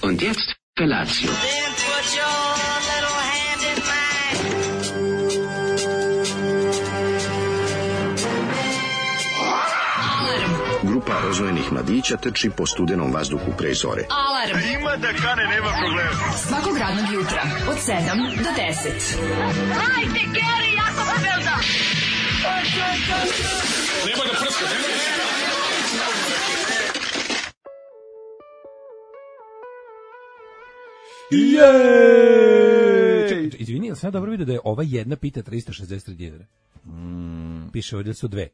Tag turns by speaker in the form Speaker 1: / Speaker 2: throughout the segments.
Speaker 1: Und jetzt Felatio.
Speaker 2: Then put your little hand in mine.
Speaker 3: Grupa rozvojenih mladića trči po studenom vazduhu pre zore.
Speaker 4: Alarm.
Speaker 5: Ima da kane, nema problema.
Speaker 4: Svakog radnog jutra od 7 do 10.
Speaker 2: Hajde, Geri, jako se velda.
Speaker 5: Nema da prska, nema da prska.
Speaker 6: Izvini, ali sam ja dobro vidio da je ova jedna pita 363 dinara. Piše ovdje su dve.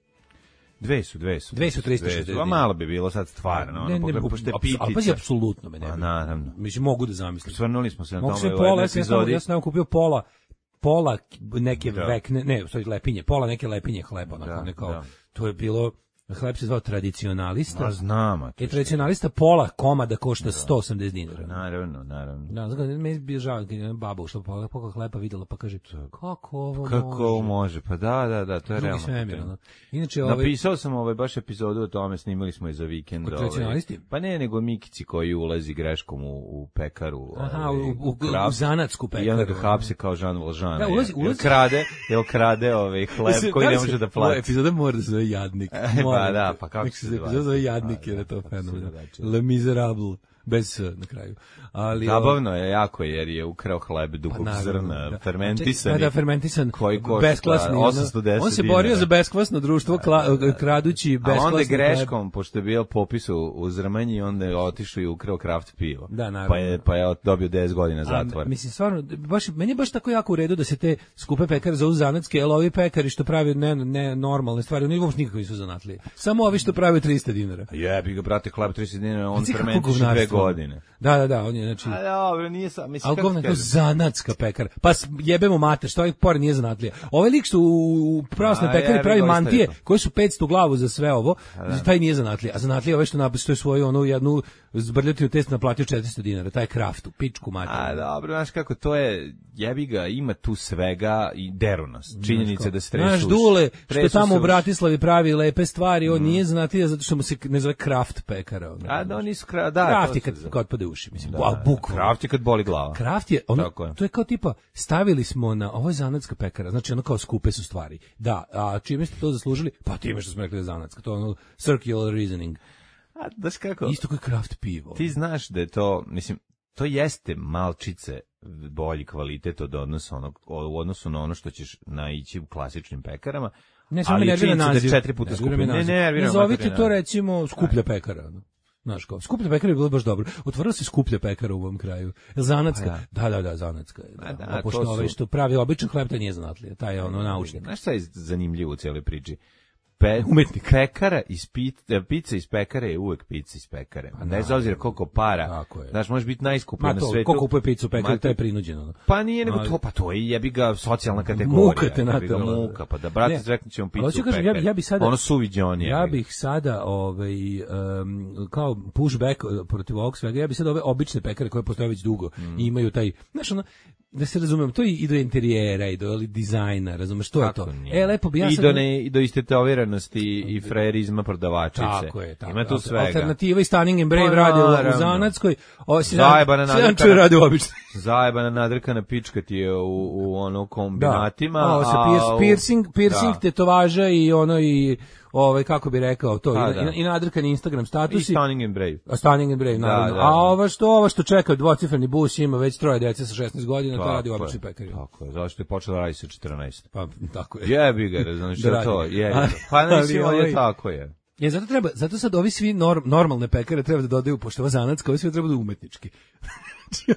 Speaker 7: Dve su
Speaker 6: 360 dinara.
Speaker 7: Malo bi bilo sad stvarno.
Speaker 6: Ali pazi, apsolutno me ne bi.
Speaker 7: Naravno.
Speaker 6: Mislim, mogu da zamislim.
Speaker 7: Svrnuli smo se na
Speaker 6: Mogu
Speaker 7: tome
Speaker 6: sve
Speaker 7: u
Speaker 6: pola,
Speaker 7: jednoj
Speaker 6: ja sam
Speaker 7: epizodi.
Speaker 6: kupio pola neke vekne, ne, sorry, lepinje, pola neke lepinje hleba, onako, nekao, to je bilo, hleb se zvao tradicionalista.
Speaker 7: A znam.
Speaker 6: Tradicionalista pola komada košta 180 dinara.
Speaker 7: Naravno.
Speaker 6: Da, znači, meni je bio žao, baba ušla pola hleba videla, pa kaže, kako ovo
Speaker 7: može? Pa da, to je realno.
Speaker 6: Svemir, inače,
Speaker 7: napisao sam baš epizodu o tome, snimali smo je za vikend.
Speaker 6: Tradicionalisti?
Speaker 7: Pa ne, nego Mikici koji ulazi greškom u pekaru.
Speaker 6: Aha, u zanatsku pekaru.
Speaker 7: I onda ga hapse kao Jean Valjean.
Speaker 6: Da, ulazi.
Speaker 7: Jel krade hleb koji ne može da plati.
Speaker 6: Epizoda mora da se zove Jadnik.
Speaker 7: Pa da, pa kako se
Speaker 6: epizoda zove Jadnik, jer je to fenomenalno. Le Miserable. Bez na kraju. Ali
Speaker 7: zabavno je jako jer je ukrao hleb dugog zrna, fermentisan.
Speaker 6: Da, fermentisan,
Speaker 7: koji košta
Speaker 6: beskvasni,
Speaker 7: 810.
Speaker 6: On se borio za beskvasno društvo kradući beskvasno.
Speaker 7: A onda je greškom, pošto je bio popis u Zrmanji, onda je otišao i ukrao kraft pivo.
Speaker 6: Da, naravno.
Speaker 7: Pa je dobio 10 godina zatvora.
Speaker 6: Mislim, stvarno, meni je baš tako jako u redu da se te skupe pekare zovu zanatske, jer ovi pekari što pravi ne normalne stvari, oni uopšte nikako nisu zanatlije. Samo ovi što pravi 300 dinara.
Speaker 7: Jebi ga, brate, hleb 300 dinara, on fermentiše 2 godine.
Speaker 6: Da, on je, znači...
Speaker 7: A dobro, nije sam, mislim,
Speaker 6: kako kažem. Zanatska pekara. Pa jebemo mater, što ovaj pored nije zanatlija. Ovaj lik što u pravoslavnoj pekari pravi mantije, koji su 500 glavu za sve ovo, taj nije zanatlija. A zanatlija ovaj što je svoju onu jednu zbrljotinu test naplatio 400 dinara, taj kraft u pičku mater.
Speaker 7: A dobro, znaš kako, to je, jebi ga, ima tu svega i deru nas. Činjenica da stresuš.
Speaker 6: Znaš, Dule, što tamo u Bratislavi pravi lepe stvari, on nije zanatlija zato što mu se ne zove kraft pekara.
Speaker 7: A da, nisu
Speaker 6: kraft je kad otpade uši, mislim.
Speaker 7: Kraft je kad boli glava.
Speaker 6: Kraft je, to je kao tipa, stavili smo na, ovo je zanatska pekara, znači ono kao skupe su stvari. Da, a čime ste to zaslužili? Pa time što smo rekli da je zanatska, to je ono circular reasoning.
Speaker 7: A daš kako?
Speaker 6: Isto kao kraft pivo.
Speaker 7: Ti znaš da je to, mislim, to jeste malčice bolji kvalitet u odnosu na ono što ćeš naići u klasičnim pekarama.
Speaker 6: Ne, samo nervira naziv.
Speaker 7: Da 4 puta skuplje.
Speaker 6: Ne zovite to recimo skuplja pekara. Znaš kao, skuplja pekara je bilo baš dobro. Otvorila se skuplja pekara u ovom kraju. Zanatska? Da, zanatska. Pošto ovaj što pravi običan hleb, to nije zanatlija. Taj je ono naučnik.
Speaker 7: Znaš šta je zanimljivo u cijeloj priči?
Speaker 6: Umetnik.
Speaker 7: Pekara pizza iz pekare je uvek pizza iz pekare. Bez obzira koliko para. Znaš, može biti najskuplja na svetu.
Speaker 6: Ko kupuje pizzu u pekari, to je prinuđeno.
Speaker 7: Pa nije nego to, pa to je jebi ga socijalna kategorija.
Speaker 6: Muka te na to.
Speaker 7: Muka, pa da brate rekli ćemo pizzu u pekari.
Speaker 6: Ja bih sada
Speaker 7: ono suviđoni.
Speaker 6: Ja bih sada kao pushback protiv ovog svega. Ja bih sada ove obične pekare koje postoje već dugo i imaju taj, znaš, ono, da se razumem, to i do interijera i do dizajna, razumeš, što je to? Lepo bi ja sad...
Speaker 7: I do istetoviranosti i frerizma prodavačice.
Speaker 6: Tako je.
Speaker 7: Ima tu svega.
Speaker 6: Alternativa i Stunning and Brave radi u Zanatskoj.
Speaker 7: Zajebana nadrkana pička ti je u ono kombinatima.
Speaker 6: Piercing, tetovaža i ono i... kako bi rekao to, i nadrkani Instagram statusi.
Speaker 7: I Stunning and Brave.
Speaker 6: Stunning and Brave, naravno. A ovo što čeka, dvocifreni bus, ima već 3 dece sa 16 godina, to radi u običnoj pekari.
Speaker 7: Tako je, zašto je počela raditi sa 14?
Speaker 6: Pa, tako je.
Speaker 7: Jebi ga, znaš što to, pa nisi ovdje tako je.
Speaker 6: Zato sad ovi svi normalne pekare treba da dodaju, pošto ova zanatska, ovi svi treba da umetnički.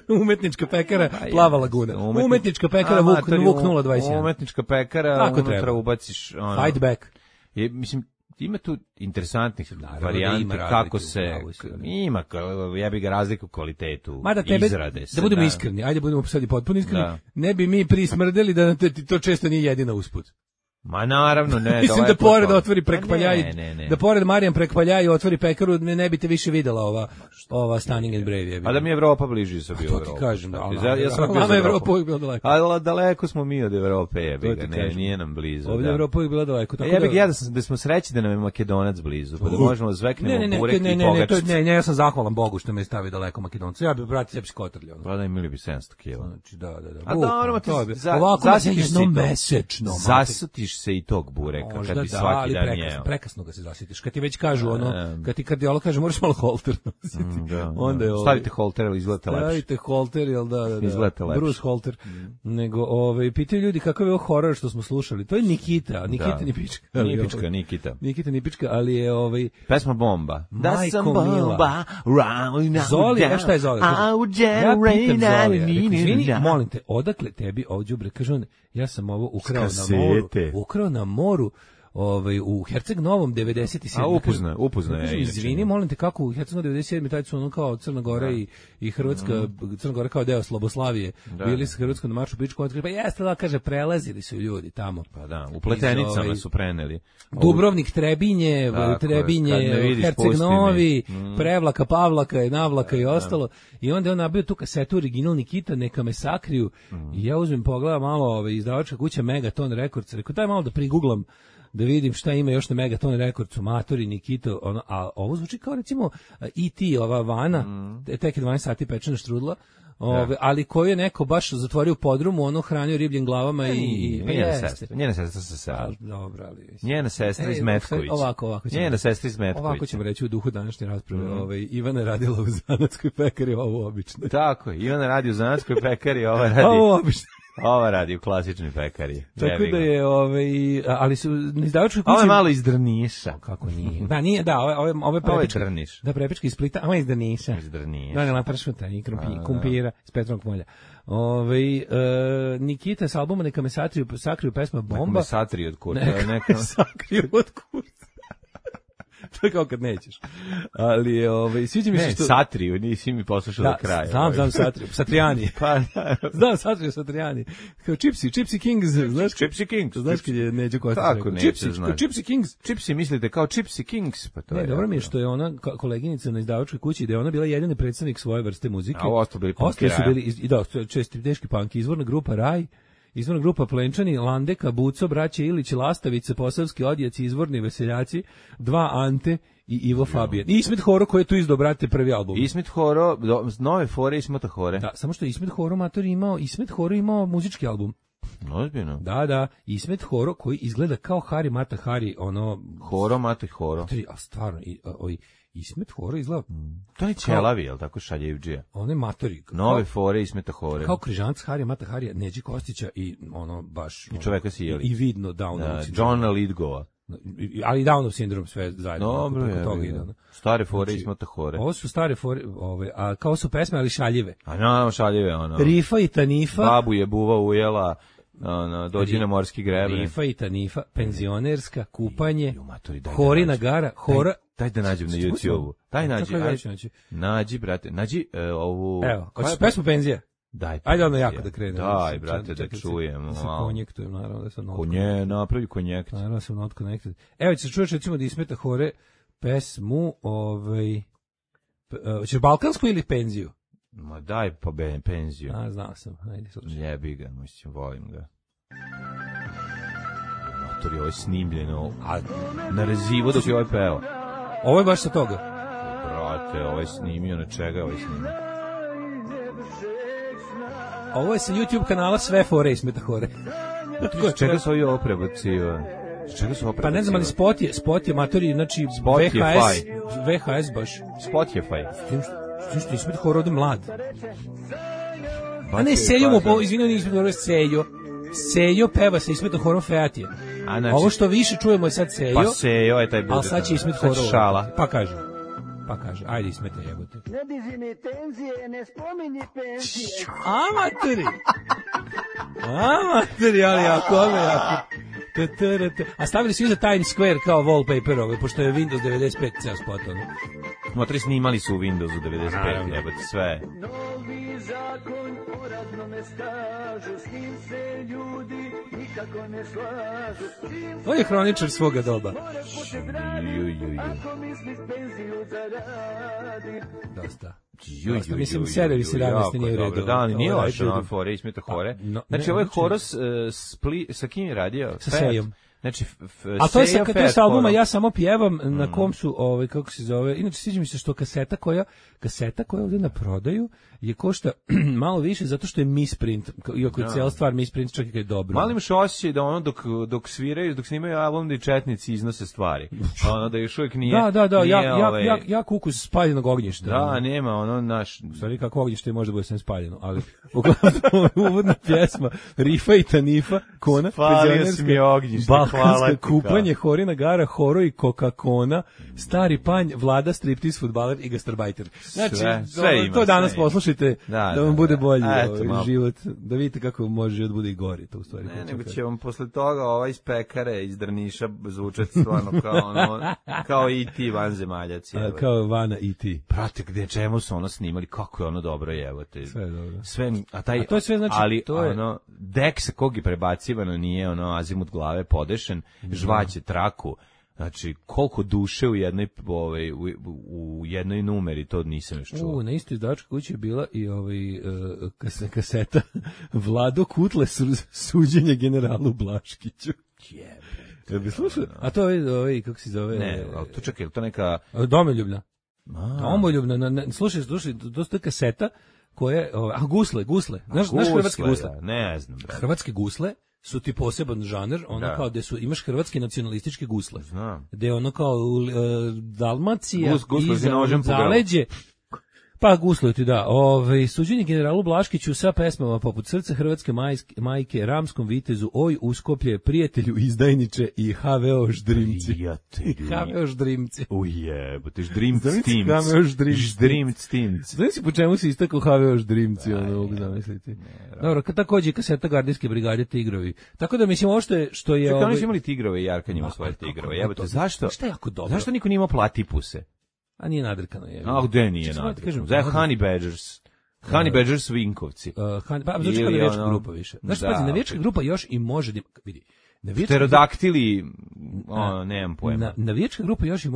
Speaker 6: Umetnička pekara Plava Laguna. Umetnička pekara Vuk 021.
Speaker 7: Umetnička pekara, unutra ubaciš...
Speaker 6: Fight back.
Speaker 7: Mislim, ima tu interesantnih varijanti kako se... Ima, ja bih ga razliku kvalitetu izrade.
Speaker 6: Da budemo iskreni, ajde budemo sad i potpuno iskreni, ne bi mi prismrdeli da to često nije jedina usput.
Speaker 7: Ma naravno, ne.
Speaker 6: Mislim da pored otvori prek
Speaker 7: Pa
Speaker 6: Paljaj,
Speaker 7: ne.
Speaker 6: da pored Marijan prek Paljaj otvori pekaru, ne bi te više videla ova Stunning and Brave.
Speaker 7: A da mi je Evropa bliži su bio
Speaker 6: Evropa. To ti kažem, da.
Speaker 7: Ja sam bio
Speaker 6: za Evropu uvijek bila daleko.
Speaker 7: Ali daleko smo mi od Evrope, jebiga, nije nam blizu.
Speaker 6: Ovdje Evropa uvijek bila daleko.
Speaker 7: Ja da smo srećni da nam je Makedonac blizu, pa da možemo zveknemo burek i pogačicu.
Speaker 6: Ne, ja sam zahvalan Bogu što me stavi daleko Makedoncu. Ja bih brati sebi skotrljao.
Speaker 7: Pa da imali bi 700 kila.
Speaker 6: Znači, da.
Speaker 7: A dobro,
Speaker 6: ovako jednom mesečno.
Speaker 7: Zasutiš se i tog bureka kad bi svaki dan jeo.
Speaker 6: Prekasno ga se zasitiš. Kad ti već kažu kad ti kardiolog kaže moraš malo holter nositi. Onda je
Speaker 7: stavite holter ili izgleda lepše.
Speaker 6: Stavite holter, jel da.
Speaker 7: Izgleda lepše.
Speaker 6: Bruce Holter. Nego pitaju ljudi kakav je ovo horor što smo slušali. To je Nikita Nipička. Nikita Nipička, ali je
Speaker 7: pesma Bomba.
Speaker 6: Da sam bomba. Zoli, šta je Zoli? Ja pitam Zoli. Izvini, molim te, odakle tebi ovdje kaže on, ja sam ovo ukrao na moru u Herceg Novom 97.
Speaker 7: A upuzna je.
Speaker 6: Izvini, molim te, kako u Herceg Novom 97. taj su ono kao Crna Gora i Hrvatska, Crna Gora kao deo Sloboslavije, bili su Hrvatskom na maršu pičku, pa jeste da kaže, prelazili su ljudi tamo.
Speaker 7: Pa da, u Pletenicama su preneli.
Speaker 6: Dubrovnik, Trebinje, Herceg Novi, Prevlaka, Pavlaka, Navlaka i ostalo. I onda je on nabio tu kasetu original Nikita, neka me sakriju. I ja uzmem pogledam malo izdavačka kuća Megaton Records, rekao daj malo da priguglam da vidim šta ima još na Megaton Recordsu, Matori, Nikito, a ovo zvuči kao recimo E.T., ova Vana, tek je 12 sati pečena štrudla, ali koju je neko baš zatvorio u podrumu, ono hranio ribljim glavama
Speaker 7: Njena sestra se sela.
Speaker 6: Dobro, ali...
Speaker 7: Njena sestra iz Metkovića. Njena sestra iz Metkovića.
Speaker 6: Ovako ćemo reći u duhu današnje rasprave. Ivana je radila u zanatskoj pekari, ovo obično.
Speaker 7: Tako je, Ivana radi u zanatskoj pekari, ova radi...
Speaker 6: Ovo obično.
Speaker 7: Ova radi u klasičnoj pekari.
Speaker 6: Tako da je, ali su izdavačke kuće...
Speaker 7: Ovo je malo iz Drniša.
Speaker 6: Kako nije? Da, nije, da, ovo je prepička.
Speaker 7: Ovo je Drniš.
Speaker 6: Da, prepička iz Splita, ovo je iz Drniša.
Speaker 7: Iz Drniša.
Speaker 6: Da, pršuta i kumpira s Petrovog polja. Nikita s albuma Neka me sakriju pesma Bomba.
Speaker 7: Neka me sakriju od kurca.
Speaker 6: Neka me sakriju od kurca. To je kao kad nećeš. Ali je, sviđa mi se što...
Speaker 7: Ne, Satriju, nisi mi poslušao do kraja.
Speaker 6: Znam Satriju, Satrijani.
Speaker 7: Pa, da.
Speaker 6: Znam Satriju, Satrijani. Kao Gypsy Kings, znaš?
Speaker 7: Gypsy Kings.
Speaker 6: Znaš kad je Neđo Kostić
Speaker 7: rekao?
Speaker 6: Gypsy Kings.
Speaker 7: Gypsy mislite kao Gypsy Kings? Pa to
Speaker 6: ne,
Speaker 7: je
Speaker 6: dobro mi je što je ona koleginica na izdavačkoj kući, da je ona bila jedini predstavnik svoje vrste muzike.
Speaker 7: A ostali bili punkiraja.
Speaker 6: Ostali su bili, da, česti teški punk, izvorna grupa Raj, izvorna grupa Plenčani, Landeka, Buco, braće Ilić, Lastavice, Posavski odjaci, izvorni veseljaci, dva Ante i Ivo Fabijan. I Ismet Horo koji je tu izdao, brate, prvi album.
Speaker 7: Ismet Horo, nove fore Ismeta Hore.
Speaker 6: Da, samo što je Ismet Horo mator imao muzički album.
Speaker 7: Ozbiljno.
Speaker 6: Da, Ismet Horo koji izgleda kao Hari Mata Hari, ono...
Speaker 7: Horo Mata Horo.
Speaker 6: A stvarno, Ismet Horo izgleda...
Speaker 7: To je ćelavi, jel tako šaljivđija?
Speaker 6: On je matori.
Speaker 7: Nove fore Ismeta Hore.
Speaker 6: Kao križanac Hari Mata Harija, Neđi Kostića i ono baš...
Speaker 7: I čoveka si jeli.
Speaker 6: I vidno Downov
Speaker 7: sindrom. Johna Lidgova.
Speaker 6: Ali Downov sindrom sve zajedno.
Speaker 7: Dobro je. Stare fore Ismeta Hore.
Speaker 6: Ovo su stare fore, a kao su pesme, ali šaljive.
Speaker 7: A šaljive, ono.
Speaker 6: Rifa i Tanifa.
Speaker 7: Babu je buva ujela... dođi na morski greben.
Speaker 6: Rifa i Tanifa, penzionerska, kupanje, Horina gara, Hora...
Speaker 7: Daj da nađem na YouTube-u. Daj nađi, brate, nađi ovu...
Speaker 6: Evo, hoćeš pesmu Penzija?
Speaker 7: Daj.
Speaker 6: Ajde ono jako da krene.
Speaker 7: Daj, brate, da čujem.
Speaker 6: Da se konjektujem, naravno da sam not.
Speaker 7: Napravi konjekt.
Speaker 6: Naravno da sam not connected. Evo, ćeš čuješ recimo da Ismeta Hore pesmu, ćeš balkansku ili penziju?
Speaker 7: Ma daj pa penziju.
Speaker 6: A, znao sam. Ajde, slušaj.
Speaker 7: Jebi ga, mislim, volim ga. Matori, ovo je snimljeno, a na rezivo dok je ovaj peo.
Speaker 6: Ovo je baš sa toga.
Speaker 7: Brate, ovo je snimio, na čega je ovo snimio?
Speaker 6: Ovo je sa YouTube kanala Sve fore Ismeta Hore.
Speaker 7: Čega su ovi ovo prebaciva?
Speaker 6: Pa ne znam, ali spot je matori, znači VHS baš.
Speaker 7: Spotify.
Speaker 6: Što Ismet Horo ovdje mlad. A ne, Sejo mu, izvinio, nije Ismet Horo, Sejo peva sa Ismetom Horom Featije. Ovo što više čujemo je sad Sejo.
Speaker 7: Pa Sejo je taj bude.
Speaker 6: Ali sad će Ismet Horo.
Speaker 7: Šala.
Speaker 6: Pa kaže, ajde Ismete jebote.
Speaker 1: Ne diži mi tenzije, ne spominji penzije.
Speaker 6: Amateri, ali jako. A stavili su iza Times Square kao wallpaper, pošto je Windows 95 ceo spot.
Speaker 7: Motri snimali su u Windowsu 95, jebote, sve.
Speaker 1: postoji zakon o radnome stažu, s njim se ljudi nikako ne slažu.
Speaker 6: On je hroničar svoga doba.
Speaker 1: Ako misliš penziju zaradi.
Speaker 6: Dosta. Mislim, serevi 17 nije u redu.
Speaker 7: Da, nije loše, no, fore, ismeta hore. Znači, ovo je Horos sa kim je radio?
Speaker 6: Sa Sejom.
Speaker 7: Znači,
Speaker 6: a to je sa albuma Ja samo pjevam, na kom su, kako se zove, inače sviđa mi se što kaseta koja ovdje na prodaju je košta malo više zato što je misprint, iako je cijela stvar misprint, čak i kad je dobro.
Speaker 7: Malo imaš osjećaj da ono dok sviraju, dok snimaju album da i četnici iznose stvari. Ono da još uvijek nije...
Speaker 6: Ja ukus spaljenog ognjišta.
Speaker 7: Da, nema ono naš...
Speaker 6: U stvari kako ognjište može da bude sve spaljeno, ali uglavnom uvodna pjesma Rifa i Tanifa, Kona,
Speaker 7: spalio si mi ognjište.
Speaker 6: Balkanska kupanje, Horina gara, Horo i Coca-Cola, Stari panj, Vlada, striptiz, fudbaler i gastarbajter. Znači, sve ima, to danas poslušajte da vam bude bolji život, da vidite kako može život bude i gori. To u stvari.
Speaker 7: Ne, nego će vam posle toga iz Pekare, iz Drniša zvučati stvarno kao E.T. vanzemaljac.
Speaker 6: Kao Vana E.T.
Speaker 7: Prate, gde čemu su ono snimali, kako je ono dobro, evo te.
Speaker 6: Sve je dobro.
Speaker 7: A to je sve, znači, ali dek sa kog je prebacivano nije azimut glave podešen, žvaće traku. Znači, koliko duše u jednoj numeri, to nisam još čuo.
Speaker 6: Na istoj izdavačkoj kući je bila i kaseta Vlado Kutle suđenje generalu Blaškiću. Jel bi slušao? A to je, kako se zove?
Speaker 7: Ne, ali to čekaj, to neka...
Speaker 6: Domoljubna. Slušaj, to je kaseta koje... Gusle. Znaš hrvatske gusle?
Speaker 7: Ne znam.
Speaker 6: Hrvatske gusle su ti poseban žanr, kao gde imaš hrvatske nacionalističke gusle.
Speaker 7: Znam.
Speaker 6: Gde Dalmacija i zaleđe. Pa gusluju ti, da. Suđenje generalu Blaškiću sa pesmama poput Srce hrvatske majke, Ramskom vitezu, Oj Uskoplje, Prijatelju izdajniče i HVO Ždrimci. HVO Ždrimci.
Speaker 7: Ujebote, Ždrimci.
Speaker 6: Znaš si po čemu si istakao HVO Ždrimci, mogu zamisliti. Dobro, takođe kaseta Gardijske brigade Tigrovi. Tako da mislim, ovo što je...
Speaker 7: Čekaj, oni su imali Tigrove i Jarkan ima svoje Tigrove. Jebote, zašto?
Speaker 6: Što je jako dobro?
Speaker 7: Zašto niko nije imao Platipuse?
Speaker 6: A nije nadrkano je.
Speaker 7: A gde nije nadrkano? Za Honey Badgers. Honey Badgers Vinkovci.
Speaker 6: Znači kao navijačka grupa više. Znaš, pazi, navijačka grupa još i može da... Vidi.
Speaker 7: Pterodaktili, nemam pojma.
Speaker 6: Navijačka grupa još i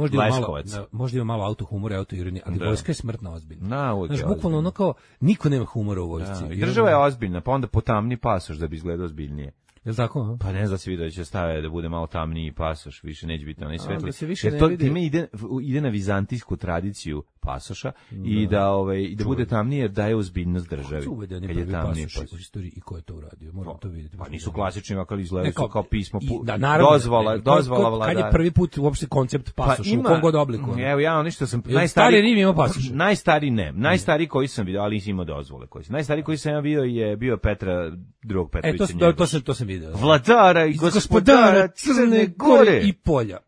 Speaker 6: možda ima malo autohumora i autoironije, ali vojska je smrtno ozbiljna. Znaš, bukvalno ono kao, niko nema humora u vojsci.
Speaker 7: I država je ozbiljna, pa onda potamni pasoš da bi izgledao ozbiljnije.
Speaker 6: Jel' tako?
Speaker 7: Pa ne znam da se vidio da će stave da bude malo tamniji pasoš, više neće biti onaj svetli.
Speaker 6: Jer to
Speaker 7: time ide na vizantijsku tradiciju pasoša i da bude tamnije jer daje ozbiljnost državi.
Speaker 6: Kako su uvedeni prvi pasoši u istoriji i ko je to uradio? Moramo to vidjeti.
Speaker 7: Pa nisu klasični, ali izgledaju su kao pismo,
Speaker 6: dozvola vladara. Kad je prvi put uopšte koncept pasoša, u kom god obliku?
Speaker 7: Evo ja ono što sam...
Speaker 6: Stari Rim ima pasoš.
Speaker 7: Najstariji koji sam vidio, ali nisam imao dozvole. Najstariji koji sam ja vidio je bio drugog Petrovića.
Speaker 6: To sam vidio.
Speaker 7: Vladara i gospodara Crne Gore
Speaker 6: i polja.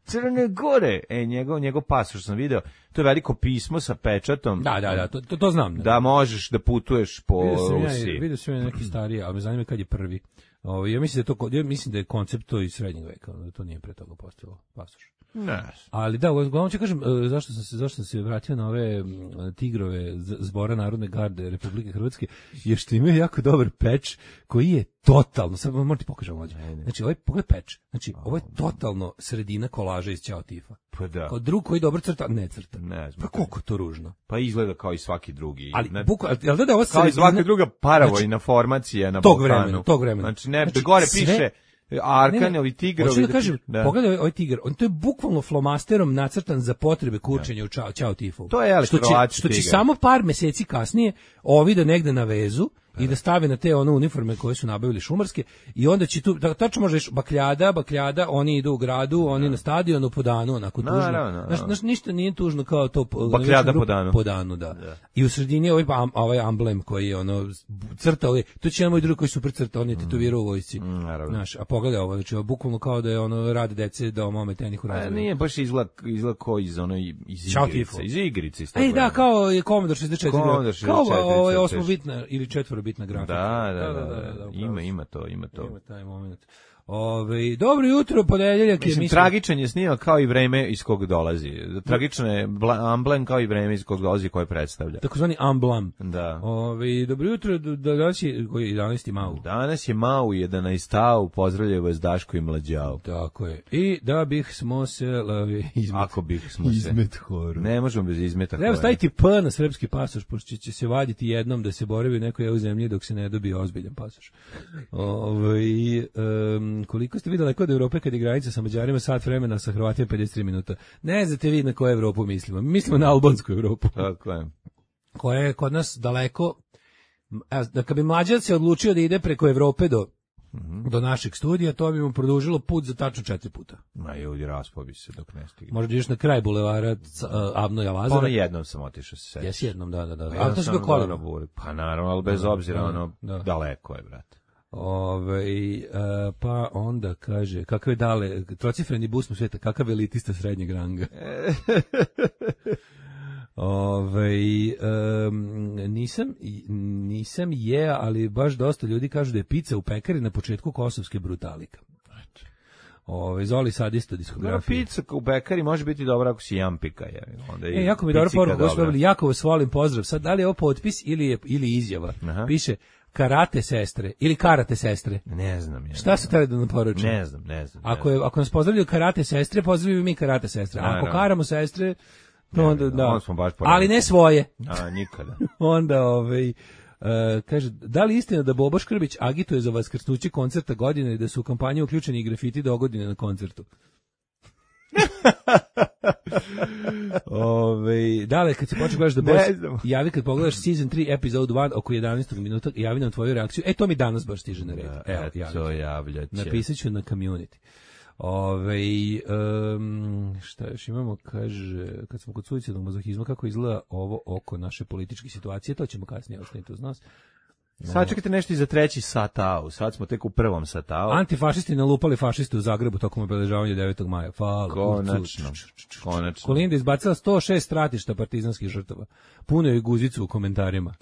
Speaker 7: Crne Gore. Njegov pasoš sam video. To je veliko pismo sa pečatom.
Speaker 6: Da, to znam.
Speaker 7: Da možeš da putuješ po Rusiji.
Speaker 6: Vidio sam ja neki stariji, ali me zanima kad je prvi. Ja mislim da je koncept to iz srednjeg veka, da to nije pre toga postojalo pasoš.
Speaker 7: Ne.
Speaker 6: Ali da, uglavnom ću kažem zašto sam se vratio na ove Tigrove Zbora Narodne garde Republike Hrvatske, jer što imaju jako dobar peč koji je totalno, sad moram ti pokažem ovdje. Znači, pogledaj peč. Znači, ovo je totalno sredina kolaža iz Ćao Tifa.
Speaker 7: Pa da.
Speaker 6: Kao drug koji dobro crta, ne crta.
Speaker 7: Ne,
Speaker 6: pa koliko to ružno.
Speaker 7: Pa izgleda kao i svaki drugi.
Speaker 6: Ali da ovo
Speaker 7: kao i svaka druga paravojna formacija na Balkanu.
Speaker 6: Tog vremena.
Speaker 7: Znači, gore piše Arkanovi tigrovi.
Speaker 6: Hoću da kažem, pogledaj ovaj tigar, to je bukvalno flomasterom nacrtan za potrebe kurčenja u Ćao Tifovu.
Speaker 7: To je
Speaker 6: što će samo par meseci kasnije ovi da negde na vezu i da stave na te uniforme koje su nabavili šumarske i onda će tu, tačno možeš bakljada, oni idu u gradu, oni na stadionu po danu, onako tužno. Znaš, ništa nije tužno kao to.
Speaker 7: Bakljada po
Speaker 6: danu, da. I u sredini ovaj amblem koji je crtao, to će jedan moj drug koji super crtao, on je tetovirao u vojsci. Znaš, a pogledaj ovo, znači bukvalno kao da je rad dece da omome tehniku razvoja.
Speaker 7: Nije, baš izgleda kao iz igrice. Iz igrice.
Speaker 6: Da, kao je Commodore 64. Kao ovo je 8-bitna ili 4-bitna grafika.
Speaker 7: Da. Ima to.
Speaker 6: Ima taj moment. Dobro jutro, ponedeljak je.
Speaker 7: Mislim, tragičan je snimao kao i vreme iz kog dolazi. Tragičan je amblem kao i vreme iz kog dolazi koje predstavlja.
Speaker 6: Takozvani amblem.
Speaker 7: Da.
Speaker 6: Dobro jutro, danas je 11. mau.
Speaker 7: Danas je mau 11. Pozdravljaju vas Daško i Mlađao.
Speaker 6: Tako je. I da bih smo se
Speaker 7: Ako bih smo se.
Speaker 6: Izmet horu.
Speaker 7: Ne možemo bez izmeta horu.
Speaker 6: Treba staviti P na srpski pasoš, pošto će se vaditi jednom da se boravi u nekoj EU zemlji dok se ne dobije ozbiljan pasoš. Koliko ste vidjeli kod Evrope kad je granica sa Mađarima, sat vremena, sa Hrvatima 53 minuta. Ne znate vi na koju Evropu mislimo. Mislimo na albansku Evropu.
Speaker 7: Tako je.
Speaker 6: Koja je kod nas daleko. Da kad bi Mađar se odlučio da ide preko Evrope do našeg studija, to bi mu produžilo put za tačno 4 puta.
Speaker 7: Ma ljudi, raspao bi se dok ne stigne.
Speaker 6: Možda ideš na kraj bulevara Avnoja Lazara.
Speaker 7: Ono jednom sam otišao se seći.
Speaker 6: Jesi jednom, da.
Speaker 7: A to se bio kolima. Pa naravno, ali bez obzira, daleko je, brate.
Speaker 6: Pa onda kaže, kakve dale, trocifreni bus mu sveta, kakav elitista srednjeg ranga. Nisam ali baš dosta ljudi kažu da je pizza u pekari na početku kosovske brutalika. Zoli sadista diskografije.
Speaker 7: Pizza u pekari može biti dobra ako si jampika.
Speaker 6: Jako mi dobro poruku, gospodin, jako vas volim, pozdrav. Sad, da li je ovo potpis ili izjava?
Speaker 7: Aha.
Speaker 6: Piše karate sestre ili karate sestre.
Speaker 7: Ne znam.
Speaker 6: Šta su htjeli da nam poruče?
Speaker 7: Ne znam.
Speaker 6: Ako nas pozdravljaju karate sestre, pozdravljaju mi karate sestre. A ako karamo sestre, onda da. Ali ne svoje.
Speaker 7: Nikada.
Speaker 6: Onda kaže, da li istina da Bobo Škrbić agituje za vaskrsnuće koncerta godine i da su u kampanju uključeni i grafiti dogodine na koncertu? Dale, kad se počne gledaš da boss javi kad pogledaš season 3 episode 1 oko 11. minuta, javi nam tvoju reakciju. To mi danas baš stiže na red.
Speaker 7: Javljaće.
Speaker 6: Napisat ću na community. Šta još imamo, kaže, kad smo kod suicidnog mazohizma, kako izgleda ovo oko naše političke situacije, to ćemo kasnije ostaviti uz nas.
Speaker 7: Sad čekajte nešto i za treći satao, sad smo tek u prvom satao.
Speaker 6: Antifašisti nalupali fašiste u Zagrebu tokom obeležavanja 9. maja.
Speaker 7: Konačno.
Speaker 6: Kolinda izbacila 106 stratišta partizanskih žrtava. Puno je guzicu u komentarima.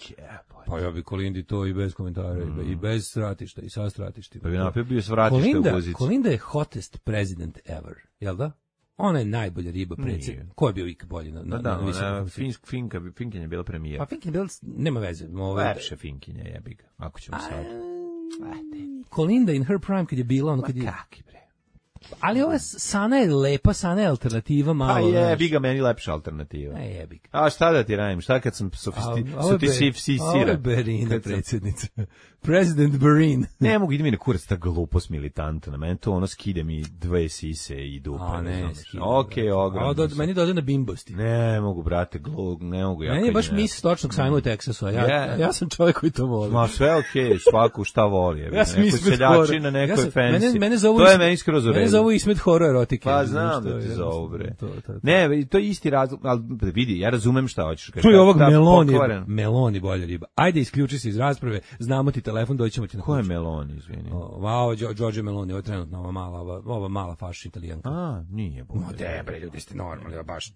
Speaker 6: Pa ja bi Kolindi to i bez komentara, i bez stratišta, i sa stratištima.
Speaker 7: Pa bi napio stratišta u guzicu.
Speaker 6: Kolinda je hottest president ever, jel da? Ona je najbolja riba predsjednik. Ko je bio ikad bolji na
Speaker 7: Finkinja je bila premijer.
Speaker 6: Pa Finkinja je bila, nema veze.
Speaker 7: Lepše Finkinja jebi ga, ako ćemo sad.
Speaker 6: Kolinda in her prime kad je bila, kad je...
Speaker 7: Kaki bre.
Speaker 6: Ali ova Sana je lepa, Sana je alternativa malo.
Speaker 7: A jebi ga, meni lepša alternativa.
Speaker 6: Jebi ga.
Speaker 7: A šta da ti radim, šta kad sam sofisticira?
Speaker 6: Ovo je Berina predsjednica. President Berin.
Speaker 7: Ne mogu, ide mi na kurac ta glupost militanta, na meni to skide mi dve sise i dupe. Okej, ogromno.
Speaker 6: Meni dode na bimbosti.
Speaker 7: Ne mogu, brate, ne mogu.
Speaker 6: Meni je baš mis stočnog sajma u Teksasu, ja sam čovjek koji to voli.
Speaker 7: Ma sve okej, svaku šta voli. Ja sam seljači na nekoj fancy. To je meni skroz u redu.
Speaker 6: Mene zovu Ismet horror erotike.
Speaker 7: Pa znam da ti zovu, bre. Ne, to je isti razlog, ali vidi, ja razumem šta hoćeš.
Speaker 6: Čuj ovog Meloni bolja riba. Ajde, isključi se iz rasprave, znamo ti telefon, doćemo ti na kuću.
Speaker 7: Ko je Meloni, izvini?
Speaker 6: Giorgio Meloni, ovo je trenutno ova mala fašišta Italijanka.
Speaker 7: Nije bolje.
Speaker 6: Bre, ljudi ste normalni, baš.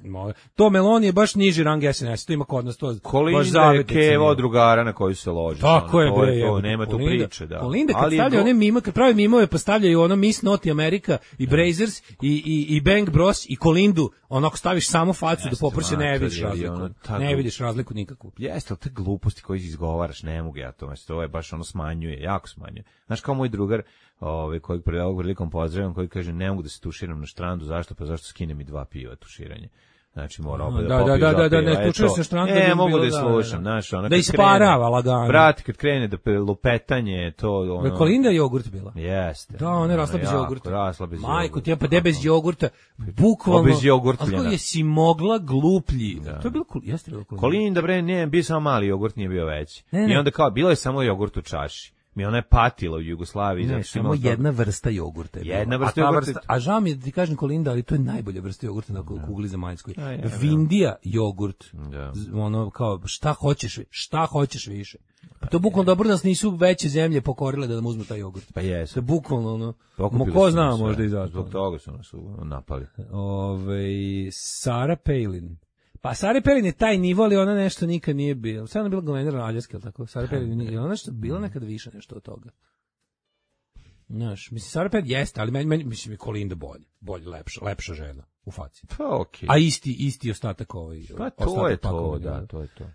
Speaker 6: To Meloni je baš niži rang SNS, to ima kod nas, to baš
Speaker 7: Kolinda je Kevo drugara na koju se loži.
Speaker 6: Tako je, bre.
Speaker 7: Nema tu priče, da.
Speaker 6: Kolinda kad stavlja one mime, kad pravi mimove, pa stavljaju ono Miss Naughty America i Brazers i Bang Bros i Kolindu, onako staviš samo facu da poprše, ne vidiš razliku. Ne vidiš razliku nikakvu.
Speaker 7: Jeste, ali te gluposti koje izgovaraš, ne mogu ja to je baš smanjuje, jako smanjuje. Znaš, kao moj drugar, kojeg prilikom pozdravljam, koji kaže, ne mogu da se tuširam na štrandu, zašto? Pa zašto skinem mi 2 piva tuširanje? Znači, mora opet da popiju 2 piva.
Speaker 6: Ne, tučuješ na štrandu.
Speaker 7: Ne, mogu da je slušam, znaš,
Speaker 6: da isparava lagano.
Speaker 7: Brati, kad krene da lupetanje, to
Speaker 6: Kolinda je jogurt bila.
Speaker 7: Jeste.
Speaker 6: Da, ona je rasla bez jogurta.
Speaker 7: Rasla bez jogurta.
Speaker 6: Majko, ti pa de bez jogurta, bukvalno.
Speaker 7: Bez jogurtljena.
Speaker 6: Ako je si mogla gluplji. To je bilo jeste bilo
Speaker 7: Kolinda, bre, ne, bio samo mali jogurt, nije bio veći. I onda kao, bilo je samo jogurt u čaši. Ona je patila u Jugoslaviji.
Speaker 6: Ne, samo jedna vrsta jogurta.
Speaker 7: Jedna vrsta jogurta.
Speaker 6: A žao mi je da ti kažem Kolinda, ali to je najbolja vrsta jogurta na kugli zemaljskoj. Vindija jogurt. Ono kao, šta hoćeš više. Pa to bukvalno dobro da nas nisu veće zemlje pokorile da nam uzmu taj jogurt.
Speaker 7: Pa jesu.
Speaker 6: To je bukvalno ko zna možda i zato.
Speaker 7: Zbog toga su nas napali.
Speaker 6: Sarah Palin. Pa Sarah Palin je taj nivo, ali ona nešto nikad nije bila. Sada je bila guverner Aljaske, ali tako? Sarah Palin je ona nešto bila nekad više nešto od toga. Znaš, mislim, Sarah Palin jeste, ali meni mislim, je Kolinda bolje, lepša žena u faci.
Speaker 7: Pa okej.
Speaker 6: A isti ostatak ovaj.
Speaker 7: Pa to je to, da, to je to.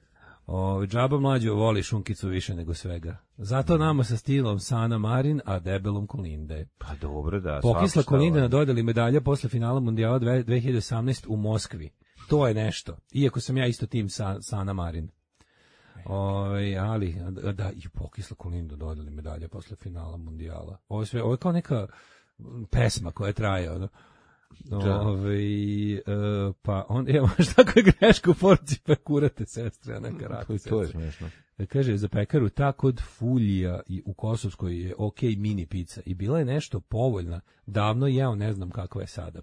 Speaker 6: Džaba mlađo voli šunkicu više nego svega. Zato nama sa stilom Sana Marin, a debelom Kolinde.
Speaker 7: Pa dobro, da.
Speaker 6: Pokisla Kolinda na dodali medalja posle finala mundijala 2018 u Moskvi. To je nešto. Iako sam ja isto tim Sana Marin. Ali da, i pokisla Kolinda dodali medalja posle finala mundijala. Ovo je kao neka pesma koja traje, ono. Pa on evo šta je greška u porci pa kurate sestre, a neka radi.
Speaker 7: To je smešno.
Speaker 6: Kaže za pekaru ta kod Fulija i u Kosovskoj je okej mini pizza i bila je nešto povoljna. Davno jeo, ne znam kakva je sada.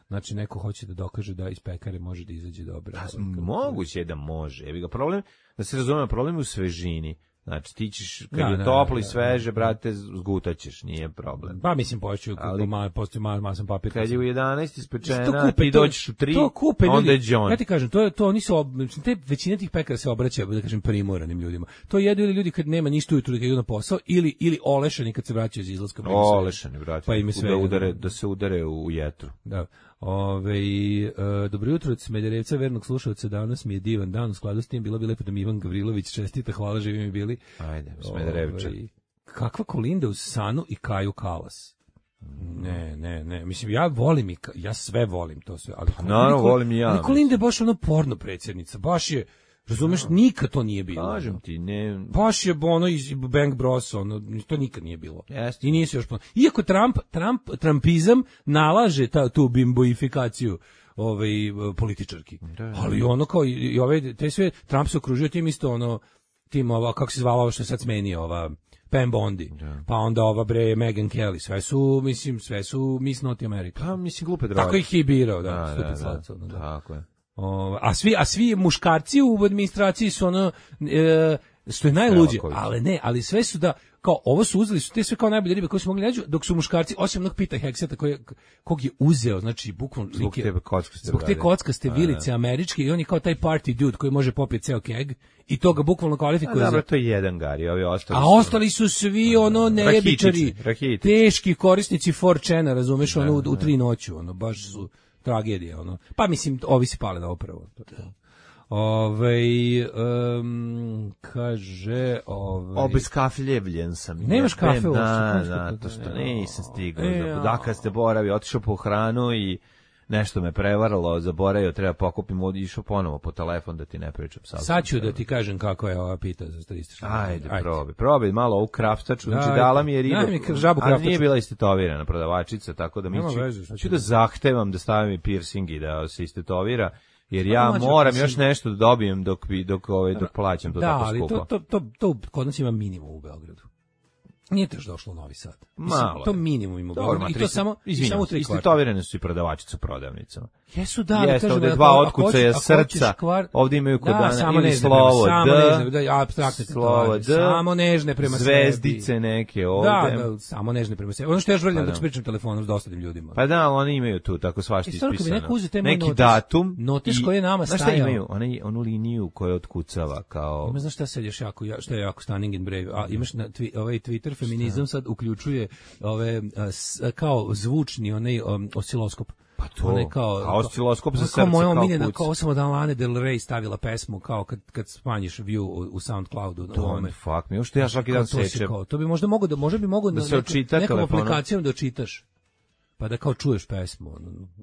Speaker 6: Znači neko hoće da dokaže da iz pekare može da izađe dobro.
Speaker 7: Moguće je da može. Evi ga problem, da se razume, problem je u svežini. Znači ti ćeš, kad je toplo i sveže, brate, zgutaćeš, nije problem.
Speaker 6: Pa mislim, poću, postoji masan papir.
Speaker 7: Kad je u 11 ispečena, ti dođeš u 3, onda je John.
Speaker 6: Ja ti kažem, to oni su, većina tih pekara se obraća, da kažem, primoranim ljudima. To jedu ili ljudi kad nema ništa ujutru da idu na posao, ili olešani kad se vraćaju iz izlaska.
Speaker 7: Olešani, brate,
Speaker 6: pa
Speaker 7: da se udare u jetru.
Speaker 6: Da. Dobro jutro od Smederevca, vernog slušalca, danas mi je divan dan, u skladu s tim bilo bi lepo da mi Ivan Gavrilović čestita, hvala, živi mi bili.
Speaker 7: Ajde, Smederevča.
Speaker 6: Kakva Kolinda uz Sanu i Kaju Kalas. Ne, mislim, ja sve volim to sve. Ali
Speaker 7: naravno, volim i ja.
Speaker 6: Ali Kolinda je baš ono porno predsjednica, baš je, razumeš, nikad to nije bilo.
Speaker 7: Kažem ti, ne.
Speaker 6: Baš je ono iz Bang Bros, ono, to nikad nije bilo.
Speaker 7: Jeste.
Speaker 6: I nije se još iako Trumpizam nalaže tu bimboifikaciju političarki. Ali ono kao i ove, te sve, Trump se okružio tim isto ono, tim kako se zvala ovo što je sad smenio, Pam Bondi, pa onda ova Meghan Kelly, sve su Miss Naughty America.
Speaker 7: Pa mislim glupe droge.
Speaker 6: Tako ih je birao,
Speaker 7: Tako je.
Speaker 6: A svi muškarci u administraciji su ono što je najluđe, ali sve su da kao ovo su uzeli, su te sve kao najbolje ribe koje su mogli naći, dok su muškarci, osim onog Pita Hegseta kog je uzeo, znači bukvalno zbog te kockaste vilice američke, i on je kao taj party dude koji može popiti ceo keg i to ga bukvalno kvalifikuje
Speaker 7: za... To je jedan Gari, ovi ostali
Speaker 6: su... A ostali su svi ono nejebičari, teški korisnici 4chana, razumeš, ono u 3 noću, ono baš su tragedija, ono. Pa mislim, ovi se pale na opravo. Kaže...
Speaker 7: Obeskafljevljen sam.
Speaker 6: Nemaš kafe uopšte?
Speaker 7: Da, to što nisam stigao. Dakle, ste boravi, otišao po hranu i nešto me prevaralo, zaboravio, treba pokupim, išao ponovo po telefon da ti ne pričam.
Speaker 6: Sad ću da ti kažem kako je ova pita za 300.
Speaker 7: Ajde, probaj malo ovu kraftaču, znači dala mi je ribu, ali nije bila istetovirana prodavačica, tako da mi ću da zahtevam da stavim i piercing i da se istetovira, jer ja moram još nešto da dobijem dok plaćam to tako skupo.
Speaker 6: Da, ali to kod nas ima minimum u Beogradu. Nije to još došlo u Novi Sad.
Speaker 7: Malo.
Speaker 6: To minimum ima. I to samo u 3 kvarta.
Speaker 7: Istetovirane su i prodavačice u prodavnicama.
Speaker 6: Jesu, da.
Speaker 7: Jeste, ovde 2 otkucaja srca, ovde imaju kod dana ili slovo D,
Speaker 6: apstraktne slovo D, samo nežne prema sebi.
Speaker 7: Zvezdice neke ovde.
Speaker 6: Da, samo nežne prema sebi. Ono što ja žvrljam dok pričam telefonom s dosadnim ljudima.
Speaker 7: Pa da, oni imaju tu tako svašta ispisano.
Speaker 6: Neki
Speaker 7: datum.
Speaker 6: Notiš koji je nama stajao.
Speaker 7: Znaš šta imaju? Onu liniju koja otkucava kao...
Speaker 6: Ima, znaš šta sad još jako, što je jako stunning and brave. A imaš ovaj Twitter feminizam sad uključuje ove kao zvučni onaj osiloskop.
Speaker 7: Pa to, kao osciloskop za srce,
Speaker 6: kao moja omiljena, kao sam od Lane Del Rey stavila pesmu, kao kad smanjiš view u SoundCloudu.
Speaker 7: Don't fuck me, što ja svaki dan sečem.
Speaker 6: To bi možda moglo
Speaker 7: da se očita
Speaker 6: nekom aplikacijom da očitaš. Pa da kao čuješ pesmu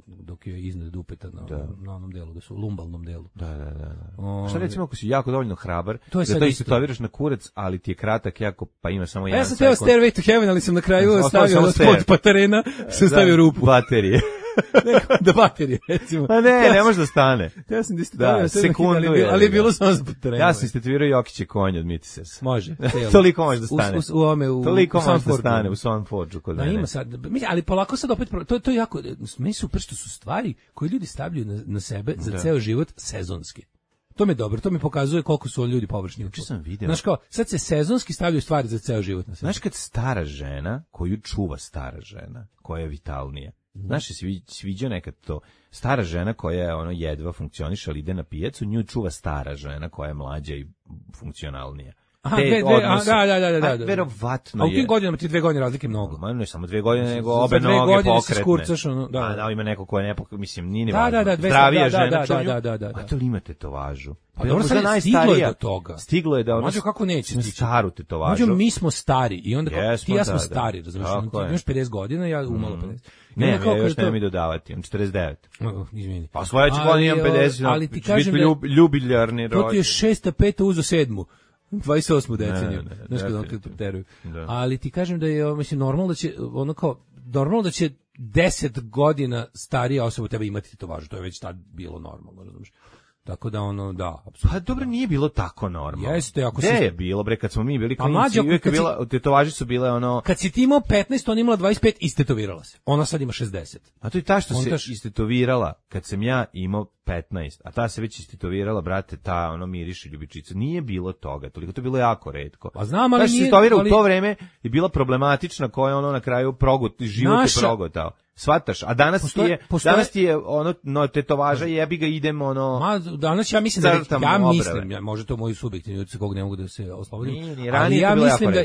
Speaker 6: dok je iznad dupeta na onom delu, da su u lumbalnom delu.
Speaker 7: Da. Šta recimo ako si jako dovoljno hrabar, da to istetoviraš na kurac, ali ti je kratak jako, pa ima samo jedan sekund.
Speaker 6: Ja sam teo Stairway to Heaven, ali sam na kraju stavio od Patarena, sam stavio rupu.
Speaker 7: Baterije.
Speaker 6: Da baterije, recimo.
Speaker 7: Pa ne može da stane.
Speaker 6: Ja sam istetovio
Speaker 7: sekundu,
Speaker 6: ali je bilo samo za Patarena.
Speaker 7: Ja sam istetovirao Jokiće konja od Mitisesa.
Speaker 6: Može.
Speaker 7: Toliko može da stane.
Speaker 6: Toliko
Speaker 7: može da stane u Soundforge kod mene.
Speaker 6: Ima sad, ali polako sad opet, to je jako, meni super što su stvari koje ljudi stavljaju na sebe za ceo život sezonski. To mi je dobro, to mi pokazuje koliko su ljudi površni.
Speaker 7: Juče sam video.
Speaker 6: Znaš kao, sad se sezonski stavljaju stvari za ceo život na sebe.
Speaker 7: Znaš kad stara žena, koju čuva stara žena, koja je vitalnija. Znaš, si vidio nekad to? Stara žena koja je jedva funkcioniše, ali ide na pijacu, nju čuva stara žena koja je mlađa i funkcionalnija.
Speaker 6: Aha, da.
Speaker 7: Verovatno
Speaker 6: a u
Speaker 7: je.
Speaker 6: tim godinama ti 2 godine razlike mnogo.
Speaker 7: Ma ne samo 2 godine, nego obe noge pokretne.
Speaker 6: Skurcaš,
Speaker 7: ima neko ko je nepokretno, mislim, nije ni
Speaker 6: važno.
Speaker 7: Zdravija žena
Speaker 6: čovjek.
Speaker 7: A to li ima tetovažu?
Speaker 6: Pa dobro, sad stiglo je do toga.
Speaker 7: Stiglo je da ono...
Speaker 6: Mađo, kako neće stići?
Speaker 7: Staru tetovažu.
Speaker 6: Mađo, mi smo stari i onda ti ja smo stari, razumiješ? Ti imaš 50 godina, ja umalo 50.
Speaker 7: Ne, ja još nemam i dodavati, imam 49.
Speaker 6: Izvini.
Speaker 7: Pa sledeće godine imam 50,
Speaker 6: ali ti kažem
Speaker 7: ljubiljarni rođen.
Speaker 6: To ti je 6. 5. uzo 7. 28. deceniju. Znaš kada kad preteruju. Ali ti kažem da je, mislim, normalno da će 10 godina starija osoba tebe imati tetovažu. To je već tad bilo normalno, razumiješ? Tako da apsolutno.
Speaker 7: Pa dobro, nije bilo tako normalno.
Speaker 6: Jeste, ako
Speaker 7: je bilo, bre, kad smo mi bili klinici, uvijek je bila, tetovaže su bile ono...
Speaker 6: Kad si ti imao 15, ona imala 25, istetovirala se. Ona sad ima 60.
Speaker 7: A to je ta što se istetovirala kad sam ja imao 15, a ta se već istetovirala, brate, ta miriše ljubičica. Nije bilo toga, toliko to je bilo jako retko.
Speaker 6: Pa znam, ali nije...
Speaker 7: u to vreme je bila problematična, koja je na kraju život je progotao. Svataš, a danas ti je tetovaža i jebi ga idem
Speaker 6: danas ja mislim može to moji subjektivni utisak kog ne mogu da se oslobodim.
Speaker 7: Ali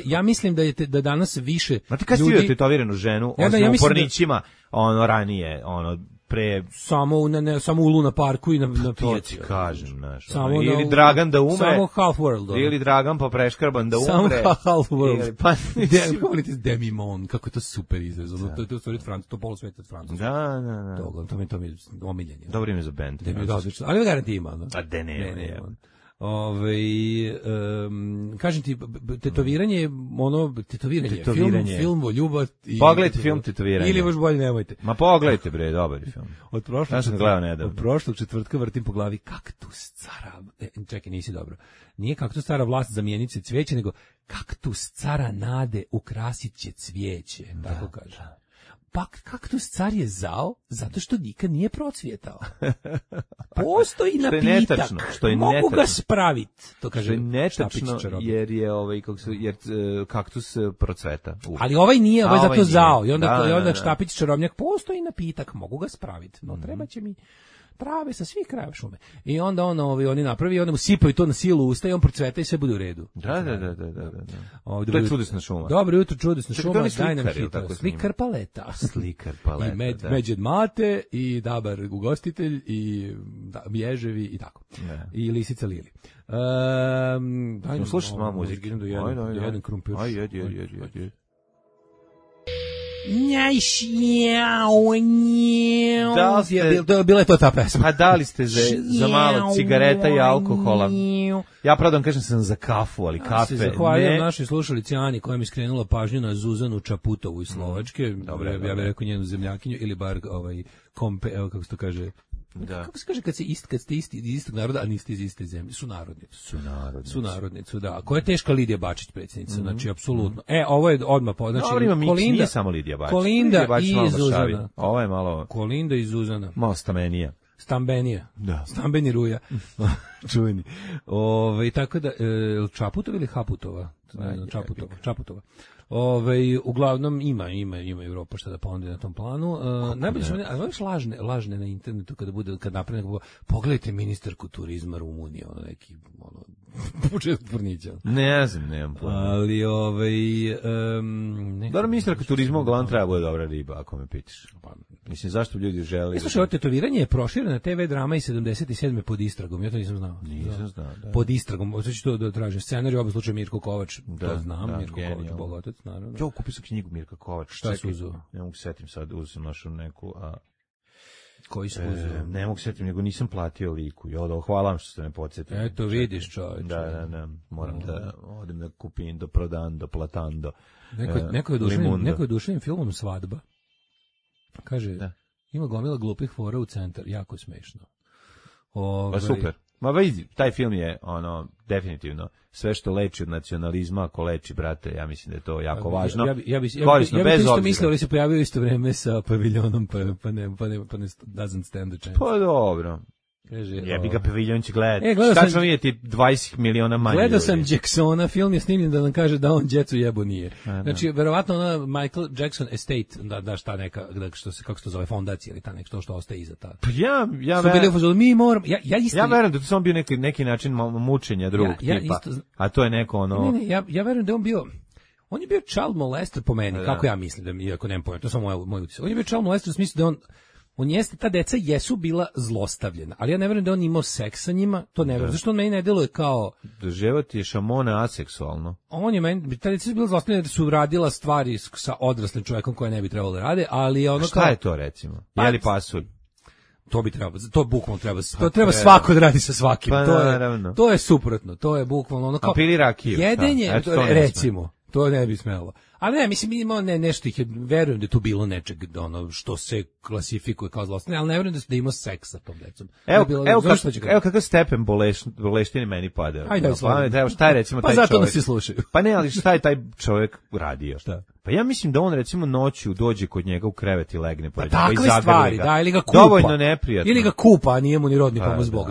Speaker 6: ja mislim da danas više ljudi...
Speaker 7: Znate kad si vidio tetoviranu ženu, u Pornićima, ranije, pre...
Speaker 6: Samo u Luna Parku i na pijaci.
Speaker 7: To ti kažem, znaš. Ili Dragan da umre.
Speaker 6: Samo Half World.
Speaker 7: Ili Dragan pa preškrban da umre.
Speaker 6: Samo Half World. Demi Mon, kako je to super izraz. To je u stvari to polusvet od Francuska.
Speaker 7: Da.
Speaker 6: To mi je omiljenje.
Speaker 7: Dobro ime za band.
Speaker 6: Ali garanti ima.
Speaker 7: A de ne.
Speaker 6: Kažem ti, tetoviranje, film o ljubav i...
Speaker 7: Pogledajte film Tetoviranje.
Speaker 6: Ili još bolje nemojte.
Speaker 7: Ma pogledajte, bre, dobar je film. Ja sam gledao nedavno.
Speaker 6: Od prošlog četvrtka vrtim po glavi kaktus cara... Čekaj, nisi dobro. Nije kaktus cara vlast zamijenit će cvijeće, nego kaktus cara nade ukrasit će cvijeće. Tako kaže. Pa kaktus car je zao zato što nikad nije procvjetao. Postoji napitak. Mogu ga spraviti. To kaže
Speaker 7: što je netačno, jer je kaktus procveta.
Speaker 6: Ali ovaj nije, ovaj zato zao. I onda Štapić čarobnjak, postoji napitak, mogu ga spraviti. No treba će mi trave sa svih krajeva šume. I onda oni napravi, onda mu sipaju to na silu usta i on procveta i sve bude u redu.
Speaker 7: Da. To je čudesna šuma.
Speaker 6: Dobro jutro, čudesna šuma, daj nam hit. Slikar paleta. I Međed Mate, i Dabar ugostitelj, i Ježevi, i tako. I Lisica Lili.
Speaker 7: Slušaj malo muzike.
Speaker 6: Jedan krumpir.
Speaker 7: Ajde.
Speaker 6: Bila je to ta pesma.
Speaker 7: A da li ste za malo cigareta i alkohola? Ja pravdam kažem sam za kafu, ali kafe ne.
Speaker 6: Zahvaljujem našoj slušalici Ani koja mi skrenula pažnju na Zuzanu Čaputovu iz Slovačke. Ja bih rekao njenu zemljakinju ili bar kompe, evo kako se to kaže. Da. Kako se kaže kad ste isti iz istog naroda, a niste iz iste zemlje? Sunarodnicu, da. Koja je teška Lidija Bačić, predsjednica, znači, apsolutno. Ovo je odmah, znači,
Speaker 7: Kolinda, nije samo Lidija Bačić.
Speaker 6: Kolinda i Zuzana.
Speaker 7: Ovo je malo...
Speaker 6: Kolinda i Zuzana.
Speaker 7: Malo stamenija.
Speaker 6: Stambenija.
Speaker 7: Da.
Speaker 6: Stambeni Ruja. Čuveni. Tako da, Čaputova ili Haputova? Čaputova. Uglavnom ima Evropa šta da ponudi na tom planu. Najbolje su lažne na internetu kad napravi neko, pogledajte ministarku turizma Rumunije, neki početak Pornića.
Speaker 7: Ne znam, nemam planu.
Speaker 6: Ali
Speaker 7: dobro, ministarka turizma uglavnom treba bude dobra riba, ako me pitaš. Mislim, zašto ljudi žele...
Speaker 6: Slušaj, ovo tetoviranje je proširena TV drama i 77. pod istragom, ja to nisam znao.
Speaker 7: Nisam znao, da.
Speaker 6: Pod istragom, sad ću to da tražim. Scenarij, u ovom slučaju Mirko Kovač, to znam, Mirko Kovač, bogotac, naravno.
Speaker 7: Ja kupio sam knjigu Mirka Kovač.
Speaker 6: Šta su uzeo?
Speaker 7: Ne mogu setim sad, uzeo sam našu neku...
Speaker 6: Koji su uzeo?
Speaker 7: Ne mogu setim, nego nisam platio liku. Hvala vam što ste me podsjetili.
Speaker 6: Eto, vidiš, čovječe.
Speaker 7: Da, moram da odem da kupim do Prodando, Platando.
Speaker 6: Neko je duševnim filmom Svadba. Kaže, ima gomila glupih fora u centar, jako smešno.
Speaker 7: Pa super. Ma vidi, taj film je definitivno sve što leči od nacionalizma, ako leči, brate, ja mislim da je to jako važno.
Speaker 6: Ja bi isto mislio, ali se pojavio isto vreme sa paviljonom, pa ne doesn't stand the chance.
Speaker 7: Pa dobro. Jebi ga, paviljon će gledati. Šta ćemo vidjeti 20 miliona manje
Speaker 6: Gledao
Speaker 7: ljudi.
Speaker 6: sam Jacksona, film je snimljen da nam kaže da on djecu jebo nije. Znači, verovatno ona Michael Jackson Estate, da šta neka, kako se to zove, fondacija ili ta nešto što ostaje iza ta.
Speaker 7: Pa ja
Speaker 6: mi moramo,
Speaker 7: ja verujem da to samo bio neki način mučenja drugog tipa, a to je neko ono...
Speaker 6: Ne, ja verujem da on je bio child molester po meni, kako ja mislim, da iako nemam pojma, to je samo moj utisak. On je bio child molester u smislu da on jeste, ta deca jesu bila zlostavljena, ali ja ne verujem da on imao seks sa njima, to ne verujem, zašto on meni ne deluje kao...
Speaker 7: Život je šamona aseksualno.
Speaker 6: On je meni, ta deca su bila zlostavljena da su radila stvari sa odraslim čovjekom koje ne bi trebalo da rade, ali ono
Speaker 7: šta je to recimo? Je li pasulj?
Speaker 6: To bi trebalo, to bukvalno treba, to treba svako da radi sa svakim, to je suprotno, to je bukvalno ono kao...
Speaker 7: A pili rakiju?
Speaker 6: Jedenje, recimo, to ne bi smelo. Ali ne, mislim, imao nešto ih je, verujem da je tu bilo nečeg, ono, što se klasifikuje kao zlostavljanje, ali ne verujem da je imao seks sa tom decom.
Speaker 7: Evo kakav stepen boleštine meni pada.
Speaker 6: Ajde,
Speaker 7: šta je recimo taj čovjek?
Speaker 6: Pa zato nas i slušaju.
Speaker 7: Pa ne, ali šta je taj čovjek radio?
Speaker 6: Šta?
Speaker 7: Pa ja mislim da on recimo noću dođe kod njega u krevet i legne pored njega i
Speaker 6: takve stvari, da, ili ga kupa.
Speaker 7: Dovoljno neprijatno.
Speaker 6: Ili ga kupa, a nije mu ni rodni pomoć Bog.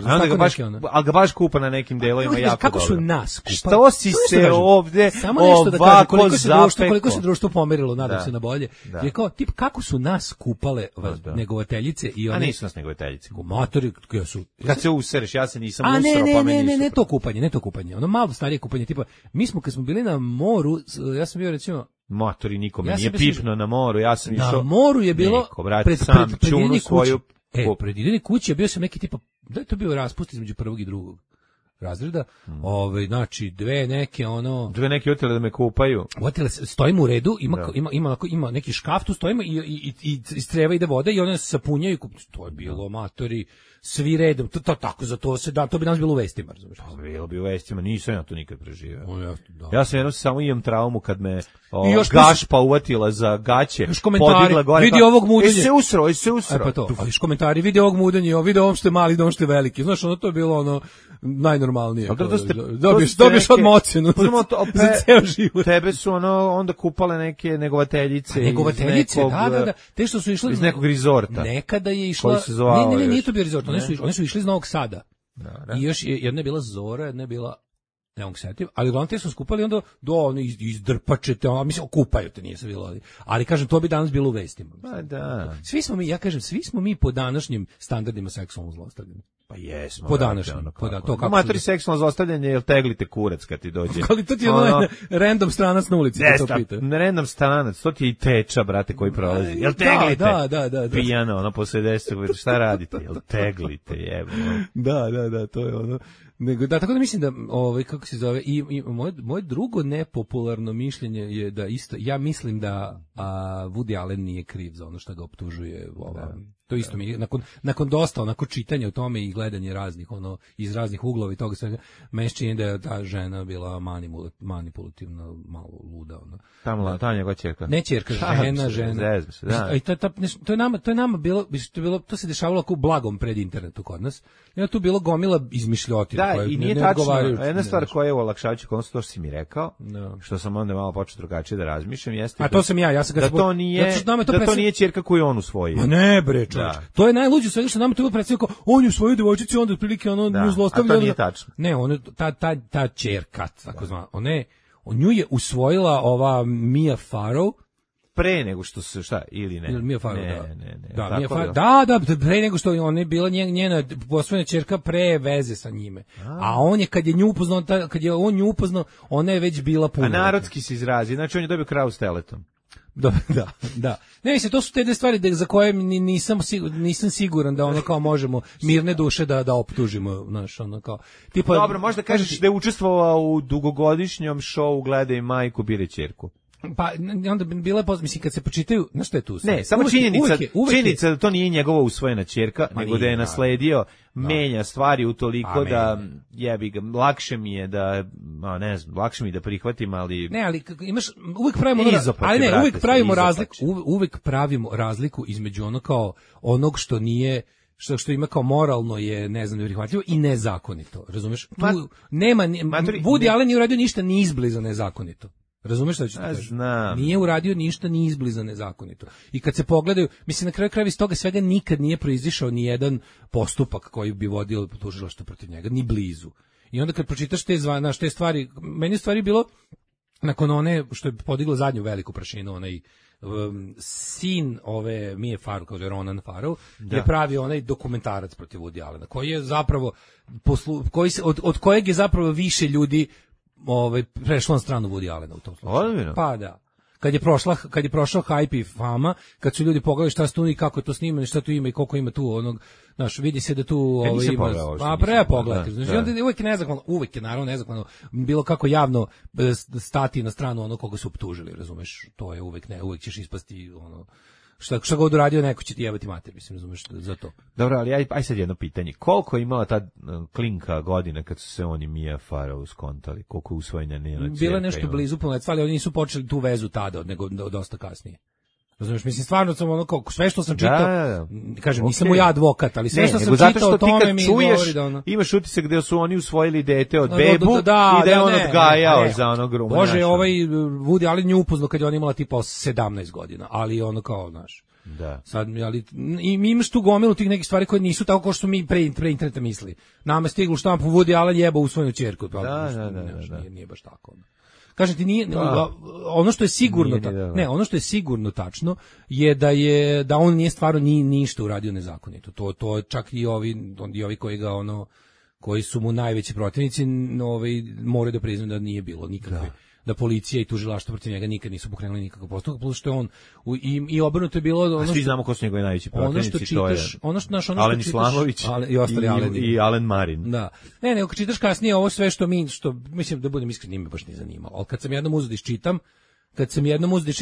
Speaker 7: Ali ga baš kupa na nekim delovima jako
Speaker 6: kako
Speaker 7: dobro.
Speaker 6: Su nas kupa?
Speaker 7: Što si se ovde ovako zapekao?
Speaker 6: Koliko se društvo pomerilo, nadam se na bolje. Je kao, tip, kako su nas kupale negovateljice i one...
Speaker 7: A nisu nas negovateljice.
Speaker 6: Matori, koje su...
Speaker 7: Kad se usereš, ja se nisam usrao, pa meni nisu.
Speaker 6: Ne to kupanje. Ono malo starije kupanje, tipa, mi smo kad smo bili na moru, ja sam bio recimo...
Speaker 7: Matori, nikome nije pipno na moru, ja sam išao...
Speaker 6: Na moru je bilo... Pred ideni kuće bio sam neki tipa... Da je to bio raspust između prvog i drugog razreda, znači dve neke
Speaker 7: otele da me kupaju.
Speaker 6: Otele, stojimo u redu, ima neki škaf, tu stojimo i iz creva ide voda i one se sapunjaju, to je bilo matori, svi redom, to tako, za to se da, to bi nas bilo u vestima, razumiješ?
Speaker 7: Pa bilo bi u vestima, nisam ja to nikad preživeo. Ja sam jednom samo imam traumu kad me gašpa uvatila za gaće, podigla gore.
Speaker 6: Vidi ovog mudenja.
Speaker 7: Se usro.
Speaker 6: Pa to, ali komentari, vidi ovog mudenja, vidi ovom što je mali, ovom što je veliki. Znaš, ono to je bilo ono najnormalnije. Dobiješ odmah ocenu za ceo život.
Speaker 7: Tebe su onda kupale neke negovateljice.
Speaker 6: Negovateljice, da. Te što su išle
Speaker 7: iz nekog rizorta.
Speaker 6: Nekada je išla... Ne, nije to bio rizort. Oni su išli iz Novog Sada. I još jedna je bila Zora, jedna je bila... Ne mogu se setiti, ali uglavnom te su skupali onda izdrpačete, mislim, okupaju te, nije se bilo, ali kažem, to bi danas bilo u vestima.
Speaker 7: Pa da.
Speaker 6: Svi smo mi po današnjim standardima seksualno zlostavljeni.
Speaker 7: Pa jesmo.
Speaker 6: Po današnjim.
Speaker 7: Matori seksualno zlostavljanje, jel teglite kurac kad ti dođe?
Speaker 6: Ali to ti je random stranac na ulici, to pita.
Speaker 7: Random stranac, to ti je i teča, brate, koji prolazi. Jel teglite? Da. Pijano, posle 10, šta radite? Jel teglite, jebo.
Speaker 6: Da, to je ono. Nego, da, tako da mislim da, kako se zove, i moje drugo nepopularno mišljenje je da isto, ja mislim da Woody Allen nije kriv za ono što ga optužuje to isto mi, nakon dosta onako čitanja o tome i gledanje raznih, iz raznih uglova i toga svega, meni čini da je ta žena bila manipulativna, malo luda,
Speaker 7: Ta njegova ćerka.
Speaker 6: Ne ćerka, žena. I to je nama bilo, to se dešavalo u blagom pred internetu kod nas. I tu bilo gomila izmišljotina.
Speaker 7: Da, i nije tačno. Jedna stvar koja je u olakšavajuću konstu, to što si mi rekao, što sam onda malo počeo drugačije da razmišljam, jeste...
Speaker 6: A to sam ja sam ga...
Speaker 7: Da to nije ćerka koju on usvojio.
Speaker 6: Ma ne bre, čovječ. To je najluđe svega što nama to bilo predstavljeno kao, on je usvojio devojčicu, onda otprilike nju zlostavlja.
Speaker 7: A to nije tačno.
Speaker 6: Ne, ta ćerka, tako zvana, nju je usvojila ova Mia Farrow,
Speaker 7: pre nego što se ili ne.
Speaker 6: Mia Farrow, da, pre nego što ona je bila njena posvojena ćerka pre veze sa njime. A on je kad je on nju upoznao, ona je već bila punoletna.
Speaker 7: A narodski se izrazi, znači on je dobio kravu s teletom.
Speaker 6: Da. Ne, mislim, to su te stvari za koje nisam siguran da kao možemo mirne duše da optužimo, znaš, kao tipa.
Speaker 7: Dobro, možda kažeš da je učestvovao u dugogodišnjom šovu Gledaj majku, bire ćerku.
Speaker 6: Pa onda bila mislim kad se počitaju, znaš šta je tu?
Speaker 7: Ne, samo činjenica da to nije njegova usvojena ćerka, nego da je nasledio, menja stvari utoliko da jebi ga, lakše mi je da, ne znam, lakše mi da prihvatim, ali
Speaker 6: ne, ali imaš uvek pravimo razliku između kao onog što nije što ima kao moralno je, ne znam, neprihvatljivo i nezakonito, razumeš? Tu nema Woody Allen nije uradio ništa ni izbliza nezakonito. Razumeš šta ću ti kažem?
Speaker 7: Znam.
Speaker 6: Nije uradio ništa ni izbliza nezakonito. I kad se pogledaju, mislim na kraju krajeva iz toga svega nikad nije proizišao ni jedan postupak koji bi vodio tužilaštvo protiv njega, ni blizu. I onda kad pročitaš te stvari, meni je stvari bilo nakon one što je podiglo zadnju veliku prašinu, onaj sin ove Mije Farrow, kao je Ronan Farrow, je pravio onaj dokumentarac protiv Woody Allena, koji je zapravo od kojeg je zapravo više ljudi prešlo na stranu Woody Allena u tom slučaju. Pa da. Kad je prošao hype i fama, kad su ljudi pogledali šta se tu i kako je to snimano i šta tu ima i koliko ima tu onog, znaš, vidi se da tu ima. A pogledajte. Znači onda uvek je naravno nezakvalno bilo kako javno stati na stranu onog koga su optužili, razumeš? To je uvek ćeš ispasti ono šta god uradio, neko će ti jebati mater, mislim, razumeš, za to.
Speaker 7: Dobro, ali aj sad jedno pitanje. Koliko je imala ta klinka godina kad su se oni Mia Farrow skontali? Koliko je usvojena njena ćerka?
Speaker 6: Bilo je nešto blizu punoletstva, ali oni nisu počeli tu vezu tada, nego dosta kasnije. Razumeš, mislim, stvarno sam ono kao, sve što sam čitao, kažem, nisam mu ja advokat, ali sve što sam čitao o tome mi govori da ono...
Speaker 7: Imaš utisak gde su oni usvojili dete od bebu i da je on odgajao za ono grumu.
Speaker 6: Bože, Woody Allen nju upoznao kad je on imala tipa 17 godina, ali ono kao, znaš, sad, ali imaš tu gomilu tih nekih stvari koje nisu tako kao što mi pre interneta misli. Nama je stiglo štampu Woody Allen jeba usvojenu ćerku, nije baš tako. Kažem ti, nije ono što je sigurno ono što je sigurno tačno je da on nije stvarno ništa uradio nezakonito. To čak i ovi koji su mu najveći protivnici, moraju da priznaju da nije bilo nikakve. Da policija i tužilaštvo protiv njega nikad nisu pokrenuli nikakav postupak, plus što je on i obrnuto je bilo ono
Speaker 7: svi znamo ko su njegovi najveći protivnici, to je
Speaker 6: Alen
Speaker 7: Islamović i ostali i Alen Marin.
Speaker 6: Da. Ne, kad čitaš kasnije ovo sve što mislim da budem iskren, me baš nije zanimalo. Al kad sam jednom uzeo da iščitam,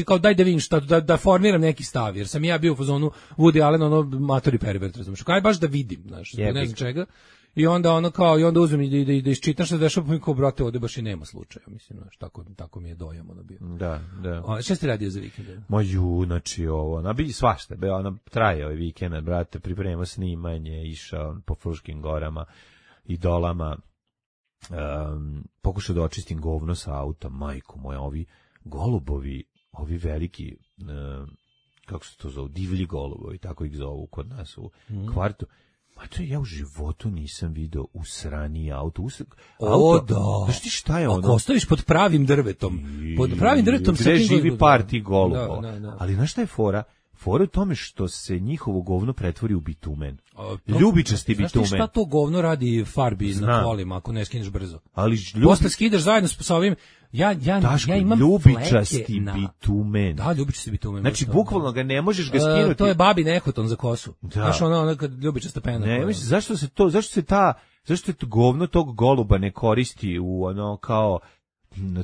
Speaker 6: kao daj da vidim šta, da formiram neki stav, jer sam ja bio u fazonu Woody Allen, ono matori pervert, razumiješ, kaj baš da vidim, znaš, ne znam čega. I onda onda uzmem i da iščitam što se dešava, pa mi kao, brate, ovde baš i nema slučaja, mislim, znaš, tako mi je dojam ono bio.
Speaker 7: Da.
Speaker 6: Šta ste radio za vikend?
Speaker 7: Znači bi svašta, traje ovaj vikend, brate, pripremao snimanje, išao po Fruškim gorama i dolama, pokušao da očistim govno sa auta, majko moja, ovi golubovi, ovi veliki, kako se to zove, divlji golubovi, tako ih zovu kod nas u kvartu. Ma to ja u životu nisam video usrani auto. Znaš ti šta je ono?
Speaker 6: Ako ostaviš pod pravim drvetom.
Speaker 7: Gde živi par tih golubova. Ali znaš šta je fora? Fora u tome što se njihovo govno pretvori u bitumen. Ljubičasti bitumen.
Speaker 6: Znaš ti šta to govno radi farbi na kolima ako ne skineš brzo?
Speaker 7: Ali
Speaker 6: posle skidaš zajedno sa ovim... Ja imam
Speaker 7: ljubičasti bitumen.
Speaker 6: Da, ljubičasti bitumen.
Speaker 7: Znači, bukvalno ga ne možeš ga skinuti.
Speaker 6: To je babi nehoton za kosu. Znaš, ono kad ljubičasta pena.
Speaker 7: Ne, mislim, zašto se to govno tog goluba ne koristi u ono kao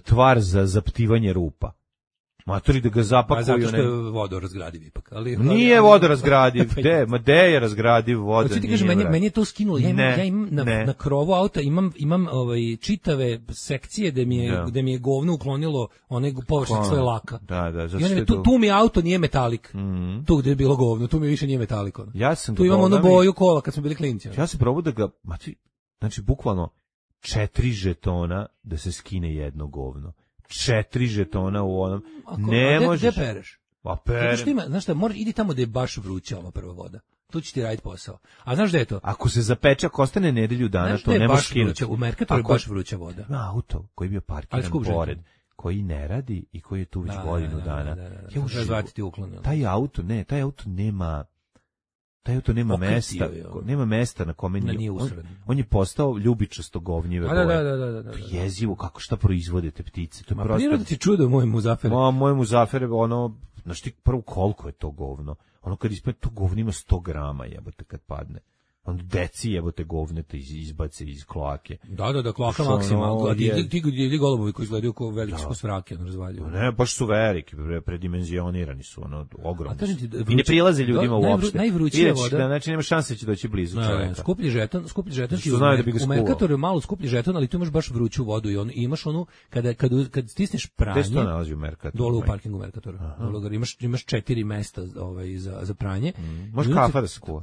Speaker 7: tvar za zaptivanje rupa? Matori da ga zapakuju.
Speaker 6: Zato što je vodorazgradiv ipak.
Speaker 7: Nije vodorazgradiv. Gde je razgradiv voda?
Speaker 6: Hoću ti kažem, meni je to skinulo. Ja imam na krovu auta imam čitave sekcije gde mi je govno uklonilo onaj površinu svoje laka.
Speaker 7: Da.
Speaker 6: I tu mi auto nije metalik. Tu gde je bilo govno, tu mi više nije metalik. Tu imam onu boju kola kad smo bili klinci.
Speaker 7: Ja sam probao da ga, znači bukvalno 4 žetona da se skine jedno govno. 4 žetona u onom. Ne možeš.
Speaker 6: Gde pereš?
Speaker 7: Pa perem.
Speaker 6: Znaš šta, idi tamo gde je baš vruća ova prva voda. Tu će ti raditi posao. A znaš gde je to?
Speaker 7: Ako se zapeče, ako ostane nedelju dana, to ne možeš skinuti.
Speaker 6: U Merkatoru je baš vruća voda.
Speaker 7: Ima auto koji je bio parkiran pored, koji ne radi i koji je tu već godinu dana.
Speaker 6: Ja už razvatiti uklon.
Speaker 7: Taj auto nema mesta, nema mesta na kome on je postao ljubičasto govnjive boje.
Speaker 6: Da.
Speaker 7: Jezivo kako šta proizvode te ptice. To je prosto.
Speaker 6: Priroda ti čudo, moj Muzafere.
Speaker 7: Moj Muzafere, znaš ti prvo koliko je to govno. Ono kad ispred to govno ima 100 grama, jebote, kad padne. Onda deci jebote govnete izbace iz kloake.
Speaker 6: Da, kloaka maksimalno. Ti golubovi koji izgledaju kao veliki svrake, razvaljuju.
Speaker 7: Ne, baš su veliki, predimenzionirani su, ogromni. I ne prilaze ljudima uopšte.
Speaker 6: Najvrućija voda.
Speaker 7: Znači nema šanse će doći blizu čoveka.
Speaker 6: Skuplji žeton u Merkatoru je malo skuplji žeton, ali tu imaš baš vruću vodu i imaš onu kad stisneš pranje.
Speaker 7: Gde se to nalazi u Merkatoru?
Speaker 6: Dole u parkingu Merkatoru. Imaš 4 mesta za pranje.
Speaker 7: Može kafa da se kuva.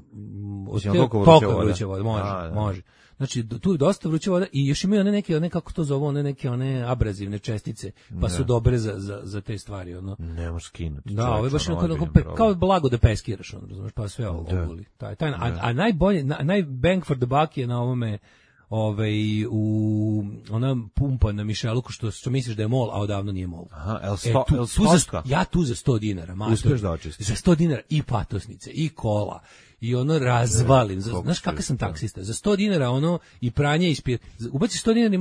Speaker 6: Koliko vruća voda, može. Znači, tu je dosta vruća voda i još imaju one kako to zovu, one abrazivne čestice, pa su dobre za te stvari. Ono.
Speaker 7: Ne možeš skinuti.
Speaker 6: Da, ovo je baš kao blago da peskiraš, razumeš, pa sve ovo oguli. A najbolje, bang for the buck je na ovome, u ona pumpa na mišeluku što misliš da je mol, a odavno nije mol.
Speaker 7: Aha,
Speaker 6: ja tu za 100 dinara,
Speaker 7: uspeš da očistim.
Speaker 6: Za 100 dinara i patosnice, i kola, i ono razvalim. Znaš kakav sam taksista? Za 100 dinara ono i pranje ispije. Ubaci 100 dinara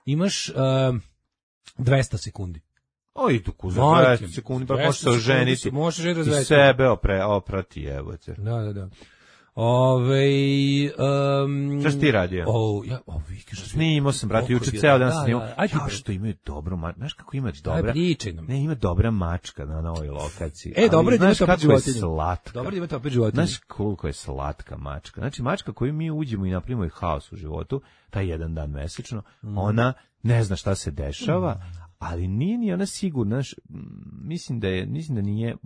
Speaker 6: imaš 200 sekundi.
Speaker 7: O, i tu za 200 sekundi, pa možeš se oženiti.
Speaker 6: Možeš
Speaker 7: i sebe oprati, evo te.
Speaker 6: Da.
Speaker 7: Šta si ti radio? Snimao sam, brate, juče ceo dan snimao. Ja što imaju dobro, znaš kako ima dobra? Ne, ima dobra mačka na novoj lokaciji.
Speaker 6: Dobro je da imate opet životinju.
Speaker 7: Slatka.
Speaker 6: Dobro je da imate opet životinju.
Speaker 7: Znaš koliko je slatka mačka. Znači, mačka koju mi uđemo i napravimo haos u životu, taj jedan dan mesečno, ona ne zna šta se dešava, ali nije ni ona sigurna, mislim da nije,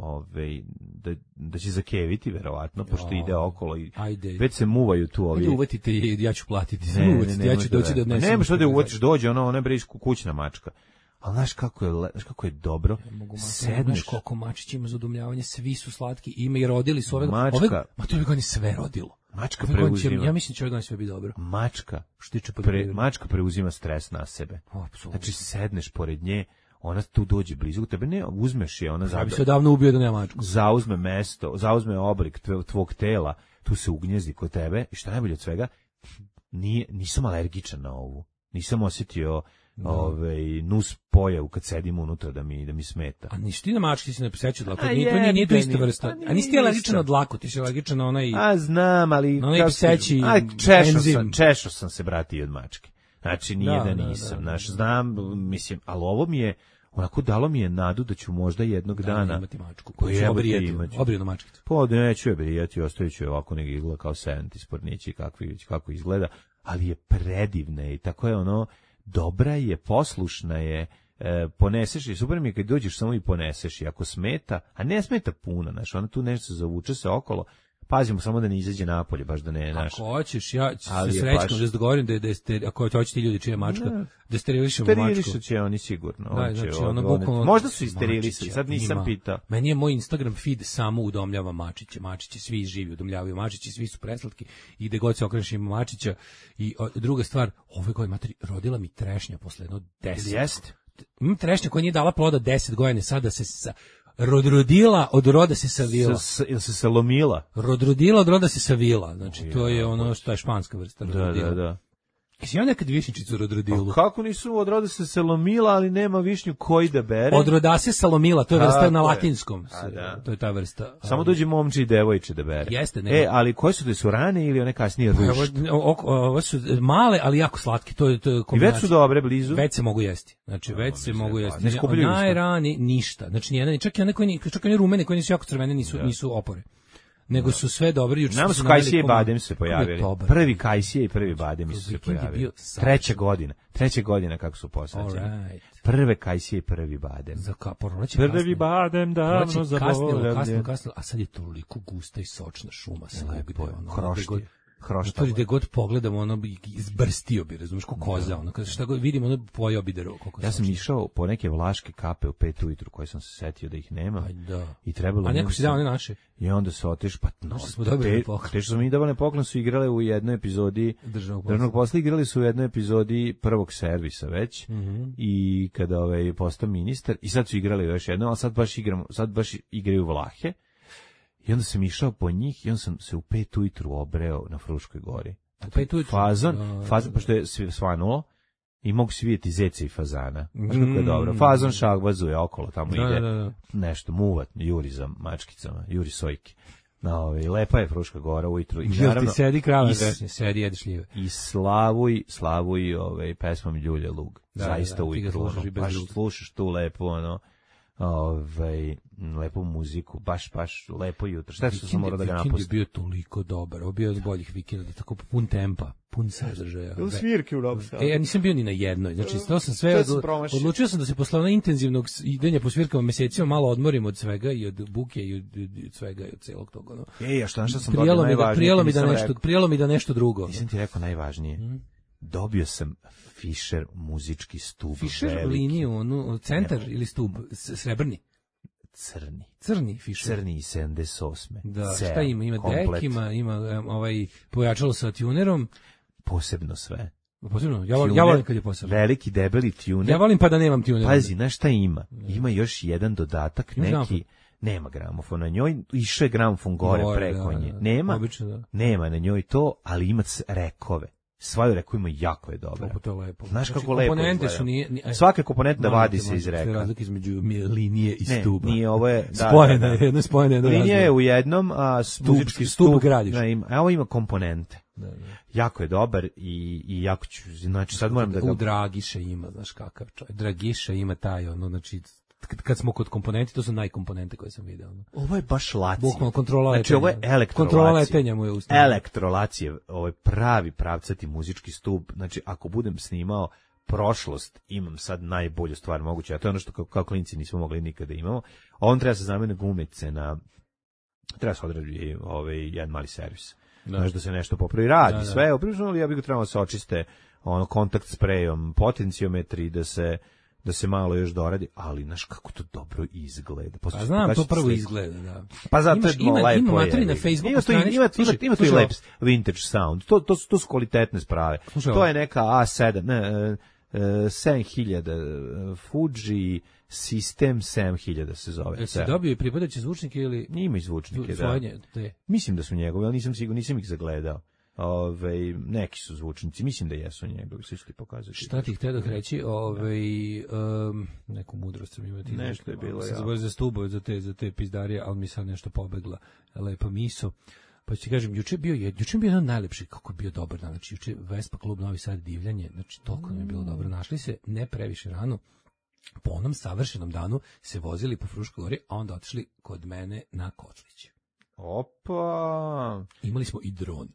Speaker 7: da će zakeviti verovatno, pošto ide okolo i već se muvaju tu ovi.
Speaker 6: Ajde uvatite i ja ću platiti. Ja ću doći da odnesem.
Speaker 7: Nema što da uvatiš, dođe ona je brisku kućna mačka. Ali znaš kako je dobro,
Speaker 6: sedneš. Koliko mačić ima za udomljavanje, svi su slatki, ima i rodili su ove godine sve rodilo.
Speaker 7: Mačka preuzima.
Speaker 6: Ja mislim da će ove godine sve biti dobro.
Speaker 7: Mačka preuzima stres na sebe. Znači sedneš pored nje, ona tu dođe blizu tebe, ne, uzmeš je, ona
Speaker 6: ja bi se odavno ubio da nema mačku.
Speaker 7: Zauzme mesto, zauzme oblik tvog tela, tu se ugnjezdi kod tebe i šta najbolje od svega, nisam alergičan na ovu. Nisam osjetio nus pojavu kad sedim unutra da mi smeta.
Speaker 6: A nisi ti na mački, si ne posećao dlaku, nije to ista vrsta. A nisi ti alergičan na dlaku, ti si alergičan na onaj...
Speaker 7: znam, ali...
Speaker 6: Na onaj pseći enzim.
Speaker 7: Češao sam se, brati, i od mačke. Znači, nije da nisam. Znam, mislim, ali ovo mi je... Onako dalo mi je nadu da ću možda jednog dana...
Speaker 6: imati mačku, koju ću obrijenu mačkicu.
Speaker 7: Pa neću je brijati, ostavit ću je ovako nek izgleda kao senti spornići, kako izgleda, ali je predivna i tako je ono... Dobra je, poslušna je, poneseš je, super mi je kad dođeš samo i poneseš je, ako smeta, a ne smeta puno, znaš, ona tu nešto zavuče se okolo, pazimo samo da ne izađe napolje, baš da ne, znaš.
Speaker 6: Ako hoćeš, ja ću se srećno da se dogovorim ako hoće ti ljudi čija mačka, da sterilišemo mačku.
Speaker 7: Sterilišat će oni sigurno.
Speaker 6: Možda
Speaker 7: su i sterilisali, sad nisam pitao.
Speaker 6: Meni je moj Instagram feed samo udomljava mačiće. Mačiće svi živi udomljavaju mačiće, svi su preslatki i gde god se okreneš ima mačića. I druga stvar, ove godine materi rodila mi trešnja posle jedno 10.
Speaker 7: Jeste?
Speaker 6: Imam trešnja koja nije dala ploda 10 godina, sada se rodila, od roda se savila.
Speaker 7: Ili se salomila?
Speaker 6: Rodila, od roda se savila. Znači, to je ono što je španska vrsta.
Speaker 7: Da.
Speaker 6: Jesi ja nekad višnjičicu rodrodilu?
Speaker 7: Kako nisu od roda se salomila, ali nema višnju koji da bere?
Speaker 6: Od roda se salomila, to je vrsta na latinskom. To je ta vrsta.
Speaker 7: Samo dođe momče i devojče da bere.
Speaker 6: Jeste, ne.
Speaker 7: Ali koje su su rane ili one kasnije rušt?
Speaker 6: Ovo su male, ali jako slatke. To je
Speaker 7: i već su dobre blizu?
Speaker 6: Već se mogu jesti. Znači, već se mogu jesti. Najrani, ništa. Znači, čak i one rumene koje nisu jako crvene, nisu opore. Nego su sve dobri.
Speaker 7: Nama su kajsije i badem se pojavili. Prvi kajsije i prvi badem su se pojavili. Treća godina kako su posađeni. Prve kajsije i prvi badem. Prvi badem davno zaboravljen.
Speaker 6: Kasno, a sad je toliko gusta i sočna šuma.
Speaker 7: Hrošta.
Speaker 6: Gde god pogledamo, ono bi izbrstio bi, razumiješ, ko koza, ono, kada šta god vidimo, ono pojao bi drvo.
Speaker 7: Ja sam išao po neke vlaške kape u 5 ujutru, koje sam se setio da ih nema. I trebalo.
Speaker 6: A neko si dao one naše?
Speaker 7: I onda se oteš, pa no,
Speaker 6: smo dobili poklon.
Speaker 7: Te što smo mi davali poklon su igrale u jednoj epizodi Državnog posla, igrali su u jednoj epizodi Prvog servisa već, i kada postao ministar, i sad su igrali još jedno, ali sad baš igraju Vlahe. I onda sam išao po njih i onda sam se u 5 ujutru obreo na Fruškoj gori.
Speaker 6: U 5 ujutru?
Speaker 7: Fazon, pošto je svanulo i mogu se vidjeti zece i fazana. Znaš kako je dobro. Fazon šagvazuje okolo, tamo ide nešto, muvat, juri za mačkicama, juri sojke. Lepa je Fruška gora ujutru. I
Speaker 6: naravno, ti sedi krava, sedi, jedeš šljive.
Speaker 7: I slavuj pesmom Ljulja Lug. Zaista ujutru. Baš slušaš tu lepo, lepu muziku, baš lepo jutro. Šta što sam morao da ga napustim?
Speaker 6: Vikend je bio toliko dobar, ovo bio od boljih vikenda, tako pun tempa, pun sadržaja.
Speaker 7: Ili svirke u Novom Sadu?
Speaker 6: Ja nisam bio ni na jednoj, znači to sam sve, odlučio sam da se posle ono intenzivnog idenja po svirkama mesecima malo odmorim od svega i od buke i od svega i od celog toga. No.
Speaker 7: A šta sam dobio najvažnije?
Speaker 6: Prijelo mi da nešto drugo.
Speaker 7: Nisam ti rekao najvažnije. Dobio sam Fischer muzički stub.
Speaker 6: Fischer liniju, centar ili stub, srebrni? Crni Fischer.
Speaker 7: Crni iz 78.
Speaker 6: Da, šta ima? Ima dek, ima pojačalo sa tunerom.
Speaker 7: Posebno sve.
Speaker 6: Posebno, ja volim kad je posebno.
Speaker 7: Veliki, debeli tuner.
Speaker 6: Ja volim pa da nemam tuner.
Speaker 7: Pazi, znaš šta ima? Ima još jedan dodatak, neki... Nema gramofon na njoj, išao je gramofon gore preko nje. Nema,
Speaker 6: obično, da.
Speaker 7: Nema na njoj to, ali ima rekove. Svaju reku ima jako je dobro.
Speaker 6: To je lepo.
Speaker 7: Znaš kako lepo
Speaker 6: komponente su
Speaker 7: svake komponente da vadi se iz reka.
Speaker 6: Razlika između linije i stuba.
Speaker 7: Nije, ovo je...
Speaker 6: Spojena, jedno spojena, jedno razlika.
Speaker 7: Linija je u jednom, a
Speaker 6: stup gradiš.
Speaker 7: A ovo ima komponente. Da. Jako je dobar i jako ću... Znači, sad moram da...
Speaker 6: Dragiša ima, znaš kakav čovjek. Dragiša ima taj, znači... Kad smo kod komponenti, to su najkomponente koje sam video.
Speaker 7: Ovo je baš laci.
Speaker 6: Bukvalno kontrola letenja.
Speaker 7: Znači, ovo je elektrolacija.
Speaker 6: Kontrola letenja mu je ustavljena.
Speaker 7: Elektrolacija, ovo je pravi pravcati muzički stub. Znači, ako budem snimao prošlost, imam sad najbolju stvar moguće. A to je ono što kao klinci nismo mogli nikada imamo. On treba se zamene gumice treba se odradi jedan mali servis. Znaš da se nešto popravi, radi sve. Oprično, ali ja bih ga trebalo da se očiste kontakt sprejom, potenciometri, da se malo još doradi, ali znaš kako to dobro izgleda.
Speaker 6: Pa znam, to prvo izgleda, da.
Speaker 7: Pa zato
Speaker 6: ima materi na Facebooku stranici.
Speaker 7: Ima to i lep vintage sound. To su kvalitetne sprave. To je neka A7, 7000 Fuji System 7000 se zove.
Speaker 6: Se dobio i pripadajuće zvučnike ili...
Speaker 7: Ima i zvučnike, da. Mislim da su njegovi, ali nisam siguran, nisam ih zagledao. Neki su zvučnici, mislim da jesu njegovi, sve ću ti pokazati.
Speaker 6: Šta ti htio da reći, neku mudrost sam imati.
Speaker 7: Nešto je bilo,
Speaker 6: za stubove, za te pizdarije, ali mi sad nešto pobegla lepa miso. Pa ću ti kažem, juče je bio jedan najlepši, kako je bio dobar dan, znači juče Vespa klub Novi Sad divljanje, znači toliko nam je bilo dobro, našli se ne previše rano, po onom savršenom danu se vozili po Fruškoj gori, a onda otišli kod mene na Kotlić.
Speaker 7: Opa!
Speaker 6: Imali smo i dron.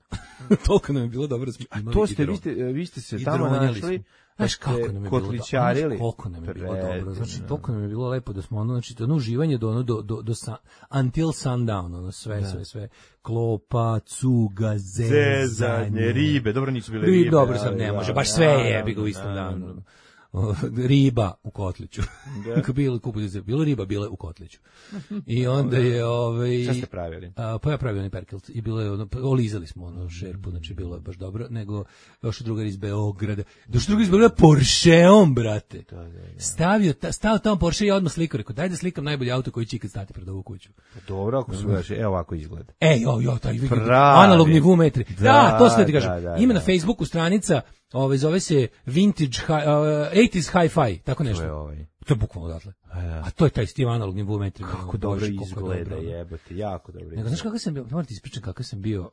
Speaker 6: Toliko nam je bilo dobro da smo imali
Speaker 7: i dron. Vi ste se tamo našli,
Speaker 6: znaš kako nam je bilo
Speaker 7: kotličarili.
Speaker 6: Koliko nam je bilo dobro. Znači, toliko nam je bilo lepo da smo znači, uživanje do until sundown, sve. Klopa, cuga, zezanje,
Speaker 7: ribe. Dobro, nisu bile ribe.
Speaker 6: Dobro sam, ne može, baš sve jebi ga u istom danu. Riba u Kotliću. Bilo riba, bila u Kotliću. I onda je
Speaker 7: šta ste pravili?
Speaker 6: Pa ja pravio onaj perkelt i bilo je olizali smo šerpu, znači bilo je baš dobro, nego došao drugar iz Beograda. Porscheom, brate. Stao tamo Porsche i odmah slikao, rekao daj da slikam najbolji auto koji će ikad stati pred ovu kuću.
Speaker 7: Dobro, ako su gaši, evo ovako izgleda.
Speaker 6: Taj analogni vumetri. Da, to se ti kažem. Ima na Facebooku stranica, zove se Vintage 80s Hi-Fi, tako nešto. To je bukvalno odatle. A to je taj Steve analogni vumetri.
Speaker 7: Kako dobro izgleda, jebote, jako dobro.
Speaker 6: Nego, znaš kako sam bio, moram ti ispričati kako sam bio,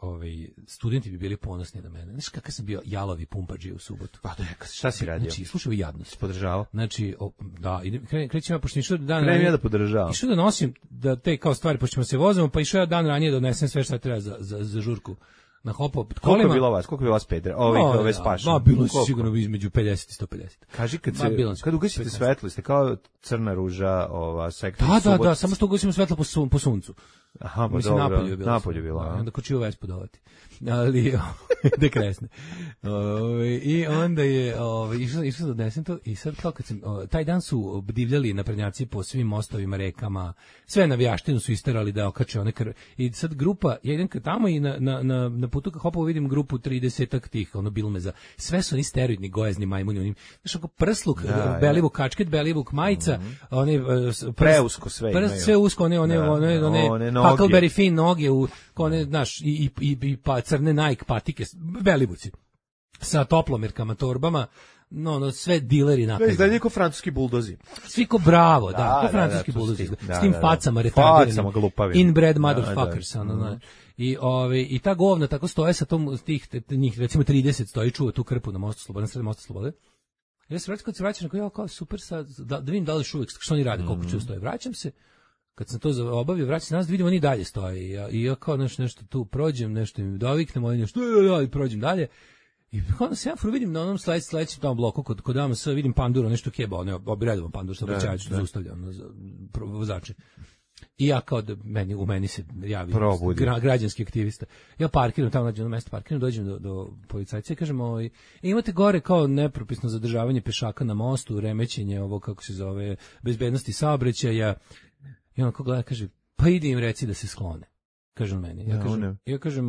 Speaker 6: studenti bi bili ponosni na mene. Znaš kako sam bio jalovi pumpađi u subotu.
Speaker 7: Pa šta si radio?
Speaker 6: Znači, slušaj jadnost.
Speaker 7: Podržavao?
Speaker 6: Znači, krećem ja, pošto išao dan
Speaker 7: ranije. Ja da podržavam.
Speaker 6: Išao da nosim, da te kao stvari, pošto ćemo se vozimo, pa išao ja dan ranije da odnesem sve šta treba za žurku. Na hopo kolima.
Speaker 7: Koliko je bilo vas Pedra? Ove spaše.
Speaker 6: Bilo je sigurno između 50 i 150.
Speaker 7: Kaži kad ugasite svetlo, ste kao crna ruža, sektor.
Speaker 6: Da, samo što ugasimo svetlo po suncu.
Speaker 7: Aha, pa
Speaker 6: mislim,
Speaker 7: dobro. Napolju je bilo.
Speaker 6: Onda kočio Vespu dovati. Ali, dekresne. I onda je, išao da odnesem to i sad kao kad sam, taj dan su divljali naprednjaci po svim mostovima, rekama, sve navijaštinu su isterali da okače one krve. I sad grupa, ja idem tamo i na putu kad hopovo vidim grupu 30-ak tih, bilmeza. Sve su oni steroidni, gojezni majmuni, onim, znaš, ako prsluk, belivuk kačket, belivuk majica, one,
Speaker 7: preusko sve imaju.
Speaker 6: Sve usko, one Huckleberry Finn noge, one, znaš, i pa crne Nike patike, belivuci, sa toplomerkama, torbama, sve dileri napravili.
Speaker 7: Da, izgleda ko francuski buldozi.
Speaker 6: Svi ko bravo, ko francuski buldozi. S tim facama retardirani. Inbred motherfuckers. I ta govna tako stoje sa tom, njih recimo 30 stoji, čuva tu krpu na mostu Slobode, na sred mosta Slobode. Ja se kad se vraćam, kao super sad, da vidim da li još uvijek, što oni rade, koliko čuo stoje. Vraćam se, kad sam to obavio, vraćam se nazad, vidim oni dalje stoje. I ja kao nešto tu prođem, nešto im doviknem, oni nešto, i prođem dalje. I onda se ja vidim na onom sledećem tamo bloku, kod AMS, vidim panduru, nešto keba, redovan pandur, što obraćajući, zaustavlja vozače. I ja kao da u meni se javi građanski aktivista. Ja parkiram tamo, nađem na mesto parkiram, dođem do policajca i kažem, imate gore kao nepropisno zadržavanje pešaka na mostu, remećenje ovo, kako se zove, bezbednosti saobraćaja. I on kao gleda, kaže, pa idi im reci da se sklone. Kažem meni. Ja kažem,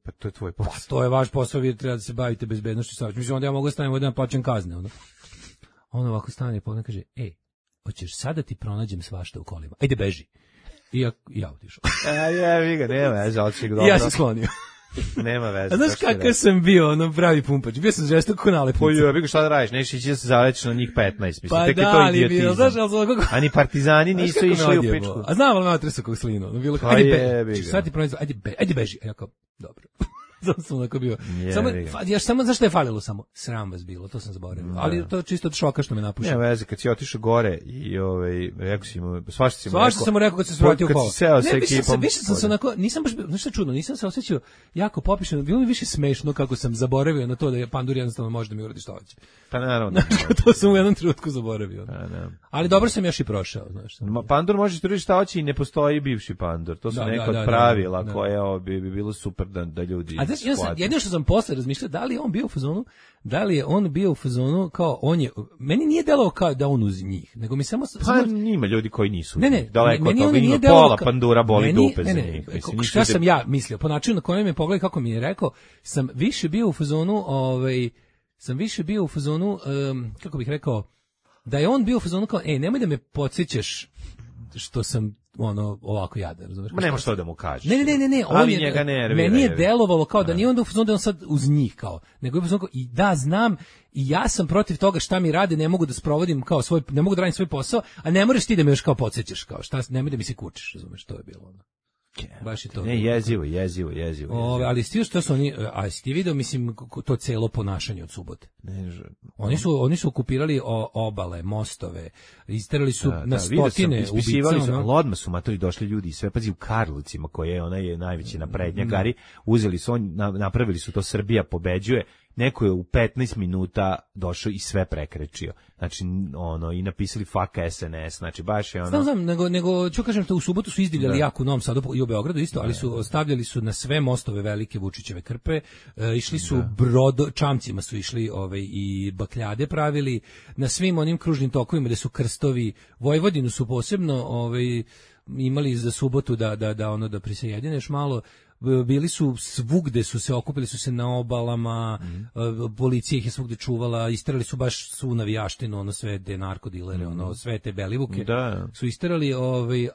Speaker 7: pa to je tvoj posao.
Speaker 6: Pa to je vaš posao, vi treba da se bavite bezbednošću saobraćaja. Mislim, onda ja mogu staviti da plaćam kazne. On ovako stane i povede kaže, hoćeš sada ti pronađem svašta u kolima. Ajde, beži. I ja otišao.
Speaker 7: Nema veze, otišao dobro.
Speaker 6: Ja sam sklonio.
Speaker 7: Nema veze.
Speaker 6: A znaš kakav sam bio, pravi pumpač. Bio sam žestoko ko nalepnica.
Speaker 7: Ja bih šta da radiš, nećeš ići da se zalečiš na njih 15. Mislim,
Speaker 6: pa
Speaker 7: tek
Speaker 6: da,
Speaker 7: je to
Speaker 6: ali
Speaker 7: idiotizam.
Speaker 6: Znaš,
Speaker 7: a ni partizani nisu išli u pičku.
Speaker 6: A znam, ali me otresa kog slinu. Bilo kao, sad ti pronađi, ajde beži. A ja kao, dobro. Zato sam onako bio. Samo zašto je falilo samo? Sram vas bilo, to sam zaboravio. Ali to čisto od šoka što me napušio.
Speaker 7: Ne veze, kad si otišao gore i rekao si mu, svašta
Speaker 6: sam mu rekao kad se vratio u kola.
Speaker 7: Kad si seo sa ekipom.
Speaker 6: Više sam se onako, nisam baš, znaš što čudno, nisam se osjećao jako popišeno, bilo mi više smešno kako sam zaboravio na to da je pandur jednostavno može da mi uradi što hoće.
Speaker 7: Pa naravno.
Speaker 6: To sam u jednom trenutku zaboravio. Ali dobro sam još i prošao, znaš.
Speaker 7: Pandur može uradi šta hoće i ne postoji bivši pandur. To su neka od pravila koje bi bilo super da ljudi.
Speaker 6: Jedino što sam posle razmišljao, da li je on bio u fazonu kao on je, meni nije delovao kao da on uz njih, nego mi samo
Speaker 7: ima ljudi koji nisu.
Speaker 6: Ne,
Speaker 7: daleko
Speaker 6: meni
Speaker 7: od toga, ima pola pandura boli dupe za njih.
Speaker 6: Šta sam ja mislio, po načinu na kojem me pogledaj kako mi je rekao, sam više bio u fazonu, kako bih rekao, da je on bio u fazonu kao, nemoj da me podsjećaš što sam ovako jadan, razumeš?
Speaker 7: Ma nema što da mu kažeš.
Speaker 6: Ne,
Speaker 7: ali njega nervira.
Speaker 6: Meni je delovalo kao da nije onda u fazonu da on sad uz njih kao, nego je u fazonu kao, i da znam, i ja sam protiv toga šta mi rade, ne mogu da sprovodim kao ne mogu da radim svoj posao, a ne moraš ti da me još kao podsjećaš, kao šta, nemoj da mi se kučiš, razumeš, to je bilo ono. Baš je to.
Speaker 7: Ne, jezivo.
Speaker 6: Ali sti što su oni, a si ti video, mislim, to celo ponašanje od subote. Oni su okupirali obale, mostove, isterali su na stotine ubica.
Speaker 7: Ali odmah su matori došli ljudi, sve pazi u Karlovcima, koje ona je najveći naprednjakari, uzeli su, napravili su to, Srbija pobeđuje. Neko je u 15 minuta došao i sve prekrečio. Znači, i napisali fuck SNS, znači baš je ono.
Speaker 6: Znam, nego ću kažem, u subotu su izdivljali jako u Novom Sadu i u Beogradu isto, ali su ostavljali su na sve mostove velike Vučićeve krpe, išli su čamcima su išli i bakljade pravili, na svim onim kružnim tokovima gde su krstovi, Vojvodinu su posebno imali za subotu da prisajedineš malo. Bili su svugde, okupili su se na obalama, policija ih je svugde čuvala, isterali su baš svu navijaštinu, sve te narkodilere, sve te belivuke su isterali,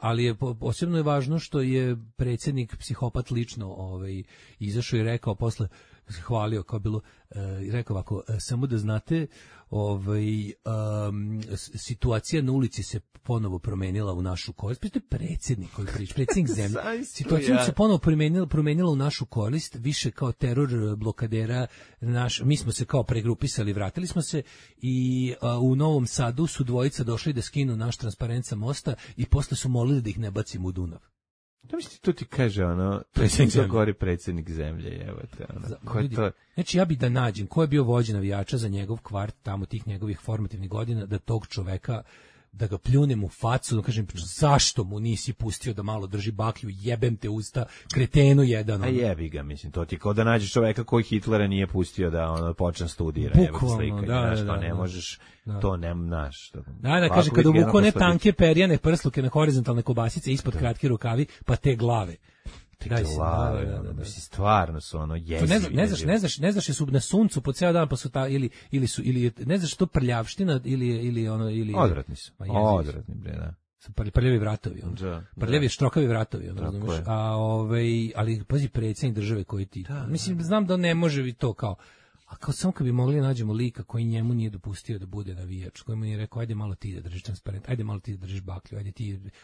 Speaker 6: ali je posebno je važno što je predsjednik psihopat lično izašao i rekao posle, hvalio kao bilo, rekao ovako, samo da znate, situacija na ulici se ponovo promenila u našu korist. To je predsjednik koji priča, predsjednik zemlje. Situacija se ponovo promenila u našu korist, više kao teror blokadera. Mi smo se kao pregrupisali, vratili smo se i u Novom Sadu su dvojica došli da skinu naš transparent sa mosta i posle su molili da ih ne bacimo u Dunav.
Speaker 7: Da misli, to ti kaže predsjednik zemlje, evo te, to?
Speaker 6: Znači, ja bi da nađem ko je bio vođa navijača za njegov kvart, tamo tih njegovih formativnih godina, da tog čoveka, da ga pljunem u facu, da kažem, zašto mu nisi pustio da malo drži baklju, jebem te usta, kretenu jedan.
Speaker 7: A jebi ga, mislim, to ti kao da nađeš čoveka koji Hitlera nije pustio da počne studira.
Speaker 6: Bukvalno,
Speaker 7: da, ne možeš, to nemaš.
Speaker 6: Da, kaže, kada uvuku one tanke perjane prsluke na horizontalne kobasice ispod kratki rukavi, pa te glave.
Speaker 7: Mislim, stvarno su jezivi.
Speaker 6: Ne znaš su na suncu po ceo dan, pa su ili ne znaš to prljavština ili
Speaker 7: odvratni su. Odvratni, bre, da.
Speaker 6: Prljavi vratovi, prljavi štrokavi vratovi, razumeš? Ali pazi, predsjednik države koji ti, mislim, znam da ne može i to kao, A kao samo kad bi mogli nađemo lika koji njemu nije dopustio da bude navijač, koji mu nije rekao, ajde malo ti da držiš transparent, ajde malo ti da držiš baklju,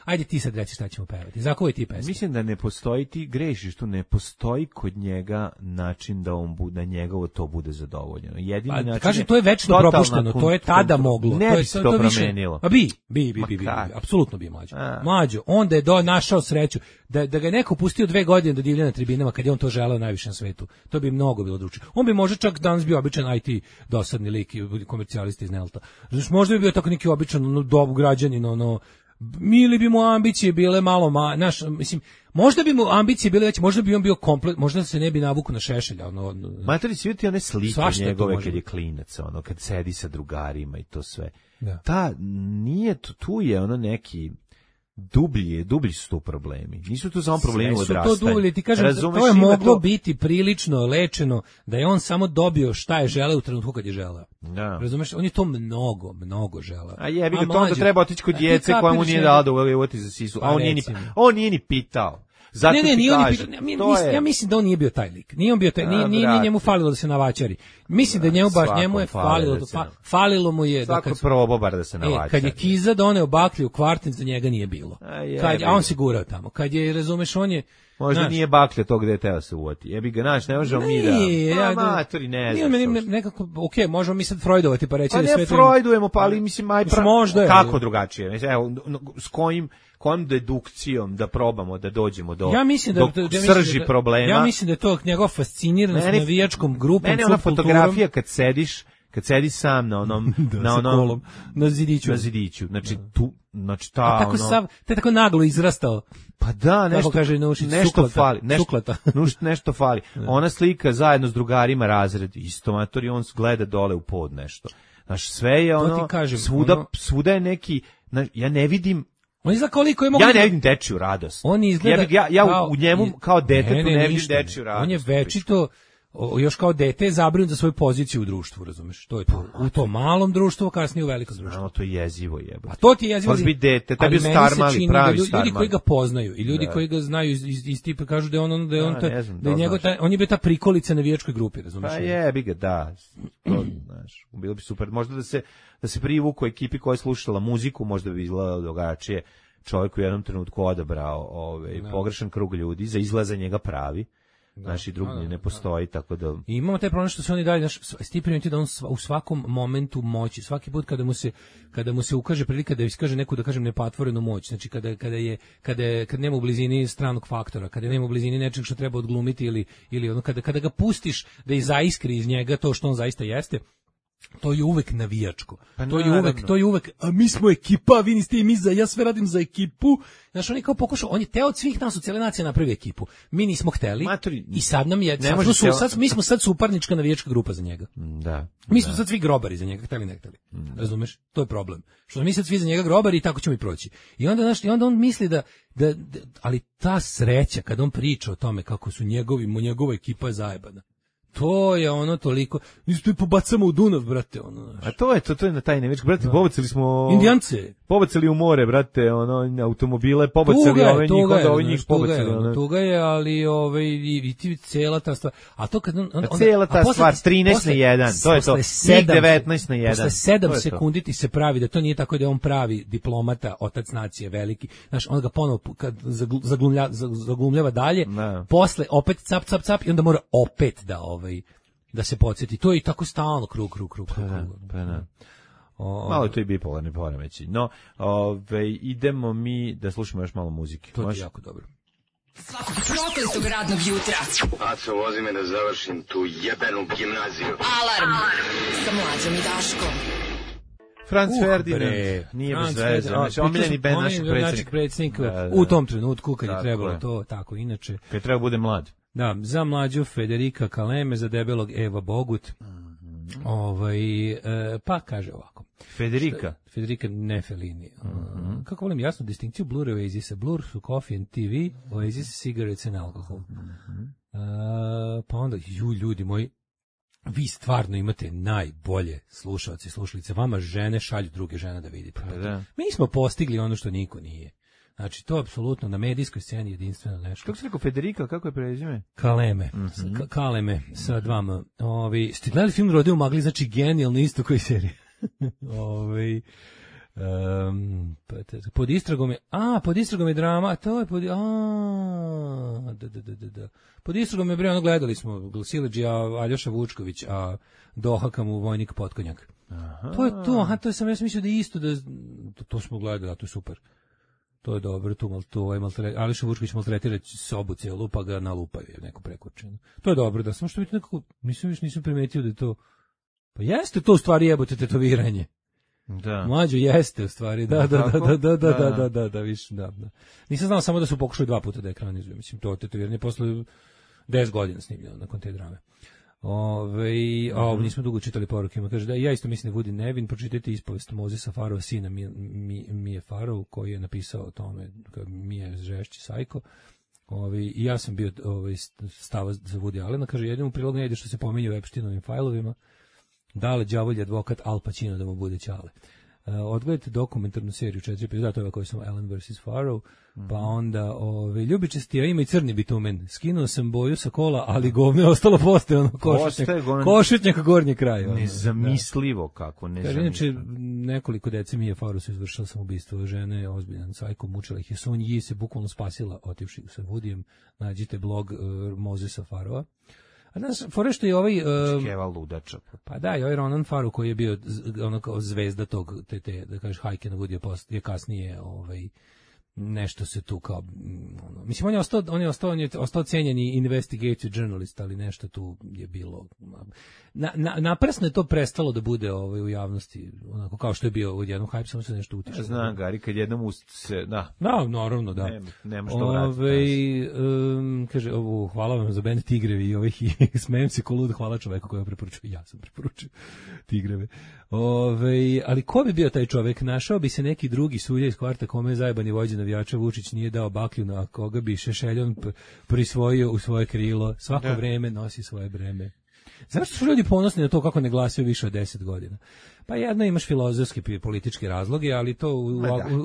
Speaker 6: ajde ti sad reci šta ćemo pevati. Za koje ti pesme?
Speaker 7: Mislim da ne postoji, ti grešiš tu, ne postoji kod njega način da on bude, da njegovo to bude zadovoljeno. Jedini način
Speaker 6: kažem, to je večno propušteno, to je tada moglo.
Speaker 7: Ne bi se to promenilo.
Speaker 6: A bi, apsolutno bi mlađo. Onda je našao sreću da ga je neko pustio 2 godine do divlja na tribinama kad je on to želeo najviše na svetu. To bi mnogo bilo drugačije. On bi možda čak danas bio običan IT dosadni lik i komercijalista iz Nelta. Znači, možda bi bio tako neki običan dob građanin, ili bi mu ambicije bile malo, mislim, možda bi mu ambicije bile veće, možda bi on bio komplet, možda se ne bi navukao na Šešelja.
Speaker 7: Materi, svi ti one slike njegove kad je klinac, kad sedi sa drugarima i to sve. Da. Nije, tu je neki dublji su to problemi. Nisu to samo problemi odrastanja.
Speaker 6: To dublje, ti kažem, to je moglo biti prilično lečeno, da je on samo dobio šta je želeo u trenutku kad je želeo.
Speaker 7: Da.
Speaker 6: Razumeš, on je to mnogo želeo.
Speaker 7: A jebi ga, to onda treba otići kod djece koja mu nije dala da uvoti za sisu. A on nije ni pitao. Zato ja mislim da on nije bio taj lik. Nije on bio taj, nije njemu falilo da se navačari. Mislim da njemu je falilo mu je svako probao bar da se navačari.
Speaker 6: Kad je Kiza doneo baklju u kvartin, za njega nije bilo. A on se gurao tamo. Kad je, razumeš, on je
Speaker 7: možda nije baklja tog gde je teo se uvoti. Jebi ga, ne možemo mi da... Matori, ne znam.
Speaker 6: Nekako, možemo mi sad freudovati pa reći
Speaker 7: da sve... Pa ne freudujemo, pa ali mislim, kako drugačije? Evo, s kojom dedukcijom da probamo da dođemo do srži problema.
Speaker 6: Ja mislim da je to njegova fasciniranost navijačkom grupom,
Speaker 7: mene ona fotografija kad sediš sam na onom
Speaker 6: na zidiću.
Speaker 7: Znači
Speaker 6: te tako naglo izrastao.
Speaker 7: Pa da, nešto fali. Nešto fali. Ona slika zajedno s drugarima razred, isto matori, on gleda dole u pod nešto. Znaš, sve je svuda je neki, ja ne vidim. Ja ne vidim dečiju radost.
Speaker 6: On izgleda
Speaker 7: ja u njemu kao detetu ne vidim dečiju radost.
Speaker 6: On je večito još kao dete je zabrinut za svoju poziciju u društvu, razumeš? To je to. U tom malom društvu, kasnije u velikom društvu.
Speaker 7: To je jezivo jebote.
Speaker 6: A to ti je jezivo.
Speaker 7: Može biti dete, tebi je star mali, pravi star mali.
Speaker 6: Ljudi koji ga poznaju i ljudi koji ga znaju iz tipa kažu da je on je bio ta prikolica na navijačkoj grupi, razumeš?
Speaker 7: Pa jebi ga, da. Znaš, bilo bi super. Možda da se privuku ekipi koja je slušala muziku, možda bi izgledalo drugačije. Čovjek u jednom trenutku odabrao pogrešan krug ljudi, za izlaza njega pravi. Naši drugi ne postoji, tako da...
Speaker 6: I imamo taj problem što se oni dalje, ti primijeti da on u svakom momentu moći, svaki put kada mu se ukaže prilika da iskaže neku, da kažem, nepatvorenu moć, znači kada nema u blizini stranog faktora, kada nema u blizini nečeg što treba odglumiti ili ono, kada ga pustiš da izaiskri iz njega to što on zaista jeste, to je uvek navijačko. To je uvek, a mi smo ekipa, vi niste i mi ja sve radim za ekipu. Znaš, on je kao pokušao, on je teo od svih nas, od cijele nacije napravi ekipu. Mi nismo hteli i sad nam je, mi smo sad suparnička navijačka grupa za njega.
Speaker 7: Da.
Speaker 6: Mi smo sad svi grobari za njega, hteli ne hteli. Razumeš? To je problem. Što mi sad svi za njega grobari i tako ćemo i proći. I onda on misli da ali ta sreća kad on priča o tome kako su njegova ekipa je zajebana. To je ono toliko, isto i pobacamo u Dunav, brate, ono.
Speaker 7: A to je na taj nevečki, brate, pobacili smo...
Speaker 6: Indijance.
Speaker 7: Pobacili u more, brate, automobile, pobacili njih pobacili.
Speaker 6: Tuga je, ali i ti cijela ta stvar. A to kad
Speaker 7: cijela ta stvar, 13 na 1, to je to, 19 na 1.
Speaker 6: Posle 7 sekundi ti se pravi da to nije tako da je on pravi diplomata, otac nacije, veliki. Znaš, on ga ponovo zaglumljava dalje, posle opet cap i onda mora opet da se podsjeti. To je i tako stalno krug.
Speaker 7: Malo je to i bipolarni poremeći. No, idemo mi da slušamo još malo muzike.
Speaker 6: To je jako dobro.
Speaker 4: Svakog prokletog radnog jutra.
Speaker 5: Aco, vozi me da završim tu jebenu gimnaziju.
Speaker 4: Alarm sa Mlađom i Daškom.
Speaker 7: Franz Ferdinand, nije bez veze, znači omiljeni bend našeg
Speaker 6: predsjednika u tom trenutku kad je trebalo to, tako inače.
Speaker 7: Kad treba bude mlad.
Speaker 6: Da, za mlađu Federika Kaleme, za debelog Eva Bogut. Pa kaže ovako. Federica ne Fellini. Kako volim jasnu distinkciju Blur i Oasisa. Blur su coffee and TV, Oasis cigarettes and alcohol. Pa onda, ljudi moji, vi stvarno imate najbolje slušalce i slušalice. Vama žene šalju druge žene da vidite. Mi smo postigli ono što niko nije. Znači, to apsolutno na medijskoj sceni jedinstveno nešto.
Speaker 7: Kako se rekao, Federica, kako je prezime?
Speaker 6: Kaleme, Kaleme sa 2 M. Ste gledali film Rodeo u magli, znači genijalno isto koji serija. Pod istragom je drama, to je pod istragom je bre, ono gledali smo Siledžija, Aljoša Vučković, a dohaka mu vojnik Potkonjak. To je to, to sam ja mislio da je isto, to smo gledali, a to je super. To je dobro, Aljoša Vučković maltretira sobu celu, pa ga nalupaju neko prekurčeno. To je dobro, da samo što biti nekako, nisam primetio da je to, pa jeste to u stvari jebote tetoviranje.
Speaker 7: Da.
Speaker 6: Mlađo jeste u stvari, da, više, da. Nisam znao samo da su pokušali 2 puta da ekranizuju, mislim, to tetoviranje posle 10 godina snimljeno nakon te drame. Nismo dugo čitali porukima, kaže da ja isto mislim da Woody nevin, pročitajte ispovest Mozesa Farova, sina Mije Farov, koji je napisao o tome, Mije žešći sajko. I ja sam bio stava za Woody Allena, kaže jednom u prilog ne ide što se pominje u Epsteinovim fajlovima, dale đavolji advokat Al Pacino da mu bude ćale. Odgledajte dokumentarnu seriju 4 epizoda, to je koji sam Allen vs. Farrow, pa onda ljubičasti, a ima i crni bitumen. Skinuo sam boju sa kola, ali govno je ostalo postojano košutnjak gornje kraja.
Speaker 7: Nezamislivo kako, nezamislivo.
Speaker 6: Inače, nekoliko dece Mije Farrow su izvršila samoubistvo žene, ozbiljan sajko, mučila ih je. Sun Yi se bukvalno spasila otivši sa Woodyjem. Nađite blog Mozesa Farrova. A znaš, fore što je ovaj...
Speaker 7: Čekeva ludača.
Speaker 6: Pa da, i ovaj Ronan Farrow koji je bio ono kao zvezda tog, da kažeš, hajke na Woody je kasnije nešto se tu kao... Mislim, on je ostao cenjeni investigative journalist, ali nešto tu je bilo... Naprasno je to prestalo da bude u javnosti, onako kao što je bio u jednom hype, samo se nešto utiče.
Speaker 7: Znam, Gari, kad jednom se... Da,
Speaker 6: naravno, da.
Speaker 7: Nema što vratiti.
Speaker 6: Kaže, hvala vam za band Tigrevi i ovih smijem se ko lud, hvala čoveku koja preporučuje. Ja sam preporučio Tigreve. Ali ko bi bio taj čovek? Našao bi se neki drugi sudija iz kvarta kome je zajebani vođa navijača Vučić nije dao baklju, na koga bi Šešeljon prisvojio u svoje krilo. Svako vreme nosi svoje breme. Zašto su ljudi ponosni na to kako ne glasaju više od 10 godina? Pa jedno imaš filozofski i politički razloge, ali to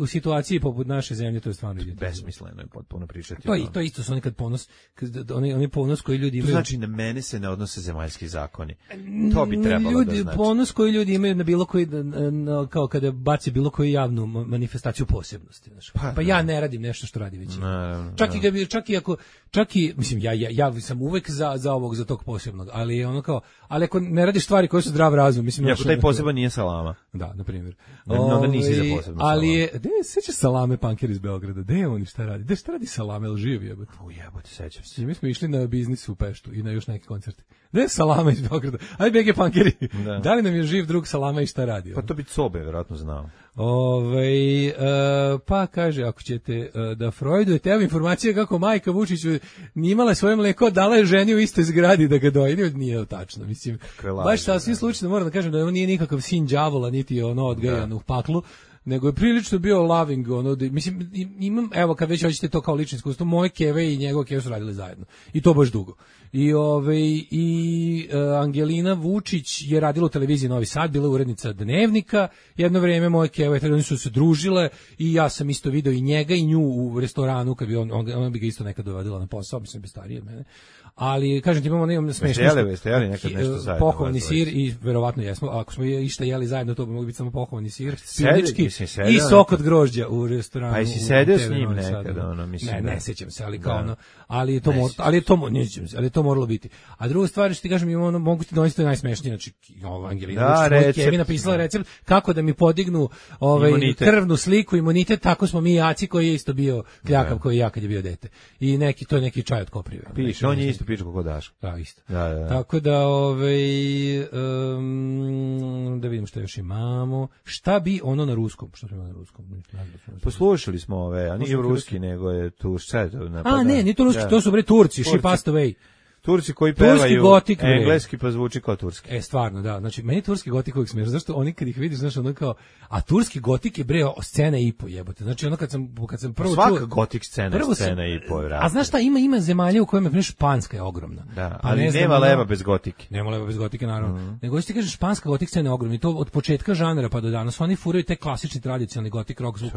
Speaker 6: u situaciji poput naše zemlje to je stvarno
Speaker 7: besmisleno je potpuno pričati.
Speaker 6: To isto su nekad ponos, oni ponos koji ljudi imaju.
Speaker 7: To znači na mene se ne odnose zemaljski zakoni. To bi trebalo da znači.
Speaker 6: Ponos koji ljudi imaju na bilo koji, kao kada baci bilo koju javnu manifestaciju posebnosti. Pa ja ne radim nešto što radi većina. Čak i mislim ja sam uvek za tog posebnog, ali ono kao, ali ako ne radiš stvari koje su zdrav razum, mislim.
Speaker 7: Ako taj poseban nije salama.
Speaker 6: Da, na primjer.
Speaker 7: Onda nisi za posebno salama.
Speaker 6: Ali je, seća Salame Panker iz Beograda, gde je on i šta radi? Šta radi Salame, ili živi jebote?
Speaker 7: Jebote, sećam se.
Speaker 6: Mi smo išli na biznis u Peštu i na još neki koncerte. Gde je Salama iz Beograda? Ajde, BG Pankeri, da li nam je živ drug Salama i šta radi?
Speaker 7: Pa to bi Cobe, vjerojatno znao.
Speaker 6: Pa kaže, ako ćete da freudujete, evo informacije kako majka Vučiću nije imala svoje mleko, dala je ženi u istoj zgradi da ga doji, nije tačno, mislim, baš sasvim slučajno moram da kažem da on nije nikakav sin đavola, niti je ono odgajan u paklu, nego je prilično bio loving, mislim, imam, evo, kad već hoćete to kao lično iskustvo, moje keve i njegove keve su radili zajedno, i to baš dugo. I Angelina Vučić je radila u televiziji Novi Sad, bila urednica Dnevnika, jedno vrijeme moje keve, oni su se družile i ja sam isto video i njega i nju u restoranu, kad bi ona bi ga isto nekad dovodila na posao, mislim, bi stariji od mene. Ali, kažem ti, imamo smešno pohvalni sir i verovatno jesmo, ako smo išta jeli zajedno, to bi mogli biti samo pohvalni sir, spilnički i sok od grožđa u restoranu.
Speaker 7: Pa i si sedio s njim nekad, mislim.
Speaker 6: Ne sećam se, ali kao ono, ali je to moralo biti. A druga stvar, što ti kažem, mogu ti donositi najsmešnije, znači, Angelina Vučić, Kevi napisala recept kako da mi podignu krvnu sliku, imunitet, tako smo mi jaci koji je isto bio kljakav koji ja kad je bio dete. I to je neki čaj od koprive.
Speaker 7: Piše, on je isto piče kako daš.
Speaker 6: Da, isto. Tako da, da vidimo što još imamo. Šta bi ono na ruskom? Što ima na ruskom?
Speaker 7: Poslušali smo a nije ruski, nego je tu šta je to napada.
Speaker 6: Ne, nije to ruski, to su bre Turci, She Passed Away.
Speaker 7: Turci koji pevaju
Speaker 6: gotik,
Speaker 7: engleski pa zvuči kao turski.
Speaker 6: Stvarno, da. Znači, meni turski gotik uvijek smiješ. Zašto oni kad ih vidiš, znaš, ono kao, a turski gotik je bre scena i po jebote. Znači, ono kad sam prvo
Speaker 7: svaka gotik scena i po,
Speaker 6: a znaš šta, ima zemalja u kojima, španska je ogromna.
Speaker 7: Da, ali nema leva bez gotike.
Speaker 6: Nema leva bez gotike, naravno. Nego ti kažeš, španska gotik scena je ogromna i to od početka žanra pa do danas. Oni furaju te klasični tradicionalni gotik rock zvuk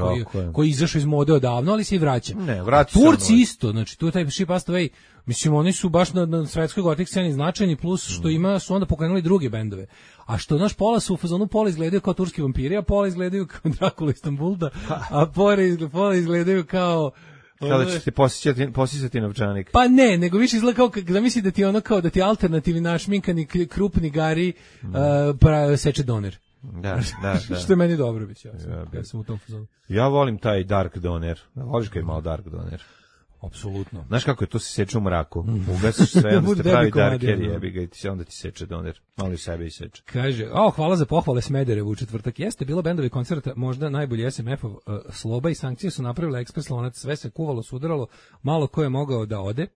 Speaker 6: koji izašao iz mode odavno, ali se i vraća. Turci isto, znači tu taj She Passed Away, mislim oni su baš na svetskoj gotik sceni značajni, plus što su onda pokrenuli druge bendove. A što naš pola su u fazonu, pola izgledaju kao turski vampiri, a pola izgledaju kao Drakula Istanbulda, a pola izgledaju kao
Speaker 7: da će ti posjećati novčanik.
Speaker 6: Pa ne, nego više izgleda kao da misli da ti ono kao da ti alternativni našminkani krupni gari seče doner.
Speaker 7: Da.
Speaker 6: Što je meni dobro biće. Ja sam u tom fazonu.
Speaker 7: Ja volim taj dark doner. Voliš kad je malo dark doner?
Speaker 6: Apsolutno.
Speaker 7: Znaš kako je, to se seče u mraku. Ugasiš sve, onda se pravi darker, jebi ga i onda ti seče doner. Malo i sebe i seče.
Speaker 6: Kaže, hvala za pohvale Smederevu u četvrtak. Jeste bilo bendovi koncerta, možda najbolji SMF-ov Sloba i Sankcije su napravile ekspres lonac, sve se kuvalo, sudaralo, malo ko je mogao da ode.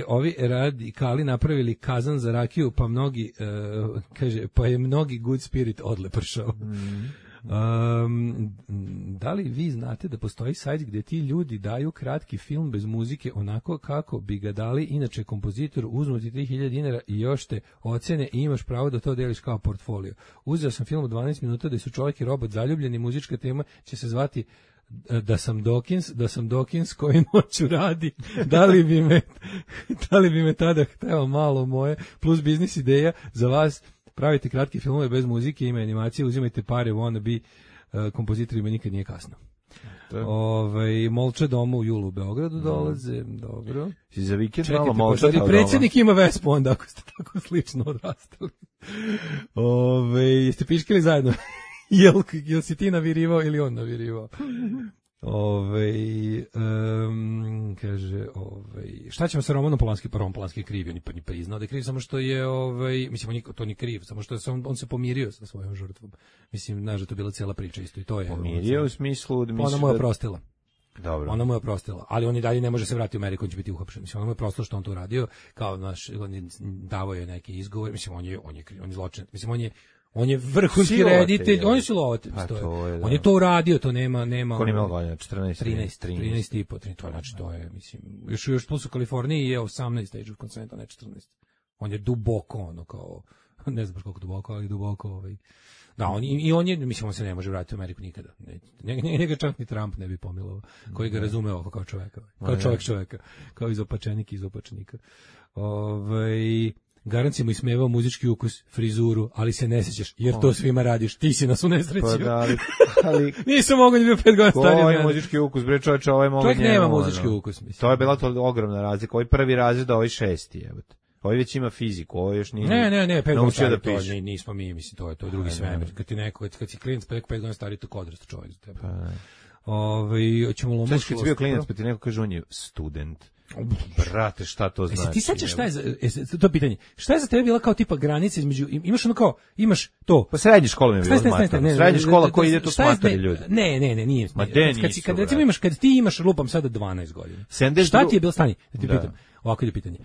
Speaker 6: Ovi radikali napravili kazan za rakiju, pa mnogi, kaže, pa je mnogi good spirit odlepršao. Da li vi znate da postoji sajt gdje ti ljudi daju kratki film bez muzike onako kako bi ga dali inače kompozitor, uzmu ti 3000 dinara i još te ocene i imaš pravo da to deliš kao portfolio. Uzeo sam film u 12 minuta da su čovjek i robot zaljubljeni, muzička tema će se zvati da sam Dawkins koji noću radi, da li bi me tada hteo malo moje, plus biznis ideja za vas, pravite kratke filmove bez muzike, ima animacije, uzimajte pare, wanna be, kompozitorima nikad nije kasno. Molče doma u julu u Beogradu dolaze, dobro.
Speaker 7: Si za vikend malo Molče doma.
Speaker 6: Predsjednik ima Vespu onda, ako ste tako slično odrastali. Jeste piškili zajedno? Jel si ti navirivao ili on navirivao? Kaže, šta ćemo sa Romanom Polanski? Pa Roman Polanski je kriv, on je priznao da je kriv, samo što je, mislim, to nije kriv, samo što on se pomirio sa svojom žrtvom. Mislim, znaš da to je bila cijela priča isto i to je.
Speaker 7: Pomirio u smislu da misliš
Speaker 6: ona mu je oprostila.
Speaker 7: Dobro.
Speaker 6: Ona mu je oprostila, ali on i dalje ne može se vratiti u Ameriku, on će biti uhapšen. Mislim, ona mu je oprostila što on to uradio, kao naš, on je davao je neki izgovor, mislim, on je zločinac, mislim, on je vrhunski reditelj, on je silovatelj. On je to uradio, to nema.
Speaker 7: Koliko ima godina?
Speaker 6: 13 i po, to znači to je, mislim, još plus u Kaliforniji je 18 age of consent, a ne 14. On je duboko, ono kao, ne znam baš koliko duboko, ali duboko, Da, on je, mislim, on se ne može vratiti u Ameriku nikada. Njega čak ni Trump ne bi pomilovao, koji ga razume ovo kao čoveka, kao čovjeka, kao izopačenik iz opačnika. Garant si mu ismevao muzički ukus, frizuru, ali se ne sjećaš, jer to svima radiš, ti si nas unesrećio.
Speaker 7: Pa da, ali
Speaker 6: nisam mogao, bio 5 godina stariji.
Speaker 7: Ovo je muzički ukus, bre čovječe, ovo je mogo njemu.
Speaker 6: Čovjek nema muzički ukus, mislim.
Speaker 7: To je bila to ogromna razlika, ovo je prvi razred, ovo je 6. jebote. Ovo već ima fiziku, ovo još nije.
Speaker 6: Ne, 5 godina stariji, to nismo mi, mislim, to je drugi svemir. Kad si klinac, 5 godina stariji, to odrastao čovjek za tebe. Hoćemo lomati.
Speaker 7: Kad si bio klinac, pa ti neko kaže on je student. Brate, šta to znači?
Speaker 6: Ti sećaš šta je to pitanje? Šta je za tebe bila kao tipa granica između, imaš ono kao, imaš to.
Speaker 7: Pa srednja škola mi je bila smatrana. Srednja škola koji ide to smatrali ljudi.
Speaker 6: Ne, nije. Kad recimo kad ti imaš lupam sada 12 godina. Šta ti je bilo stanje? Da ti pitam. Ovako je pitanje.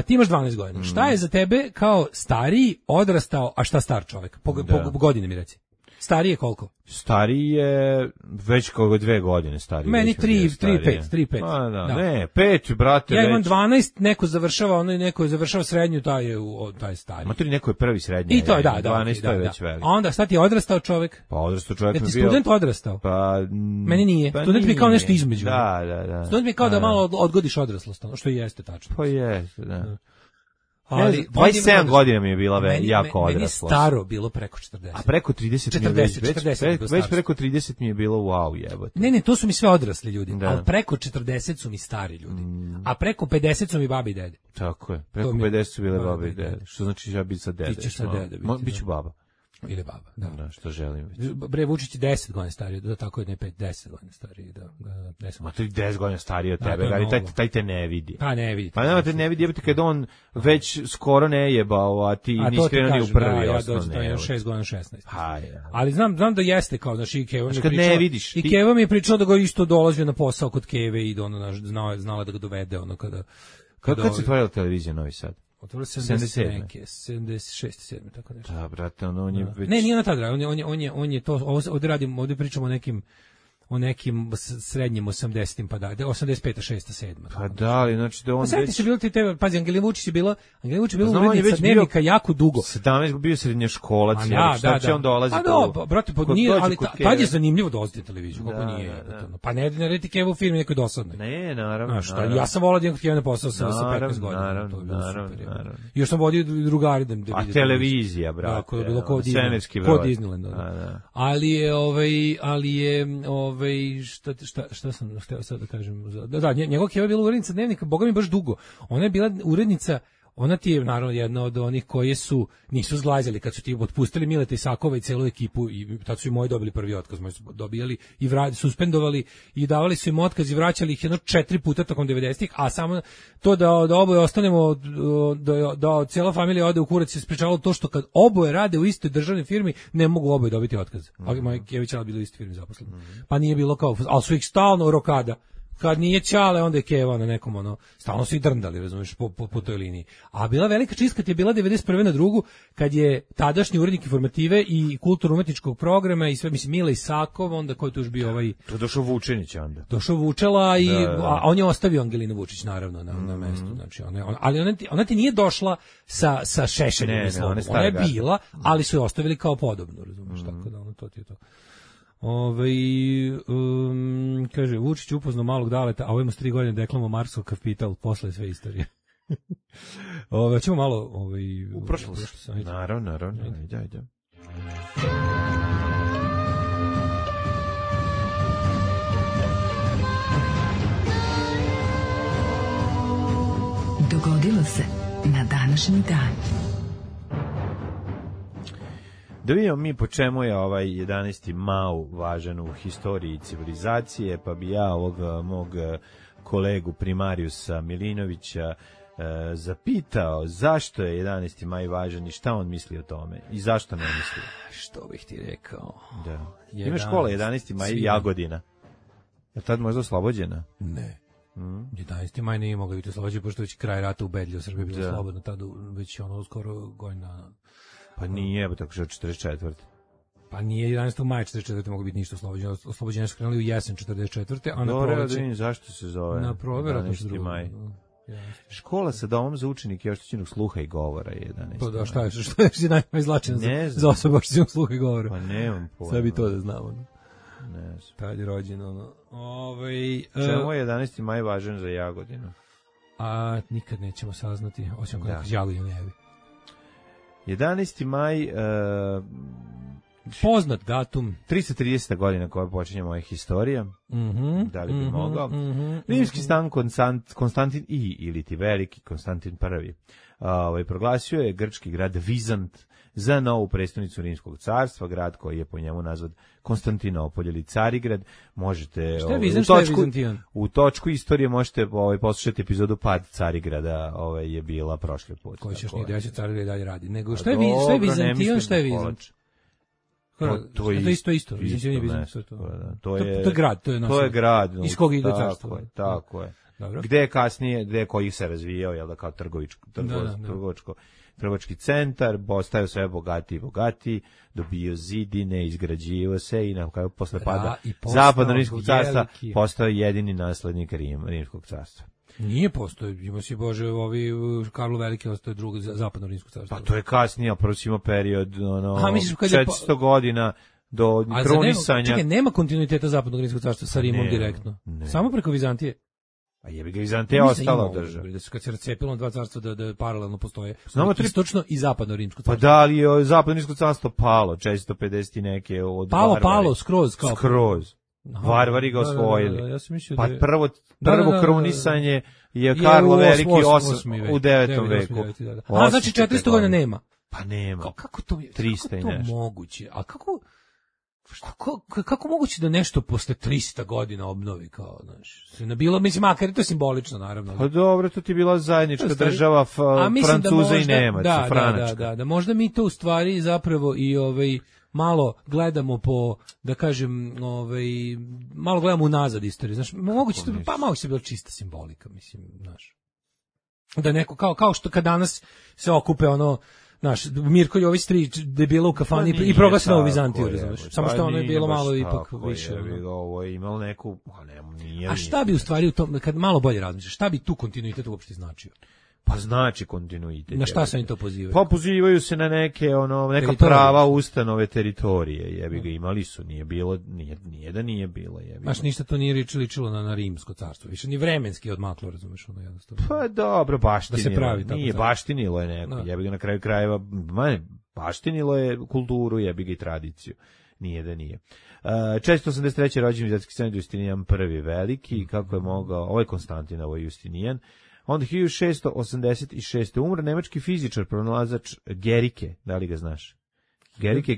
Speaker 6: Ti imaš 12 godina. Šta je za tebe kao stariji, odrastao, a šta star čovjek? Po godine mi reci. Stariji je koliko?
Speaker 7: Stariji je već kao 2 godine stariji.
Speaker 6: Meni 3-5.
Speaker 7: Da. Ne, 5, brate.
Speaker 6: Ja imam 12, neko završava srednju, taj je stariji.
Speaker 7: Ma neko je prvi srednji.
Speaker 6: I to je,
Speaker 7: 12 je već veliko.
Speaker 6: A onda sad ti je odrastao čovjek?
Speaker 7: Pa odrastao čovjek mi
Speaker 6: je bio. Student odrastao?
Speaker 7: Pa
Speaker 6: meni nije. Student mi je kao nešto između.
Speaker 7: Da.
Speaker 6: Student mi je kao da malo odgodiš odraslost, što i jeste tačno.
Speaker 7: Pa jeste, da. Ali 27 godina mi je bila jako odrasla. Meni je
Speaker 6: staro bilo preko 40.
Speaker 7: A preko 30 mi je već preko 30 mi je bilo wow jebote.
Speaker 6: Ne, to su mi sve odrasli ljudi, ali preko 40 su mi stari ljudi. A preko 50 su mi babi i dede.
Speaker 7: Tako je, preko 50 su bile babi i dede. Što znači ja biti sa dede?
Speaker 6: Ti ćeš sa dede biti.
Speaker 7: Biću baba.
Speaker 6: Ili baba, da.
Speaker 7: Što želim biti.
Speaker 6: Bre, Vučić je 10 godina stariji, da tako je, ne 5, 10 godina stariji, da.
Speaker 7: Ma to je 10 godina stariji od tebe, taj te ne vidi.
Speaker 6: Pa ne vidi.
Speaker 7: Pa nema te ne vidi, jebate kad on već skoro ne jebao, a ti nisi krenuo ni u prvi osnovne.
Speaker 6: Ja dođe, to je 6 godina 16. Ali znam da jeste kao, znaš, i Keva mi je pričala.
Speaker 7: Ne vidiš.
Speaker 6: I Keva mi je pričala da ga isto dolazio na posao kod Keve i da znala da ga dovede, ono
Speaker 7: Kad se otvorila televizija Novi Sad?
Speaker 6: Otvorila 76, 7, tako nešto.
Speaker 7: Da, brate, on je već...
Speaker 6: Ne, nije ona tada, on je to, ovdje pričamo o nekim srednjim 80-im, pa da, 85, 6, 7.
Speaker 7: Pa da, ali znači da on
Speaker 6: već... Pa se bilo ti tebe, pazi, Angelina Vučić je bila urednica Dnevnika jako dugo.
Speaker 7: 17 bio srednjoškolac, šta će on dolazi tu?
Speaker 6: Pa da, brate, nije, ali tad je zanimljivo dolaziti na televiziju, kako nije. Pa ne reti Keva u firmi nekoj dosadnoj.
Speaker 7: Ne, naravno.
Speaker 6: Ja sam volao da imam Keva na posao sa 15 godina, to je bilo super. I još sam vodio drugari da vidim.
Speaker 7: A televizija, brate.
Speaker 6: Tako je bilo kod Disneyland. Ali je šta sam hteo sad da kažem, da njegov Keva je bila urednica Dnevnika, boga mi baš dugo. Ona je bila urednica, ona ti je naravno jedna od onih koji nisu zglajzali kad su ti otpustili Mileta Isakova i celu ekipu, i tad su i moji dobili prvi otkaz, moji su dobijali i suspendovali i davali su im otkaz i vraćali ih 4 puta tokom 90-ih, a samo to da oboje ostanemo, da cijela familija ode u kurac, se sprečavalo to što kad oboje rade u istoj državnoj firmi, ne mogu oboje dobiti otkaz. Ali moji Kević bila u istoj firmi zaposleni. Pa nije bilo kao, ali su ih stalno rokada. Kad nije Ćale, onda je Keva na nekom, stalno su i drndali, razumiješ, po toj liniji. A bila velika čistka ti je bila 91. na drugu, kad je tadašnji urednik Informative i kulturno-umetničkog programa i sve, mislim, Mile Isakov, onda ko je tu još bio
Speaker 7: To došao Vučinić onda.
Speaker 6: Došao Vučela, a on je ostavio Angelinu Vučić, naravno, na mestu. Znači, ali ona ti nije došla sa Šešeljom, ona je bila, ali su je ostavili kao podobno, razumiješ, tako da to ti je to. Kaže, Vučić upoznao malog Daleta, a ovo ima 3 godine deklamo Marsov kapital, posle sve istorije. Ćemo malo
Speaker 7: u prošlost. Naravno. Ajde.
Speaker 4: Dogodilo se na današnji dan.
Speaker 7: Da vidimo mi po čemu je ovaj 11. Mao važan u historiji civilizacije, pa bi ja ovog mog kolegu primarijusa Milinovića zapitao zašto je 11. maj važan i šta on misli o tome i zašto ne misli.
Speaker 6: Što bih ti rekao?
Speaker 7: Da. Ima škola 11. maj Jagodina. Je tad možda oslobođena?
Speaker 6: Ne. 11. maj nije mogla biti oslobođena, pošto već kraj rata ubedljivo Srbije bilo slobodno, tada već skoro godina.
Speaker 7: Pa nije, tako što 44.
Speaker 6: Pa nije 11. maja 44. mogu biti ništa oslobođeno. Oslobođenje su krenuli u jesen 44. A na
Speaker 7: proleće... Zašto se zove?
Speaker 6: Na proleće
Speaker 7: 11. maj. Škola sa domom za učenike i oštećenog sluha i govora je 11.
Speaker 6: Pa da, šta je najizlačeno za osobu oštećenog sluha i govora?
Speaker 7: Pa nemam pojma.
Speaker 6: Sve bi to da znamo.
Speaker 7: Ne znam.
Speaker 6: Tad je rođen,
Speaker 7: Čemu je 11. maj važan za Jagodinu?
Speaker 6: A nikad nećemo saznati, osim kod nekog Jagodinu ne javi.
Speaker 7: 11. maj...
Speaker 6: poznat datum.
Speaker 7: 330. godina koja počinje moja historija. Da li bi mogao? Rimski stan Konstantin ili ti veliki Konstantin I. Proglasio je grčki grad Vizant za novu prestonicu Rimskog carstva, grad koji je po njemu nazvan Konstantinopolj ili Carigrad. Možete u točku istorije možete poslušati epizodu Pad Carigrada, je bila prošli put.
Speaker 6: Koji ćeš nije desiti, Carigrad dalje radi. Nego šta je Vizantijan, šta je Vizant? To je isto.
Speaker 7: To je
Speaker 6: grad, to je
Speaker 7: grad.
Speaker 6: Iz kog ide carstvo.
Speaker 7: Tako je. Gde je kasnije, gde koji se razvijao, jel da, kao trgovački centar, postao sve bogatiji, dobio zidine, izgrađivao se i na kraju posle pada Zapadno Rimskog carstva postao jedini naslednik Rimskog carstva.
Speaker 6: Nije postao, ima si Bože, Karlo Veliki ostaje drugo Zapadno Rimsko carstvo.
Speaker 7: Pa to je kasnije, a prvo ima period 400 godina do krunisanja.
Speaker 6: Čekaj, nema kontinuiteta Zapadnog Rimskog carstva sa Rimom direktno. Samo preko Vizantije.
Speaker 7: A jebi ga, Vizantija ostala država.
Speaker 6: Da se kad se razcepilo na dva carstva da paralelno postoje. Istočno i Zapadno Rimsko carstvo.
Speaker 7: Pa da li je Zapadno Rimsko carstvo palo 450 i neke od
Speaker 6: Palo skroz kao.
Speaker 7: Skroz. Varvari ga osvojili. Pa prvo krunisanje je Karlo Veliki u 9. veku.
Speaker 6: A znači 400 godina nema.
Speaker 7: Pa nema.
Speaker 6: Kako to
Speaker 7: 300 i nešto.
Speaker 6: Moguće? A kako moguće da nešto posle 300 godina obnovi, kao, znaš, bilo, mislim, makar je to simbolično, naravno.
Speaker 7: Pa dobro, to ti je bila zajednička država Francuza i Nemaca, Franačka.
Speaker 6: Da, možda mi to u stvari zapravo i malo gledamo po, da kažem, malo gledamo unazad istoriju, znaš, moguće to, pa malo se bila čista simbolika, mislim, znaš. Da neko, kao što kad danas se okupe ono, znaš, Mirko Jović 3 debila u kafani i proglasi Novu Vizantiju, razumeš? Samo što ono je bilo malo ipak više.
Speaker 7: Ovo je imalo neku, nije.
Speaker 6: A šta bi u stvari u tom, kad malo bolje razmišljaš, šta bi tu kontinuitet uopšte značio?
Speaker 7: Pa znači kontinuitet.
Speaker 6: Na šta se oni to pozivaju?
Speaker 7: Pa pozivaju se na neke neka prava ustanove teritorije, jebi ga, imali su, nije bilo, nije da nije bilo, jebi.
Speaker 6: Baš ništa to nije ličilo na rimsko carstvo, više ni vremenski odmaklo, razumeš, ono jednostavno.
Speaker 7: Pa dobro, baštinilo.
Speaker 6: Da se pravi tako.
Speaker 7: Nije, baštinilo je neko, jebi ga na kraju krajeva, baštinilo je kulturu, jebi ga i tradiciju. Nije da nije. 483. rođen vizantijski car Justinijan I veliki, kako je mogao, ovo je Konstantin, ovo je Justinijan. Onda 1686. umro nemački fizičar, pronalazač Gerike, da li ga znaš?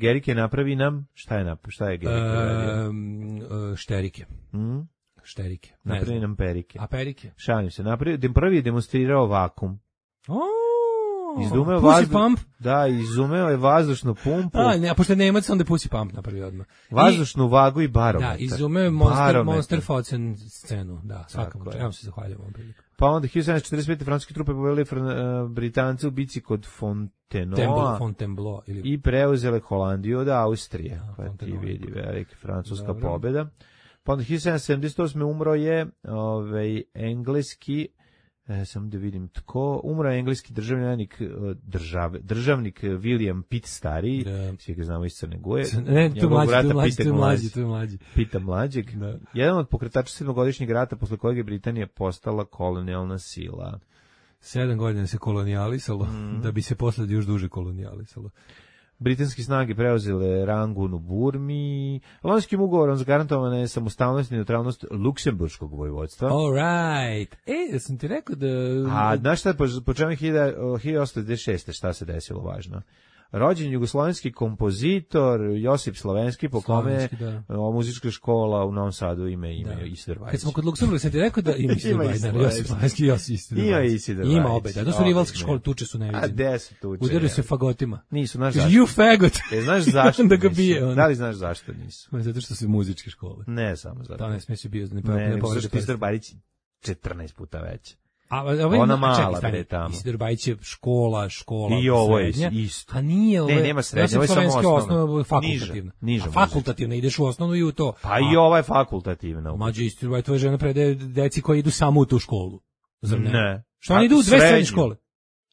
Speaker 7: Gerike napravi nam, šta je Gerike radio?
Speaker 6: Šterike. Šterike.
Speaker 7: Napravi nam perike.
Speaker 6: A perike?
Speaker 7: Šalim se, prvi je demonstrirao vakum.
Speaker 6: Pussy pump?
Speaker 7: Da, izumeo je vazdušnu pumpu.
Speaker 6: A pošto je Nemac, onda Pussy pump napravio odmah.
Speaker 7: Vazdušnu vagu i barometar.
Speaker 6: Da, izumeo je Monster Faucen scenu, da, svakako. Ja vam se zahvaljujem ovom priliku.
Speaker 7: Pa onda 1745. francuske trupe pobedile Britance u bici kod
Speaker 6: Fontainebleau
Speaker 7: i preuzele Holandiju od Austrije. Pa ti vidi, velika francuska pobeda. Pa onda 1778. umro je engleski, samo da vidim tko, umro je engleski državnik William Pitt stariji, svi ga znamo iz Crne Gore.
Speaker 6: Ne, tu mlađi.
Speaker 7: Pita mlađeg. Jedan od pokretača 7-godišnjeg rata posle kojeg je Britanija postala kolonijalna sila.
Speaker 6: 7 godina se kolonijalisalo, da bi se posle još duže kolonijalisalo.
Speaker 7: Britanske snage preuzele Rangun u Burmi. Lonskim ugovorom zagarantovana je samostalnost i neutralnost Luksemburškog vojvodstva.
Speaker 6: All right. Ja sam ti rekao da...
Speaker 7: A znaš šta, po čemu je 1896. šta se desilo važno? Rođen jugoslovenski kompozitor Josip Slovenski, po kome muzička škola u Novom Sadu ima Isidor Bajić.
Speaker 6: Kad smo kod Luksemburga, sam ti rekao da ima Isidor Bajić, Josip Slovenski i Isidor Bajić. Ima obe, da. To su rivalske škole, tuče su neviđene.
Speaker 7: A gde su tuče?
Speaker 6: Udaraju se fagotima.
Speaker 7: Nisu, znaš zašto?
Speaker 6: You fagot!
Speaker 7: Znaš zašto
Speaker 6: da ga bije.
Speaker 7: Da li znaš zašto nisu?
Speaker 6: Zato što su muzičke škole.
Speaker 7: Ne samo zato.
Speaker 6: Da, ne smije se bio.
Speaker 7: Ne, zašto Isidor Bajić 14 puta veća.
Speaker 6: Ona
Speaker 7: mala bre tamo.
Speaker 6: Isidor Bajić je škola.
Speaker 7: I ovo je isto.
Speaker 6: A nije ovo.
Speaker 7: Ne, nema srednje, ovo je samo osnovno.
Speaker 6: Fakultativna.
Speaker 7: Niža.
Speaker 6: Fakultativna, ideš u osnovnu i u to.
Speaker 7: Pa i ova je fakultativna.
Speaker 6: Mađe, Isidor Bajić, tvoja žena predaje deci koji idu samo u tu školu. Zar ne?
Speaker 7: Ne.
Speaker 6: Što oni idu u dve srednje škole?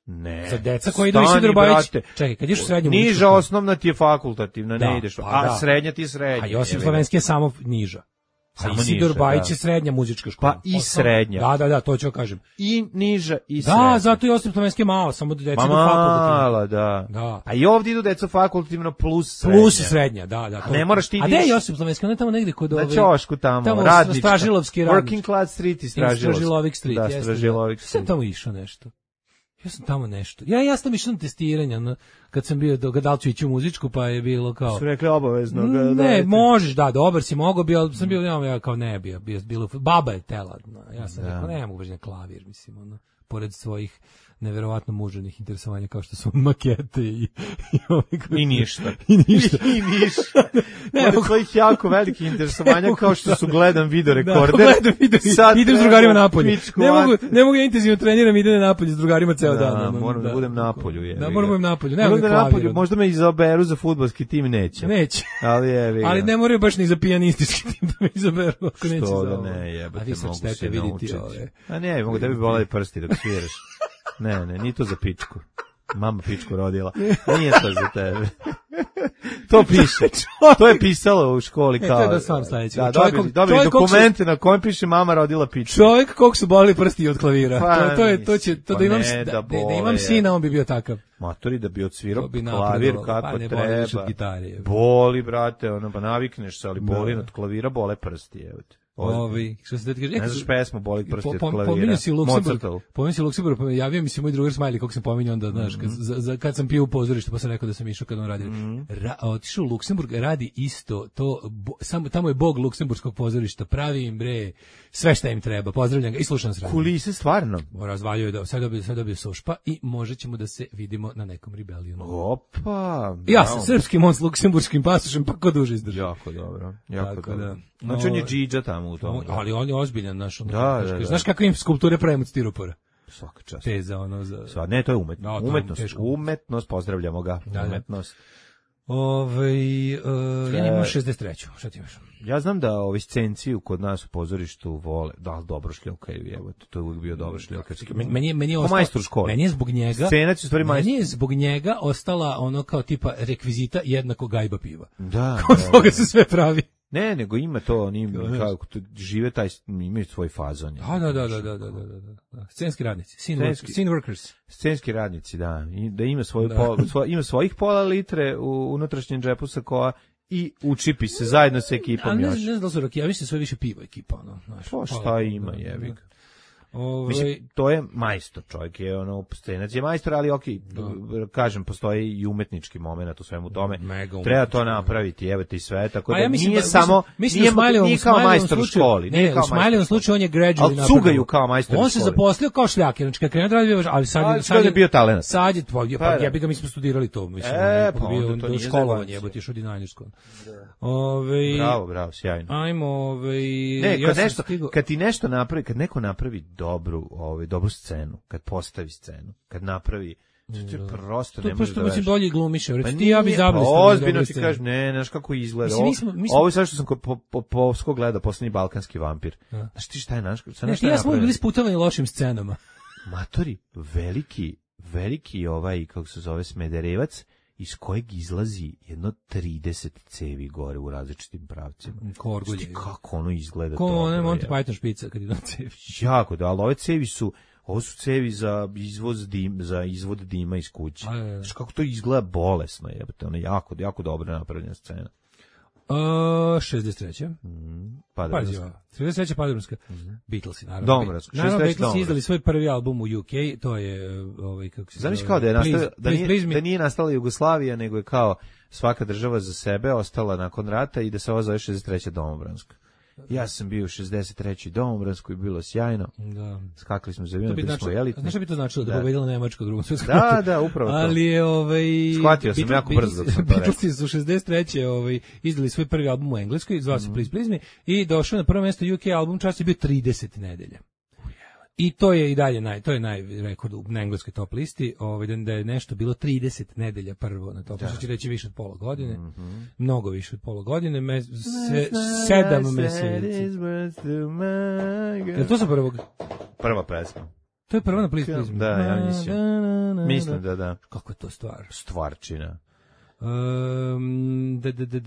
Speaker 7: Ne.
Speaker 6: Za deca koji idu u Isidor Bajić. Čekaj, kad ideš u srednju muzičku
Speaker 7: niža osnovna ti je fakultativna, ne ideš. A srednja ti je srednja.
Speaker 6: A Josip Slovenski je samo niža. A Isidor Bajić je srednja muzička škola.
Speaker 7: Pa i srednja.
Speaker 6: Da, to ću kažem.
Speaker 7: I niža i srednja.
Speaker 6: Da, zato Josip Slovenski je malo, samo da deca idu
Speaker 7: fakultativno.
Speaker 6: Mala,
Speaker 7: da. A i ovdje idu deca fakultativno plus srednja.
Speaker 6: Plus srednja, da.
Speaker 7: A ne moraš ti
Speaker 6: A gde je Josip Slovenski? On je tamo negdje kod
Speaker 7: na Ćošku tamo radnička.
Speaker 6: Stražilovski radnički.
Speaker 7: Working Class Street i
Speaker 6: Stražilovik Street.
Speaker 7: Da, Stražilovik Street.
Speaker 6: Sam tamo išao nešto. Ja sam tamo nešto. Ja sam išao na testiranje, kad sam bio da li ću ići u muzičku, pa je bilo kao...
Speaker 7: Su rekli obavezno.
Speaker 6: Ne, možeš, dobar si, mogao bi, ali sam bio, ja kao ne, bilo, baba je tela. Ja sam rekao, ne mogu baš na klavir, mislim, pored svojih neverovatno muževnih interesovanja kao što su makete i
Speaker 7: ništa.
Speaker 6: I ništa.
Speaker 7: Pored svojih jako velikih interesovanja kao što su gledam video rekorder.
Speaker 6: Idem s drugarima napolje. Ne mogu ja intenzivno treniram, idem napolje s drugarima ceo dan.
Speaker 7: Moram da budem napolju.
Speaker 6: Da, moram da budem napolju.
Speaker 7: Možda me izaberu za fudbalski tim, neće.
Speaker 6: Ali ne moraju baš ni za pijanistički tim da me izaberu.
Speaker 7: Što da ne, jebate, mogu se naučiti. A ne, mogu tebi bolati prsti dok sviraš. Ne, nije to za pičku. Mama pičku rodila. Nije to za tebe. To piše. To je pisalo u školi kao.
Speaker 6: To je da sam sledeći.
Speaker 7: Da, dobili dokumente na kojem piše mama rodila pičku.
Speaker 6: Čovjek kog su bolili prsti od klavira. To da imam sina, on bi bio takav.
Speaker 7: Matori da bi odsvirao klavir kako treba. Boli, brate, pa navikneš se, ali boli od klavira, bole prsti, evo te.
Speaker 6: Što se kaže,
Speaker 7: ne znaš pesmu Boli prsti od klavira.
Speaker 6: Pominju si Luksemburg, javio mi se moj drugar Smiley, kog sam pominjao onda, znaš, kad sam pio u pozorište, pa sam rekao da sam išao kad on radi. Otišao u Luksemburg, radi isto, samo tamo je bog luksemburskog pozorišta, pravi im bre, sve šta im treba, pozdravljam ga i slušam s radom.
Speaker 7: Kulise stvarno.
Speaker 6: Razvaljuje da, sad dobio sošpa i možda ćemo da se vidimo na nekom rebelionu.
Speaker 7: Opa!
Speaker 6: Ja sam srpskim, on s luksemburškim pasošem, pa ko duže izdržao.
Speaker 7: Jako dobro. Znači on je džidža tamo u tom.
Speaker 6: Ali on je ozbiljan, znaš.
Speaker 7: Da.
Speaker 6: Znaš kakve im skulpture pravimo od stiropora?
Speaker 7: Svaka čast.
Speaker 6: Teza, ono za...
Speaker 7: Ne, to je umetnost, pozdravljamo ga. Umetnost.
Speaker 6: Ja imam 63. Šta ti imaš?
Speaker 7: Ja znam da ovi scenciju kod nas u pozorištu vole, da, dobro šljonkaju, evo, to je uvijek bio dobro šljokarski.
Speaker 6: Meni je ostalo,
Speaker 7: majstor škole.
Speaker 6: Meni je zbog njega,
Speaker 7: scenac je u stvari majstor.
Speaker 6: Meni je zbog njega ostala ono kao tipa rekvizita jednako gajba piva.
Speaker 7: Da.
Speaker 6: Kod toga se sve pravi.
Speaker 7: Ne, nego ima to, oni kako žive taj, imaju svoj fazon.
Speaker 6: Da. Scenski radnici, scene workers.
Speaker 7: Scenski radnici, da. I da ima ima svojih pola litre u unutrašnjem džepu sakoa i učipi se zajedno sa ekipom još.
Speaker 6: Ne znam da su rakija, više sve više piva ekipa, ono, znaš.
Speaker 7: Pa šta ima, jebi ga. Mislim, to je majstor, čovjek je ono, scenac je majstor, ali kažem, postoji i umetnički moment u svemu tome. Treba to napraviti, evo ti sve, tako da nije samo, nije kao majstor u školi.
Speaker 6: Ne, u Smajlevom slučaju on je gradually
Speaker 7: napravio. Ali cugaju kao majstor u školi.
Speaker 6: On se zaposlio kao šljaker, znači kad krenuo da radi, ali sad je
Speaker 7: bio talent.
Speaker 6: Sad je, pa jebi ga, mi smo studirali to, mislim, bio do školovanje, jebo ti išao dizajnersko.
Speaker 7: Bravo, sjajno.
Speaker 6: Ajmo,
Speaker 7: kad ti nešto napravi, kad neko napravi dobru scenu, kad postavi scenu, kad napravi, to je prosto ne može da
Speaker 6: mislim bolje glumiše, recimo ja bi zablistio.
Speaker 7: Ozbiljno ti kažeš, ne, znaš kako izgleda. Ovo je sve što sam po gledao, Poslednji balkanski vampir. Znaš ti šta je naš?
Speaker 6: Ja smo bili sputovani lošim scenama.
Speaker 7: Matori, veliki kako se zove, Smederevac, iz kojeg izlazi jedno 30 cevi gore u različitim pravcima.
Speaker 6: Korgulje.
Speaker 7: Kako ono izgleda?
Speaker 6: Ko ono Monty Python špica kad ide na cevi.
Speaker 7: Jako, da, ali ove cevi su cevi za izvod dima iz kuće. Znaš kako to izgleda bolesno, jebate, ono jako dobro napravljena scena.
Speaker 6: 63.
Speaker 7: Pazi,
Speaker 6: 63. Paderbornska. Beatlesi, naravno.
Speaker 7: Domorska.
Speaker 6: Naravno, Beatlesi izdali svoj prvi album u UK, to je, kako se zove...
Speaker 7: Zamisli kao da nije nastala Jugoslavija, nego je kao svaka država za sebe ostala nakon rata i da se ovo zove 63. Domobranska. Ja sam bio u 63. Domobranskoj, bilo sjajno.
Speaker 6: Da.
Speaker 7: Skakali smo za avion, bili smo elitni.
Speaker 6: Znaš šta bi to značilo? Da pobedila Nemačka u Drugom svjetskom ratu.
Speaker 7: Da, upravo to.
Speaker 6: Ali je
Speaker 7: shvatio sam jako brzo dok sam to rekao.
Speaker 6: Beatlesi su 63. Izdali svoj prvi album u Engleskoj, zvao se Please Please Me, i došao na prvo mjesto UK album, čas je bio 30 nedelja. I to je i dalje to je najrekord na engleskoj top listi, da je nešto bilo 30 nedelja prvo na top listi, što će reći više od pola godine, mnogo više od pola godine, 7 meseci. Je to sa prvog?
Speaker 7: Prva pesma.
Speaker 6: To je prva na Please Please Me.
Speaker 7: Da, ja mislim da.
Speaker 6: Kako je to stvar?
Speaker 7: Stvarčina.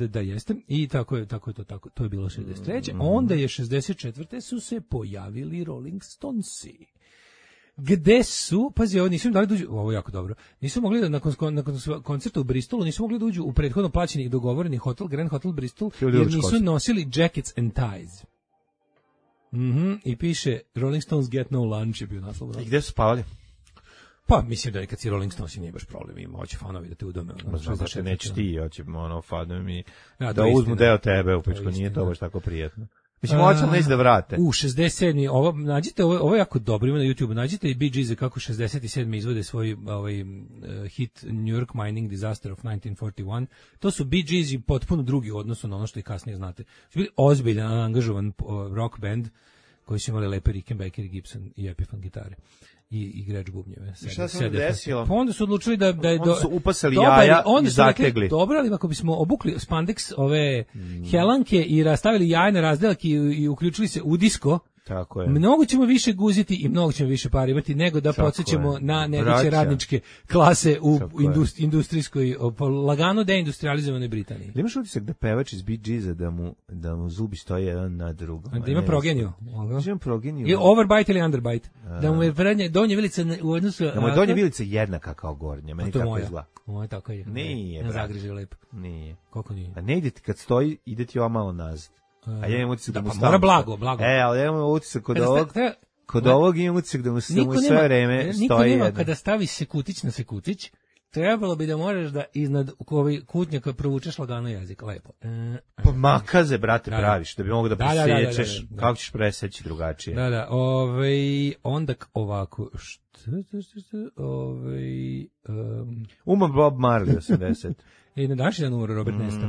Speaker 6: Da jeste. I tako je to je bilo 63. Onda je 64. su se pojavili Rolling Stonesi. Gde su, pazi, ovo nisu im dali da uđu, ovo je jako dobro, nisu mogli da nakon koncerta u Bristolu, nisu mogli da uđu u prethodno plaćeni i dogovoreni hotel, Grand Hotel Bristol, jer nisu nosili jackets and ties. I piše Rolling Stones get no lunch je bio naslov.
Speaker 7: I gde su spavali?
Speaker 6: Pa mislim da kad si Rolling Stones nije baš problem, ima hoće fanovi da te udome.
Speaker 7: Znači neće ti, hoće fanovi da uzmu deo tebe, upičko nije to baš tako prijetno. Mislim, hoće neće da vrate.
Speaker 6: 67. Nađite, ovo je jako dobro, ima na YouTube, nađite i Bee Gees kako 67. izvode svoj hit New York Mining Disaster of 1941. To su Bee Gees i potpuno drugi u odnosu na ono što i kasnije znate. Su bili ozbiljan, angažovan rock band koji su imali lepe Rickenbacker, Gibson i Epiphone gitare. I Gretsch bubnjeve.
Speaker 7: Šta se desilo?
Speaker 6: Pa onda su odlučili da je
Speaker 7: onda su upasali jaja i zategli.
Speaker 6: Dobro, ali ako bismo obukli spandex ove helanke i rastavili jaja na razdelak i uključili se u disko,
Speaker 7: tako je.
Speaker 6: Mnogo ćemo više guziti i mnogo ćemo više para imati nego da podsjećamo na nedeće radničke klase u industrijskoj, lagano deindustrializovanoj Britaniji.
Speaker 7: Li imaš utisak da pevač iz Bee Geesa da mu zubi stoje jedan na drugom?
Speaker 6: Da ima progeniju.
Speaker 7: Ima progeniju.
Speaker 6: Je overbite ili underbite. Da mu je prednja donja vilica u odnosu...
Speaker 7: Da mu je donja vilica jednaka kao gornja. Meni tako izgleda.
Speaker 6: Moja tako je.
Speaker 7: Nije,
Speaker 6: brate. Zagriže lepo.
Speaker 7: Nije.
Speaker 6: Kako nije?
Speaker 7: A ne ide ti kad stoji, ide ti ova malo nazad. A ja imam utisak da mu stavim.
Speaker 6: Mora blago.
Speaker 7: Ali ja imam utisak kod ovog imam utisak da mu sve vreme stoji
Speaker 6: jedan. Niko nema kada stavi sekutić na sekutić, trebalo bi da možeš da iznad kutnjaka provučeš lagano jezik, lepo.
Speaker 7: Pa makaze, brate, praviš, da bi mogo da presjećeš, kako ćeš preseći drugačije.
Speaker 6: Da, onda ovako,
Speaker 7: Uma Bob Marley 80.
Speaker 6: I na današnji dan umro Robert Nesta.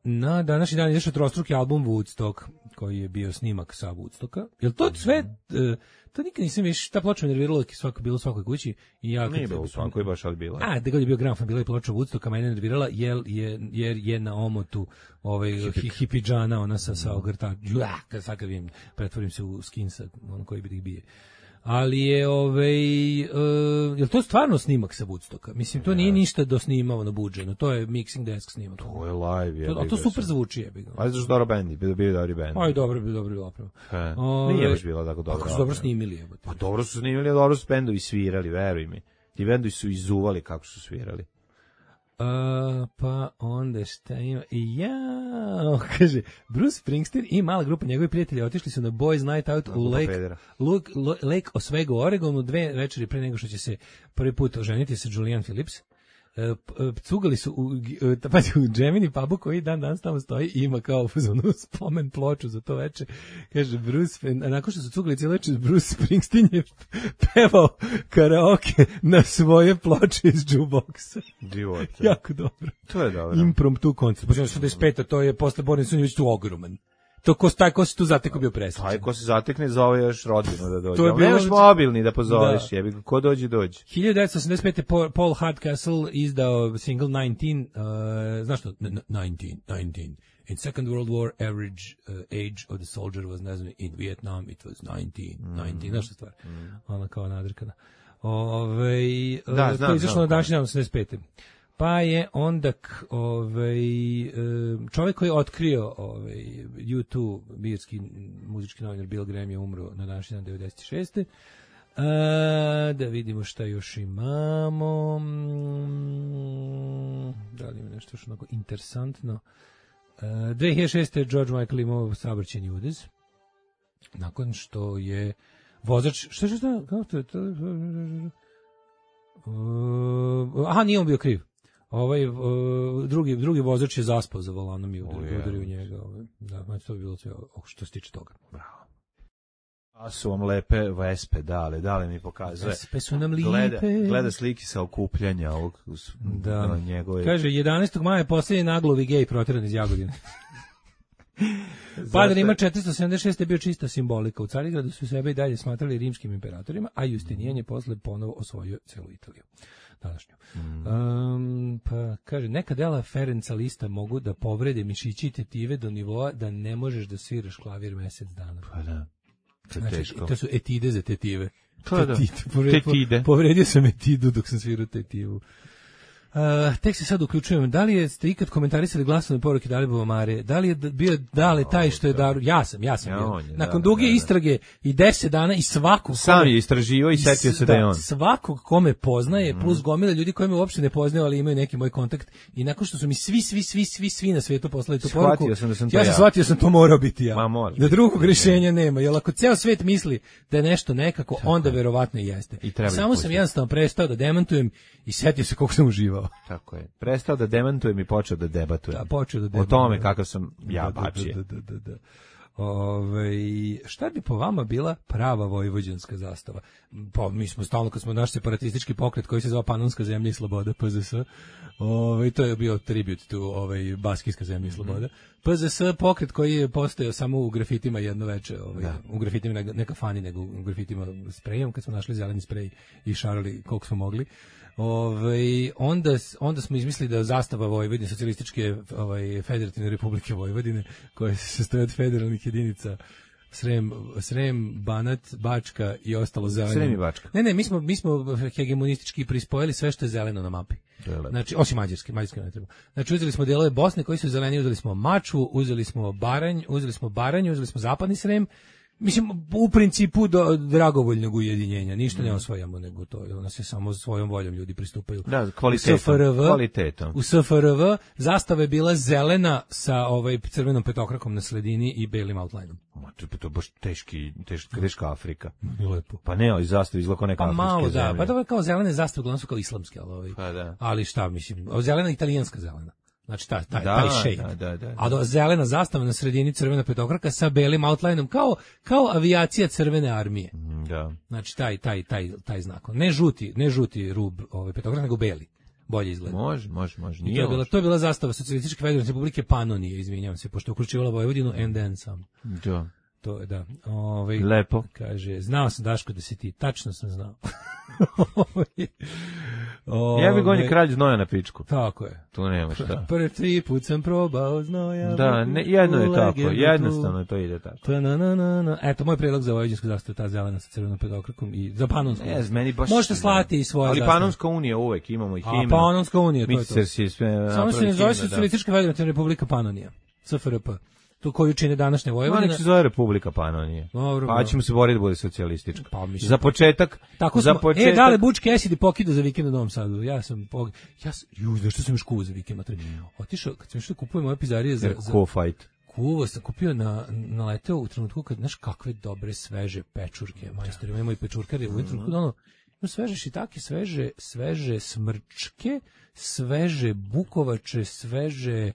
Speaker 6: Na današnji dan je izašao trostruki album Woodstock, koji je bio snimak sa Woodstocka. Jel to sve... To nikad nisam više, ta ploča me nervirala bilo u svakoj kući. I ja,
Speaker 7: nije bilo u svakoj, baš ali bila.
Speaker 6: Da god je bio gramofon, bila je ploča Woodstocka, mene nervirala, jer je na omotu hipidžana, ona sa ogrta, sad kad vidim, pretvorim se u skinsa, ono koji bi ih bije. Ali je, je to stvarno snimak sa Woodstocka? Mislim, to nije ništa dosnimavano, buđeno, to je mixing desk snimak.
Speaker 7: To je live,
Speaker 6: je. To super zvuči, je.
Speaker 7: Ali zašto dobro bendi, bio dobri bend.
Speaker 6: Aj, dobro bilo opravo.
Speaker 7: Nije baš bilo tako dobro.
Speaker 6: Ako su dobro snimili, je.
Speaker 7: Pa dobro su snimili, dobro su bendovi svirali, veruj mi. Ti bendovi su izuvali kako su svirali.
Speaker 6: Pa onda šta ima? Kaže, Bruce Springsteen i mala grupa njegovih prijatelja otišli su na Boys Night Out u Lake Oswego, Oregonu, 2 večeri pre nego što će se prvi put oženiti sa Julian Phillips. Cugali su u Gemini pubu koji dan tamo stoji i ima kao spomen ploču za to veče. Kaže Bruce, nakon što su cugali cijelo veče, Bruce Springsteen je pevao karaoke na svoje ploče iz jukeboxa. Jako dobro.
Speaker 7: To je dobro.
Speaker 6: Impromptu koncert. Počeo 85, to je posle Boris Sunjević tu ogroman. To ko se tu zatekao bio presrećan.
Speaker 7: Taj ko se zatekne zove još rodbinu da dođe. Nemaš mobilni da pozoveš, jebi ga, ko dođe.
Speaker 6: 1985. Paul Hardcastle izdao single 19, znaš što? 19. In Second World War, average age of the soldier was, ne znam, in Vietnam, it was 19, znaš što stvar? Ona kao nadrkana. To je izašlo na današnji dan 85. Pa je onda čovjek koji je otkrio U2, birski muzički novinar Bill Graham je umro na današnji dan 96. Da vidimo šta još imamo. Da li ima nešto još onako interesantno. 2006. George Michael imao saobraćajni udez. Nakon što je vozač... Šta? Kako to je? Nije on bio kriv. Drugi vozač je zaspao za volanom i udario njega. Da, to bi bilo sve što se tiče toga.
Speaker 7: Bravo. A su vam lepe vespe, dale mi pokazuje.
Speaker 6: Vespe su nam lipe.
Speaker 7: Gleda slike sa okupljanja ovog njegove.
Speaker 6: Kaže, 11. maja je posljednji naglovi gej proteran iz Jagodine. Pada Rima 476 je bio čista simbolika. U Carigradu su sebe i dalje smatrali rimskim imperatorima, a Justinijan je posle ponovo osvojio celu Italiju. Današnju. Pa kaže, neka dela Ferenca Lista mogu da povrede mišići i tetive do nivoa da ne možeš da sviraš klavir mesec dana.
Speaker 7: Pa da.
Speaker 6: To su etide za tetive.
Speaker 7: Tetide.
Speaker 6: Povredio sam etidu dok sam svirao tetivu. Tek se sad uključujem. Da li ste ikad komentarisali glasovne poruke Dalibova Mare? Da li je bio Dale taj što je daru? Ja sam bio. Nakon duge istrage i 10 dana i svakog...
Speaker 7: Sam je istraživao i setio se da je on.
Speaker 6: Svakog kome poznaje, plus gomila ljudi koji me uopšte ne poznaju, ali imaju neki moj kontakt. I nakon što su mi svi na svijetu poslali tu poruku, ja sam shvatio sam to morao biti ja. Da drugog rješenja nema. Jer ako ceo svijet misli da je nešto nekako, onda verovatno i jeste. Samo sam jednostavno prestao da demantujem i setio se koliko sam uživao.
Speaker 7: Tako je. Prestao da demantujem i počeo da debatujem.
Speaker 6: O
Speaker 7: tome kakav sam ja bačije.
Speaker 6: Šta bi po vama bila prava vojvođanska zastava? Pa mi smo stalno, kad smo naš separatistički pokret koji se zove Panonska zemlja i sloboda, PZS, to je bio tribut tu Baskijska zemlja i sloboda. PZS pokret koji je postojao samo u grafitima jedno veče, u grafitima ne kafani, nego u grafitima sprejom, kad smo našli zeleni sprej i šarali koliko smo mogli. Onda smo izmislili da zastava Vojvodine, socijalističke federativne republike Vojvodine, koje se sastoje od federalnih jedinica Srem, Banat, Bačka i ostalo zeleno.
Speaker 7: Srem i Bačka.
Speaker 6: Ne, mi smo hegemonistički prispojili sve što je zeleno na mapi. Znači, osim Mađarske ne treba. Znači, uzeli smo delove Bosne koji su zeleni, uzeli smo Mačvu, uzeli smo Baranj, uzeli smo Zapadni Srem. Mislim, u principu do dragovoljnog ujedinjenja, ništa ne osvajamo, nego to, ona se samo svojom voljom ljudi pristupaju.
Speaker 7: Da, kvalitetom.
Speaker 6: U SFRV zastava je bila zelena sa crvenom petokrakom na sredini i belim outlineom.
Speaker 7: To je baš teška Afrika.
Speaker 6: Lepo.
Speaker 7: Pa ne, ali zastava izgleda neka afričke zemlje.
Speaker 6: Da, pa to je kao zelene zastave, uglavnom su kao islamske, ali šta, mislim, zelena italijanska zelena. Znači taj shade.
Speaker 7: Da.
Speaker 6: A zelena zastava na sredini, crvena petokraka sa belim outlineom, kao avijacija crvene armije.
Speaker 7: Da.
Speaker 6: Znači taj znak. Ne žuti rub petokraka, nego beli. bolje izgleda.
Speaker 7: Može.
Speaker 6: To je bila zastava Socijalističke federativne republike Panonije, izvinjavam se, pošto je uključivala Vojvodinu and then some.
Speaker 7: Da.
Speaker 6: To je, da.
Speaker 7: Lepo.
Speaker 6: Kaže, znao sam, Daško, da si ti. Tačno sam znao.
Speaker 7: Ja bih gonio kralj znoja na pičku.
Speaker 6: Tako je.
Speaker 7: Tu nema šta.
Speaker 6: Prvi put sam probao znoja.
Speaker 7: Da, jedno je tako, jednostavno to ide tako.
Speaker 6: Eto, moj predlog za vojvođansku zastavu, ta zelena sa crvenom petokrakom i za Panonsku. Možete slati i svoje zastave.
Speaker 7: Ali Panonska unija uvek, imamo i himnu.
Speaker 6: A Panonska unija, to je to. Samo se ne zove Socijalistička federativna republika Panonija. SFRP. Tu koju čine današnje Vojvodine.
Speaker 7: Nek se zove Republika Panonije.
Speaker 6: Dobro,
Speaker 7: pa ćemo se boriti da bude socijalistička.
Speaker 6: Pa,
Speaker 7: za početak.
Speaker 6: Tako smo, dale Bučke Esidi pokida za vikend u Novom Sadu. Zašto sam još kuo za vikend? Otišao, kad sam što kupujem ove pizarije za
Speaker 7: fight.
Speaker 6: Kuvo sam kupio na leteo u trenutku kad, znaš, kakve dobre sveže pečurke, majstori, imamo i pečurkari, u trenutku sveže šitake, sveže smrčke, sveže bukovače, sveže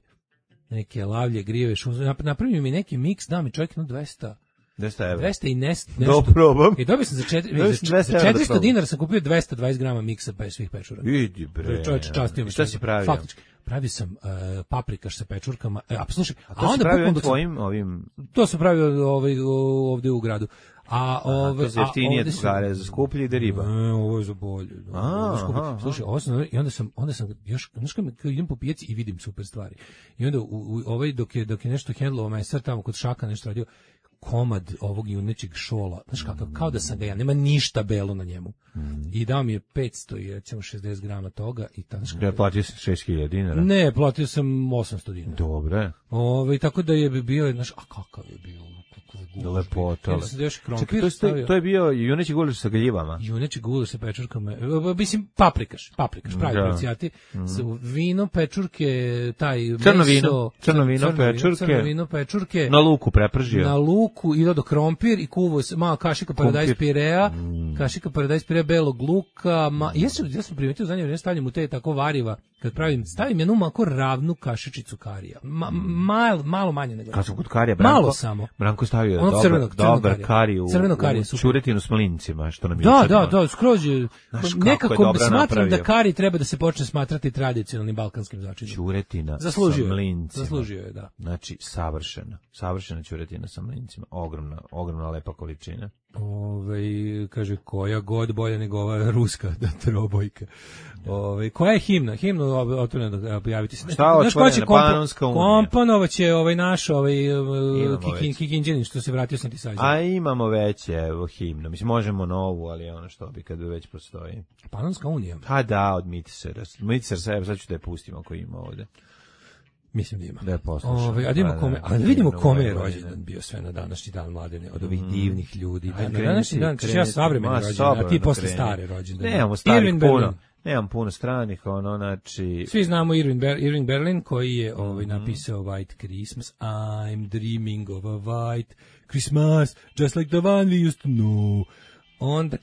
Speaker 6: neke lavlje, grijeve, napravio mi neki miks, da mi čovjek 200 evra. 200 i nešto.
Speaker 7: Probam.
Speaker 6: I dobio sam za 400 dinara sam kupio 220 grama miksa svih pečura.
Speaker 7: Idi bre.
Speaker 6: Čovječe, častio me.
Speaker 7: Šta si pravio?
Speaker 6: Faktički. Pravio sam paprikaš sa pečurkama. Slušaj,
Speaker 7: a to si pravio tvojim ovim...
Speaker 6: To sam pravio ovdje u gradu.
Speaker 7: To je jeftinije cigare, za skuplji ide riba.
Speaker 6: Ovo je za bolje. Slušaj, onda sam još, znaš kad idem po pijaci i vidim super stvari. I onda dok je nešto hendlovao mesar tamo kod Šaka nešto radio, komad ovog junećeg šola, znaš kakav, kao da sam ga ja, nema ništa belo na njemu. I dao mi je 500 i recimo 60 grama toga i tako.
Speaker 7: Ja platio sam 6.000 dinara.
Speaker 6: Ne, platio sam 800 dinara.
Speaker 7: Dobre.
Speaker 6: Tako da je bio, znaš, a kakav je bio?
Speaker 7: Lepota.
Speaker 6: To
Speaker 7: je bio juneći gulaš sa galjivama.
Speaker 6: Juneći gulaš sa pečurkama. Mislim, paprikaš, pravi pracijati. Vino, pečurke, taj
Speaker 7: crno vino, pečurke. Na luku prepržio.
Speaker 6: Na luku i do krompir i kuvo malo kašika paradajz pirea, belog luka. Ja sam primetio za njega, stavljam u te tako variva. Kad stavim jednu mako ravnu kašičicu karija. Malo manje nego.
Speaker 7: Kad sam kod karija,
Speaker 6: malo samo.
Speaker 7: Branko stavio dobar kariju, čuretinu s mlincima, što nam je
Speaker 6: Da, skroz je. Nekako smatram da kari treba da se počne smatrati tradicionalnim balkanskim začinom.
Speaker 7: Čuretina sa mlincima.
Speaker 6: Zaslužio je, da.
Speaker 7: Znači, savršena čuretina sa mlincima. Ogromna lepa količina.
Speaker 6: Kaže, koja god bolja nego ova ruska trobojka. Koja je himna? Himnu otvoreno da pojaviti se.
Speaker 7: Šta otvoreno? Panonska unija.
Speaker 6: Komponovac je naš Kikinđanin što se vratio sam ti sađen.
Speaker 7: A imamo već himnu. Mislim, možemo novu, ali ono što bi kad već postoji.
Speaker 6: Panonska unija?
Speaker 7: Ha da, od Mitisera. Mitisera sad ću da je pustimo ako ima ovde.
Speaker 6: Mislim da ima.
Speaker 7: Da je poslušao.
Speaker 6: Ali vidimo kome je rođendan bio sve na današnji dan, Mladene, od ovih divnih ljudi. Na današnji dan, ja savremeni rođendan, a ti posle stare rođendane.
Speaker 7: Nemamo starih puno. Nemam puno stranih, znači...
Speaker 6: Svi znamo Irving Berlin, koji je napisao White Christmas. I'm dreaming of a white Christmas, just like the one we used to know. Onda,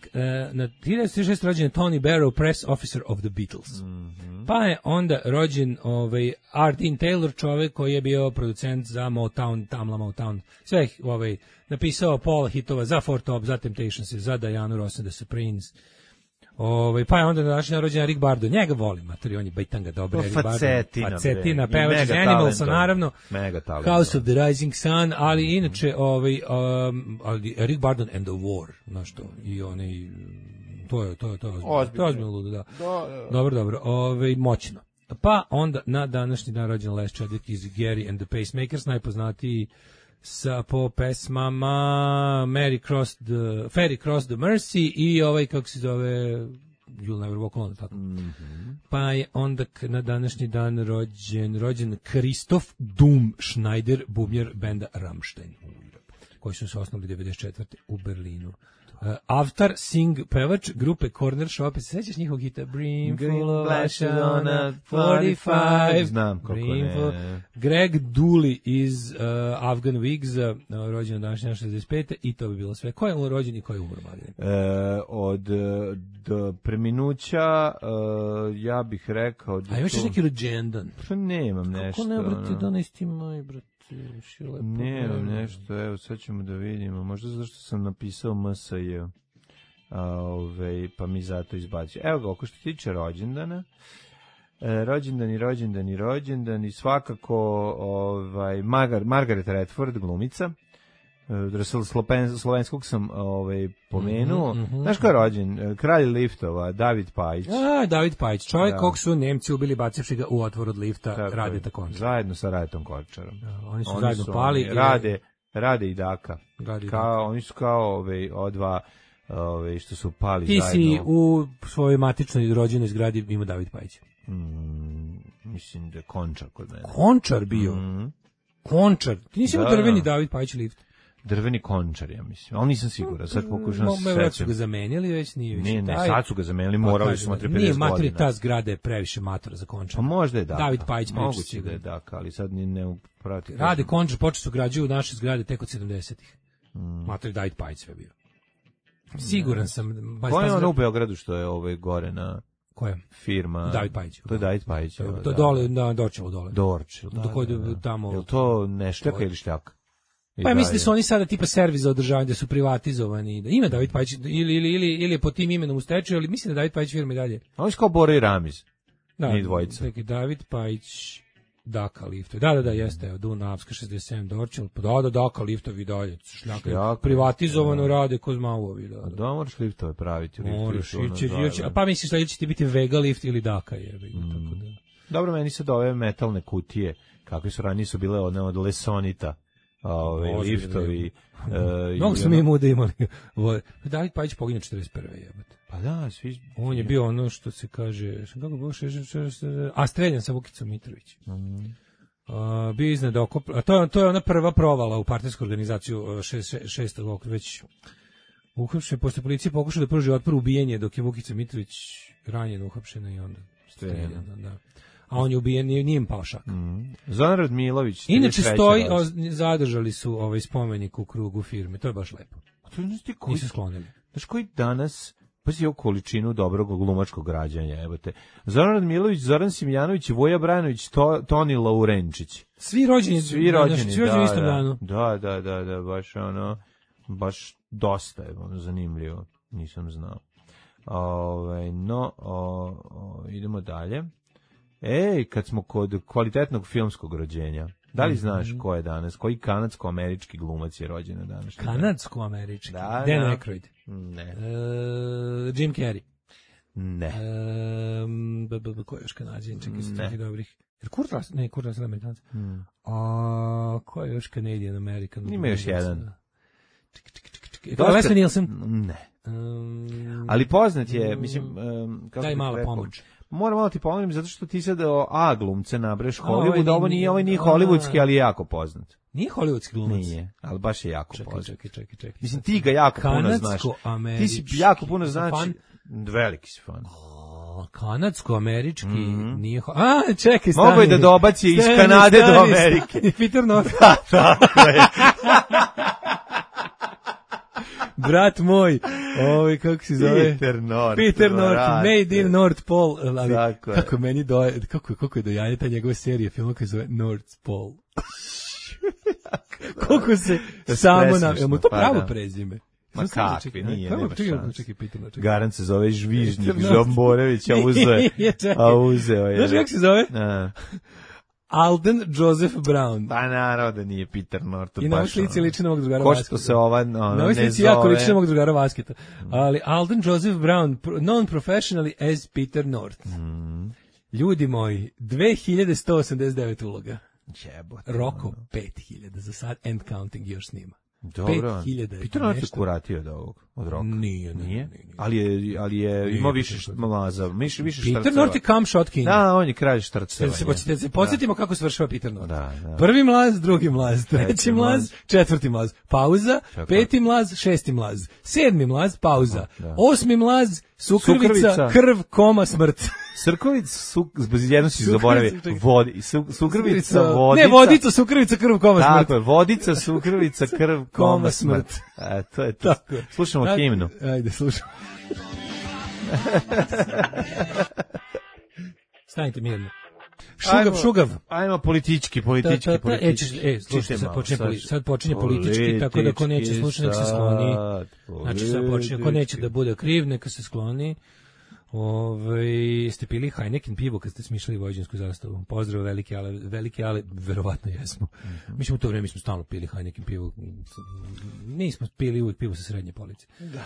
Speaker 6: na 1936 rođen Tony Barrow, press officer of the Beatles. Pa je onda rođen R. Dean Taylor, čovjek koji je bio producent za Motown, Tamla Motown. Sve napisao pola hitova za Four Top, za Temptations, za Dianu Ross and the Supremes. Pa je onda današnji rođen Rick Bardo, njega volim, matori, on je bajtanga dobro. Facetina, pevač iz Animalsa, naravno, House of the Rising Sun, ali inače, Rick Bardo and the War, znaš to, i to je ozbiljno ludo, da. Dobro, moćno. Pa onda na današnji dan rođen Les Chadwick iz Gary and the Pacemakers, najpoznatiji po pesmama Ferry Cross the Mercy i kako se zove You'll Never Walk Alone, tako. Pa je onda na današnji dan rođen Christoph Doom Schneider, bubnjar benda Rammstein, koji su se osnovali 1994. u Berlinu. Avtar Singh, pevač grupe Corner Shop, sećaš njihovog hita Brimful of Ashana 45,
Speaker 7: znam kako ne.
Speaker 6: Greg Dooley iz Afghan Wigs, rođen današnja 65. i to bi bilo sve. Ko je rođen i ko je umro?
Speaker 7: Od preminuća ja bih rekao
Speaker 6: a imaš neki rođendan?
Speaker 7: Pa nemam nešto.
Speaker 6: Kako ne brati 11. maj, brate?
Speaker 7: Nemam nešto, evo sad ćemo da vidimo, možda zašto sam napisao MSJ, pa mi zato izbacio. Evo ga, oko što tiče rođendana, rođendani, svakako Margaret Redford, glumica. Slovenskog sam pomenuo. Znaš ko je rođen? Kralj liftova, David Pajić.
Speaker 6: David Pajić, čovjek kog su Nemci ubili bacivši ga u otvor od lifta Radeta Končara.
Speaker 7: Zajedno sa Radetom Končarom.
Speaker 6: Oni su zajedno pali.
Speaker 7: Rade i Daka. Oni su kao odva što su pali
Speaker 6: zajedno. Ti si u svojoj matičnoj rođenoj zgradi imao David Pajić.
Speaker 7: Mislim da je Končar kod mene.
Speaker 6: Končar bio? Končar? Ti nisi imao drveni David Pajić lift?
Speaker 7: Drveni Končar, ja mislim. Ali nisam siguran, sad pokušam se
Speaker 6: sećam. Su ga zamenjali, već nije više.
Speaker 7: Ne, sad su ga zamenjali, morali smo 50 godina.
Speaker 6: Nije materi, ta zgrada je previše matora za Končar.
Speaker 7: Pa možda je Daka.
Speaker 6: David Pajić
Speaker 7: moguće da je Daka, ali sad ne uprati.
Speaker 6: Rade Končar, počeli su građuju naše zgrade tek od 70-ih. Matori David Pajić sve bio. Siguran sam.
Speaker 7: Ko je ono u Beogradu što je gore na...
Speaker 6: Koja?
Speaker 7: Firma.
Speaker 6: David Pajić.
Speaker 7: To je David Pajić.
Speaker 6: To dole, na Dorčevo dole.
Speaker 7: Dorčevo,
Speaker 6: tamo.
Speaker 7: Je li to neštaka ili štjaka?
Speaker 6: Pa ja mislim da su oni sada tipa servis za održavanje, da su privatizovani. Da ima David Pajić, ili je pod tim imenom u stečaju, ali mislim da David Pajić firma i dalje.
Speaker 7: A oni su kao Bora i Ramiz.
Speaker 6: Da,
Speaker 7: ni dvojica.
Speaker 6: David Pajić, Daka liftovi. Da, jeste, Dunavska 67 Dorčevo. Da, Daka liftovi dalje. Šljaka. Privatizovano rade ko zmauovi.
Speaker 7: Da, moraš liftove praviti.
Speaker 6: Pa misliš da će ti biti Vega lift ili Daka je. Tako da.
Speaker 7: Dobro, meni se ove metalne kutije, kakve su ranije su bile one od Lesonita. Liftovi.
Speaker 6: Mnogo smo mi muda imali. David Pajić poginje 41. jebate.
Speaker 7: Pa da, svi...
Speaker 6: On je bio ono što se kaže... A streljan sa Vukicom Mitrović. Bio iznad okop... To je ona prva provala u partijsku organizaciju 6. okruga. Već uhapšen, posle policije pokušao da pruži otpor ubijenje dok je Vukica Mitrović ranjen, uhapšena i onda streljana. Da. A on je ubijen, nije im pao šak.
Speaker 7: Zoran Radmilović.
Speaker 6: Inače zadržali su spomenik u krugu firme, to je baš lepo. Nisu sklonili.
Speaker 7: Znaš koji danas, pa si ovu količinu dobrog glumačkog rađanja, ebate. Zoran Radmilović, Zoran Simjanović, Voja Branović, Toni Laurenčić.
Speaker 6: Svi rođeni istom danu.
Speaker 7: Da, baš baš dosta je zanimljivo, nisam znao. Idemo dalje. Kad smo kod kvalitetnog filmskog rođenja, da li znaš ko je danas, koji kanadsko-američki glumac je rođen danas?
Speaker 6: Kanadsko-američki? Dan Aykroyd?
Speaker 7: Ne.
Speaker 6: Jim Carrey?
Speaker 7: Ne.
Speaker 6: Ko je još Kanadžin? Čekaj se takih dobrih. Kurt Russell Amerikanac? Ko je još Canadian American?
Speaker 7: Ima još jedan.
Speaker 6: Leslie Nielsen?
Speaker 7: Ne. Ali poznat je, mislim...
Speaker 6: Daj malo pomoć.
Speaker 7: Moram malo ti pomoći, zato što ti sad A glumce nabreš Hollywood, ovo nije hollywoodski, ali je jako poznat.
Speaker 6: Nije hollywoodski glumac?
Speaker 7: Nije, ali baš je jako poznat.
Speaker 6: Čekaj.
Speaker 7: Mislim, ti ga jako puno znaš. Ti si jako puno znaš. Veliki si fan.
Speaker 6: Kanadsko-američki nije... čekaj, stani.
Speaker 7: Mogu je da dobaci iz Kanade do Amerike.
Speaker 6: Peter North.
Speaker 7: Da, tako je.
Speaker 6: Brat moj, kako se zove?
Speaker 7: Peter North,
Speaker 6: Made in North Pole. Ali, kako meni kako je dojanje ta njegove serije filma koji se zove North Pole. Koliko se samo na... Jel mu to pravo prezime?
Speaker 7: Ma kakvi, nije, nema šans.
Speaker 6: Čekaj.
Speaker 7: Garant se zove Žvižnjik, Žomborević, a uzeo je.
Speaker 6: Znaš kako se zove? Alden Joseph Brown.
Speaker 7: Pa naravno da nije Peter North.
Speaker 6: I na ovoj slici liči na mog drugara Vasketa.
Speaker 7: Ko što se ova ne zove.
Speaker 6: Na ovoj slici jako liči na mog drugara Vasketa. Ali Alden Joseph Brown, known professionally as Peter North. Ljudi moji, 2189 uloga.
Speaker 7: Jebote.
Speaker 6: Roko 5000 za sad, and counting još snima.
Speaker 7: Dobro. Peter North je kuratio od Roka.
Speaker 6: Nije.
Speaker 7: Ali je imao više mlaza, više štrceva.
Speaker 6: Peter North je come shot king.
Speaker 7: Da, on je kralj štrceva.
Speaker 6: Se podsjetimo kako svršava Peter North.
Speaker 7: Da.
Speaker 6: Prvi mlaz, drugi mlaz, treći mlaz, četvrti mlaz, pauza, peti mlaz, šesti mlaz, sedmi mlaz, pauza, osmi mlaz, sukrvica, krv, koma, smrt.
Speaker 7: Srkovic, jedno si zaboravio, sukrvica, vodica.
Speaker 6: Ne, vodica, sukrvica, krv, koma, smrt.
Speaker 7: Tako je, vodica, sukrvica, krv, koma, smrt. To je to. Slušamo himnu.
Speaker 6: Ajde, slušamo. Stanite mirno. Šugav.
Speaker 7: Ajmo politički.
Speaker 6: Slušajte, sad počinje politički, tako da ko neće slušati, nek se skloni. Znači sad počinje, ko neće da bude kriv, neka se skloni. Ste pili Heineken pivo kad ste smišljali vojvođansku zastavu? Pozdrav velike, ali verovatno jesmo. Mi smo u to vreme stalno pili Heineken pivo. Nismo pili uvijek pivo sa srednje police. Da.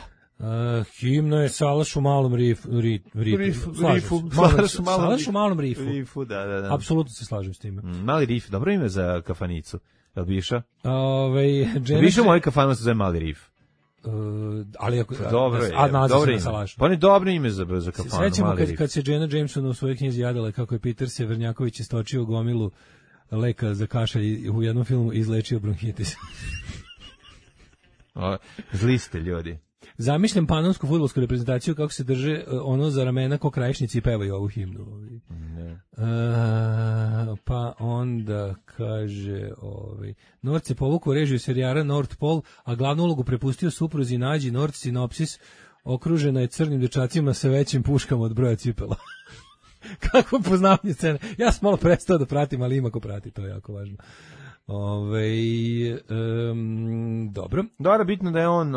Speaker 6: Himna je Salaš u malom rifu. Salaš u malom rifu.
Speaker 7: Da.
Speaker 6: Apsolutno se slažem s time.
Speaker 7: Mali rif, dobro ime za kafanicu. Jel bi išao?
Speaker 6: Bi
Speaker 7: išao moj kafanu se zove Mali rif.
Speaker 6: Ali ako
Speaker 7: dobro je,
Speaker 6: dobro ime. Pa
Speaker 7: ne dobro ime za kafanu.
Speaker 6: Sećamo kad se Jenna Jameson u svojoj knjizi jadala kako je Peter Severnjaković istočio gomilu leka za kašalj u jednom filmu izlečio bronhitis.
Speaker 7: Zli ste ljudi.
Speaker 6: Zamišljam panonsku fudbalsku reprezentaciju kako se drže ono za ramena ko krajišnici i pevaju ovu himnu. Pa onda kaže North je povukao režiju serijara North Pole, a glavnu ulogu prepustio supruzi Nađi. North Sinopsis okružena je crnim dečacima sa većim puškama od broja cipela. Kako poznavanje scene. Ja sam malo prestao da pratim, ali ima ko prati, to je jako važno. Dobro.
Speaker 7: Dobro, bitno da je on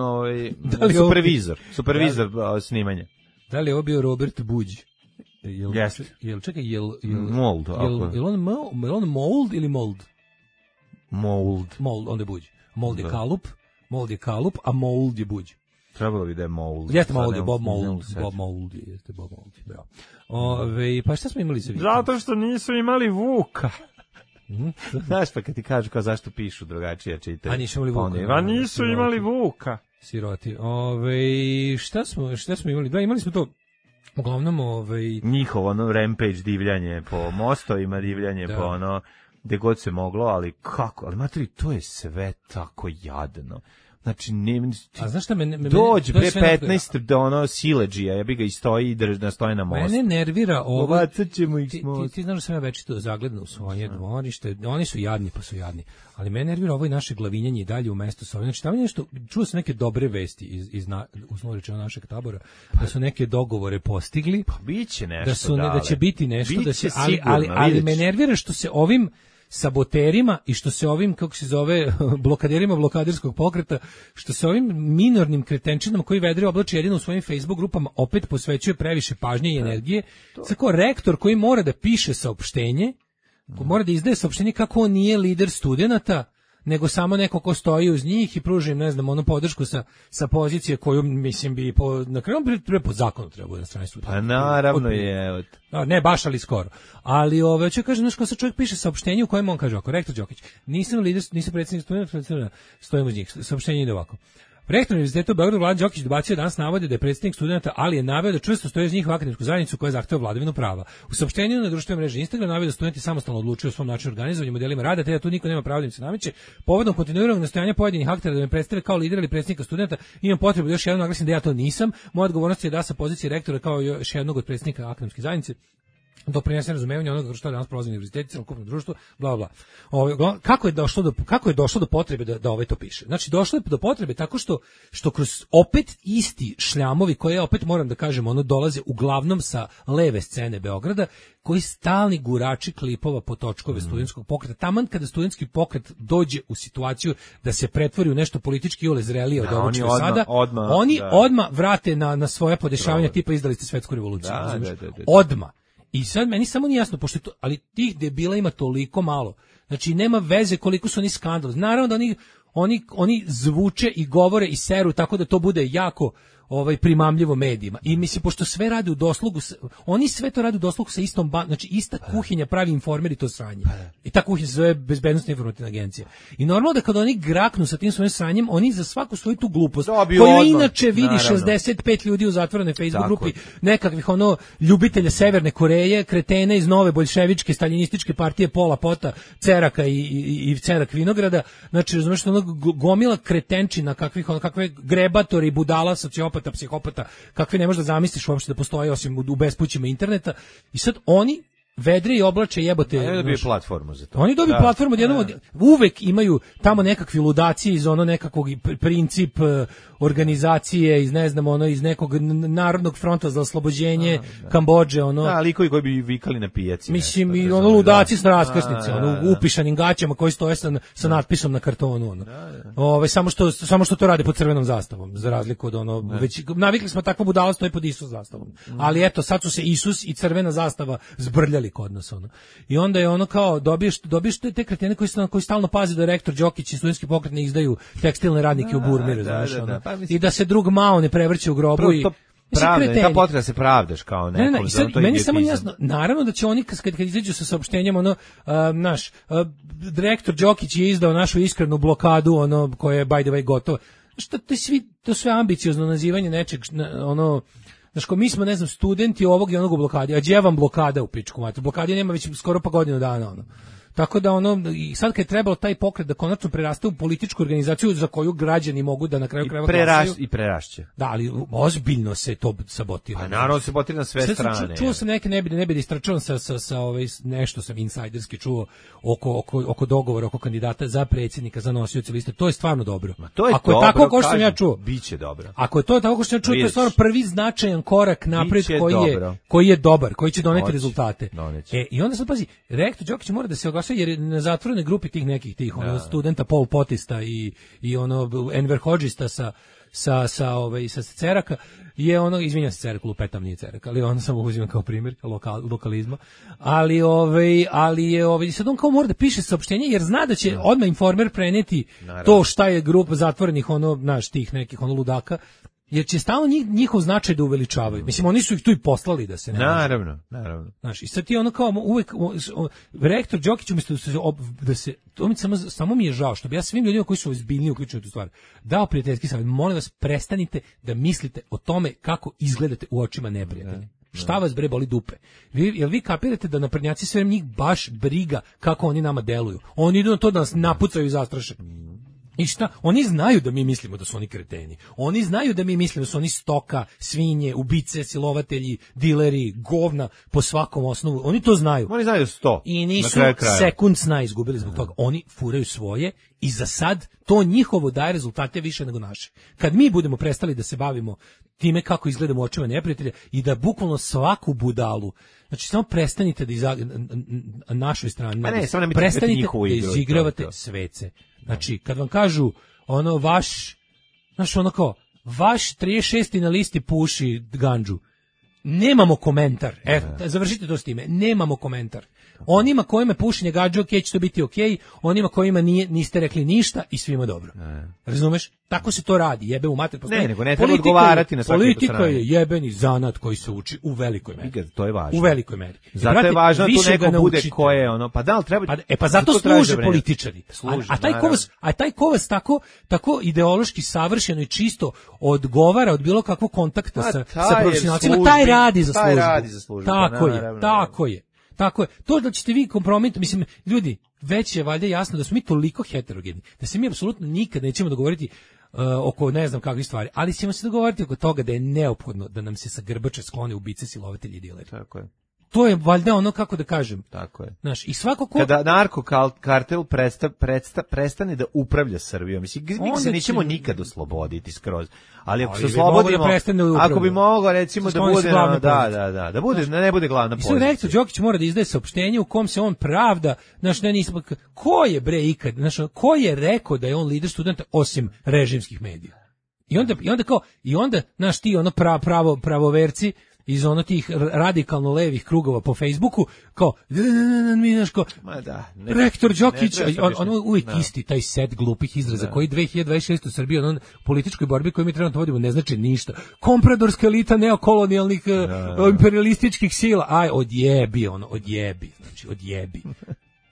Speaker 7: supervizor snimanja.
Speaker 6: Da li je ovo bio Robert Buđ?
Speaker 7: Mold.
Speaker 6: Je on Mold ili Mold?
Speaker 7: Mold,
Speaker 6: onda je Buđ. Mold je kalup, a Mold je Buđ.
Speaker 7: Trebalo bi da je Mold.
Speaker 6: Jeste Mold, je Bob Mold. Pa šta smo imali za vikend?
Speaker 7: Zato što nisu imali Vuka. Znaš, pa kad ti kažu kao zašto pišu drugačije čitaju.
Speaker 6: A nisu imali Vuka. Siroti. Šta smo imali? Da, imali smo to uglavnom
Speaker 7: njihovo rampage divljanje po mostovima, divljanje po gde god se moglo, ali kako? Ali materi, to je sve tako jadno. Znači,
Speaker 6: a znaš šta
Speaker 7: dođe pre 15 do sileđija, ja bi ga i stoji i stoje na mostu.
Speaker 6: Mene nervira ovo.
Speaker 7: Ovacat ćemo ih
Speaker 6: ti znaš da sam ja večito zagledno u svoje dvorište, oni su jadni pa su jadni, ali mene nervira ovo i naše glavinjanje i dalje u mesto sa ovim. Znači, tamo je nešto, čuo sam neke dobre vesti uslovno rečeno našeg tabora, da su neke dogovore postigli.
Speaker 7: Pa biće nešto
Speaker 6: da će biti nešto, ali me nervira što se ovim saboterima i što se ovim, kako se zove, blokaderima blokaderskog pokreta, što se ovim minornim kretenčinama koji vedre oblači jedino u svojim Facebook grupama opet posvećuje previše pažnje i energije. Tako rektor koji mora da piše saopštenje, mora da izdaje saopštenje kako on nije lider studenata, nego samo neko ko stoji uz njih i pruži im, ne znam, onu podršku sa pozicije koju, mislim, bi na kraju po zakonu treba na strani studenta.
Speaker 7: Pa naravno je.
Speaker 6: Ne, baš, ali skoro. Ali ću kažem, znaš, ko se čovjek piše saopštenje u kojem on kaže ovako: rektor Đokić, nisam lider, nisam predsjednik studenta, stojim uz njih. Saopštenje ide ovako: rektor Univerziteta u Beogradu Vladan Đokić dobacio danas navode da je predsjednik studenta, ali je naveo da čvrsto stoji uz njihovu akademsku zajednicu koja zahteva vladavinu prava. U saopštenju na društvenoj mreži Instagram naveo da studenti samostalno odlučuju o svom načinu organizovanja, modelima rada, te da tu niko nema pravo da im se nameće. Povodom kontinuiranog nastojanja pojedinih aktera da me predstave kao lidera ili predsjednika studenta, imam potrebu da još jednom naglasim da ja to nisam. Moja odgovornost je da sa pozicije rektora kao još jednog od predsjednika akademske zajednice doprinese razumevanje onoga što danas prolazi univerzitet, celokupno društvo, bla bla. Kako je došlo do potrebe da to piše? Znači, došlo je do potrebe tako što kroz opet isti šljamovi koje opet moram da kažem, dolaze uglavnom sa leve scene Beograda, koji stalni gurači klipova po točkove studentskog pokreta. Taman kada studentski pokret dođe u situaciju da se pretvori u nešto politički iole zrelije od ovog što je sada, oni odmah vrate na svoja podešavanja tipa izdali ste svetsku revoluciju. Odmah. I sad meni samo nije jasno, pošto ali tih debila ima toliko malo. Znači, nema veze koliko su oni skandalozni. Naravno da oni zvuče i govore i seru tako da to bude jako primamljivo medijima. I mislim, pošto sve rade u doslugu, oni sve to rade u doslugu sa istom znači ista kuhinja pravi Informer i to sranje. I ta kuhinja se zove Bezbednosna informativna agencija. I normalno da kada oni graknu sa tim svojim sranjem, oni za svaku svoju tu glupost, koju inače vidi 65 ljudi u zatvorenoj Facebook grupi, nekakvih ljubitelja Severne Koreje, kretene iz nove boljševičke, staljinističke partije Pola Pota, Ceraka i Cerak Vinograda, znači, razumiješ, gomila kretenčina, kakve grebatori, budala, sociopata, psihopata, kakve ne možeš da zamisliš uopšte da postoje osim u bespućima interneta. I sad oni vedre i oblače jebote.
Speaker 7: Oni dobiju platformu za to.
Speaker 6: Oni dobiju platformu, uvek imaju tamo nekakvi ludaci iz ono nekakvog princip organizacije iz ne znam ono iz nekog Narodnog fronta za oslobođenje Kambodže ono.
Speaker 7: Da, likovi koji bi vikali na pijaci.
Speaker 6: Mislim i ono ludaci s raskrsnice, ono upišanim gaćama koji stoje sa natpisom na kartonu ono. Samo što to rade pod crvenom zastavom, za razliku od ono već navikli smo takvo budalo stoji pod Isus zastavom. Ali eto sad su se Isus i crvena zastava zbrljali kod nas ono. I onda je ono kao dobiješ te kretene koji stalno paze da rektor Đokić i studentski pokret ne izdaju tekstilne radnike u Burmiru, znaš ono. I da se drug Mao ne prevrće u grobu i
Speaker 7: ta potreba da se pravdaš kao nekom.
Speaker 6: Meni samo jasno, naravno da će oni kad izađu sa saopštenjem ono direktor Đokić je izdao našu iskrenu blokadu ono koja je by the way gotova. Šta to sve ambiciozno nazivanje nečeg ono. Znaš, mi smo, ne znam, studenti ovog i onog u blokadi, a gdje vam blokada u pičku mater? Blokadi nema već skoro pa godinu dana, ono. Tako da ono, i sad kad je trebalo taj pokret da konačno preraste u političku organizaciju za koju građani mogu da na kraju krajeva glasaju.
Speaker 7: I prerašće.
Speaker 6: Da, ali ozbiljno se to sabotira.
Speaker 7: Pa naravno se sabotira na sve strane.
Speaker 6: Čuo sam neke, ne bi da istračavam sa nešto sam insajderski čuo oko dogovora, oko kandidata za predsjednika, za nosioce liste. To je stvarno dobro. Ako je tako kao što sam ja čuo.
Speaker 7: Biće dobro.
Speaker 6: Ako je to tako kao što sam ja čuo, to je stvarno prvi značajan korak napred koji je dobar, koji će doneti rezultate. I onda sad pazi, rektor Đokić mora da se jer na zatvorenoj grupi tih nekih studenta Pol Potista i ono Enver Hodžista sa Ceraka je ono, izvinjam se Cerak, lupetam nije Cerak, ali ono samo uzimam kao primjer lokalizma, ali je sad on kao mora da piše saopštenje jer zna da će odmah Informer preneti to šta je grupa zatvorenih tih nekih ludaka, jer će stalno njihov značaj da uveličavaju. Mislim, oni su ih tu i poslali da se ne...
Speaker 7: Naravno.
Speaker 6: Znaš, i sad ti ono kao uvek... Rektor Đokić umjesto da se... Samo mi je žao što bi ja svim ljudima koji su ozbiljni uključeni u tu stvar dao prijateljski savjet. Molim vas, prestanite da mislite o tome kako izgledate u očima neprijatelja. Šta vas bre boli dupe? Jel vi kapirate da naprednjaci sve njih baš briga kako oni nama deluju? Oni idu na to da nas napucaju i zastraše. I šta? Oni znaju da mi mislimo da su oni kreteni. Oni znaju da mi mislimo da su oni stoka, svinje, ubice, silovatelji, dileri, govna po svakom osnovu. Oni to znaju.
Speaker 7: Oni znaju 100.
Speaker 6: I nisu sekund sna izgubili zbog toga. Oni furaju svoje i za sad to njihovo daje rezultate više nego naše. Kad mi budemo prestali da se bavimo time kako izgledamo u očima neprijatelja i da bukvalno svaku budalu, znači samo prestanite da na našoj strani, prestanite da izigravate svece. Znači, kad vam kažu, ono, vaš 36. na listi puši gandžu, nemamo komentar. Završite to s time. Nemamo komentar. Onima kojima pušenje gađa, ok, će to biti ok, onima kojima niste rekli ništa i svima dobro. Razumeš? Tako se to radi, jebe u mater.
Speaker 7: Nego ne treba odgovarati na svaki
Speaker 6: politika je jebeni zanat koji se uči u velikoj meri.
Speaker 7: To je važno.
Speaker 6: U velikoj meri.
Speaker 7: Zato je važno da tu neko bude ko je ono, pa da li treba...
Speaker 6: Pa zato služe političari. A taj ko vas tako ideološki savršeno i čisto odgovara od bilo kakvog kontakta sa profesionalcima, taj radi za službu. Tako je. Tako je. To da ćete vi kompromitovati, mislim, ljudi, već je valjda jasno da smo mi toliko heterogeni, da se mi apsolutno nikad nećemo dogovoriti oko ne znam kakvih stvari, ali ćemo se dogovoriti oko toga da je neophodno da nam se sa grbače sklone ubice, silovatelji i dileri.
Speaker 7: Tako je.
Speaker 6: To je valjda ono, kako da kažem.
Speaker 7: Tako je.
Speaker 6: Znaš, i svako ko...
Speaker 7: Kada narkokartel prestane da upravlja Srbijom, mislim, mi se nećemo nikad osloboditi skroz. Ali ako se oslobodimo, ako bi mogao recimo da bude, da bude, ne bude glavna pozicija. I sad
Speaker 6: rektor Đokić mora da izdaje saopštenje u kom se on pravda, znaš, ne nismo, ko je bre ikad, znaš, ko je rekao da je on lider studenta osim režimskih medija? I onda, znaš, ti ono pravoverci iz ono tih radikalno levih krugova po Facebooku, kao, rektor Đokić, ono uvijek isti, taj set glupih izraza, koji 2026 u Srbiji, ono političkoj borbi koju mi trebamo vodimo, ne znači ništa. Kompradorska elita neokolonijalnih imperialističkih sila, odjebi, znači odjebi.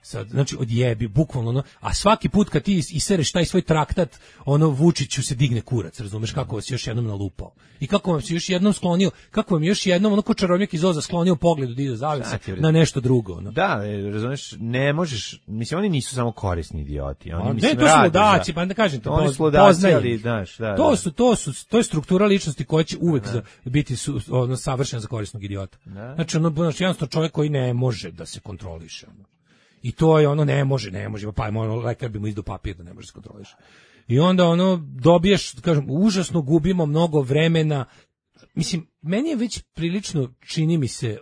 Speaker 6: Sad, znači odjebi bukvalno ono, a svaki put kad ti isereš taj svoj traktat, ono Vučiću se digne kurac, razumeš kako vas još jednom nalupao. I kako vam se još jednom sklonio, kako vam još jednom ono ko čarobnjak iz Oza sklonio pogled od iza zavese na nešto drugo, ono.
Speaker 7: Da, razumeš, ne možeš, mislim oni nisu samo korisni idioti, oni
Speaker 6: mislim to su ludaci, pa da kažem to,
Speaker 7: poznaju, znaš,
Speaker 6: to je struktura ličnosti koja će uvek biti ono savršena za korisnog idiota. Znači ono jednostavno čovjek koji ne može da se kontroliše, ono. I to je ono ne može, pa ono lekar bi mu izdao papir da ne može se kontroliše. I onda ono dobiješ, kažem, užasno gubimo mnogo vremena. Mislim, meni je već prilično, čini mi se,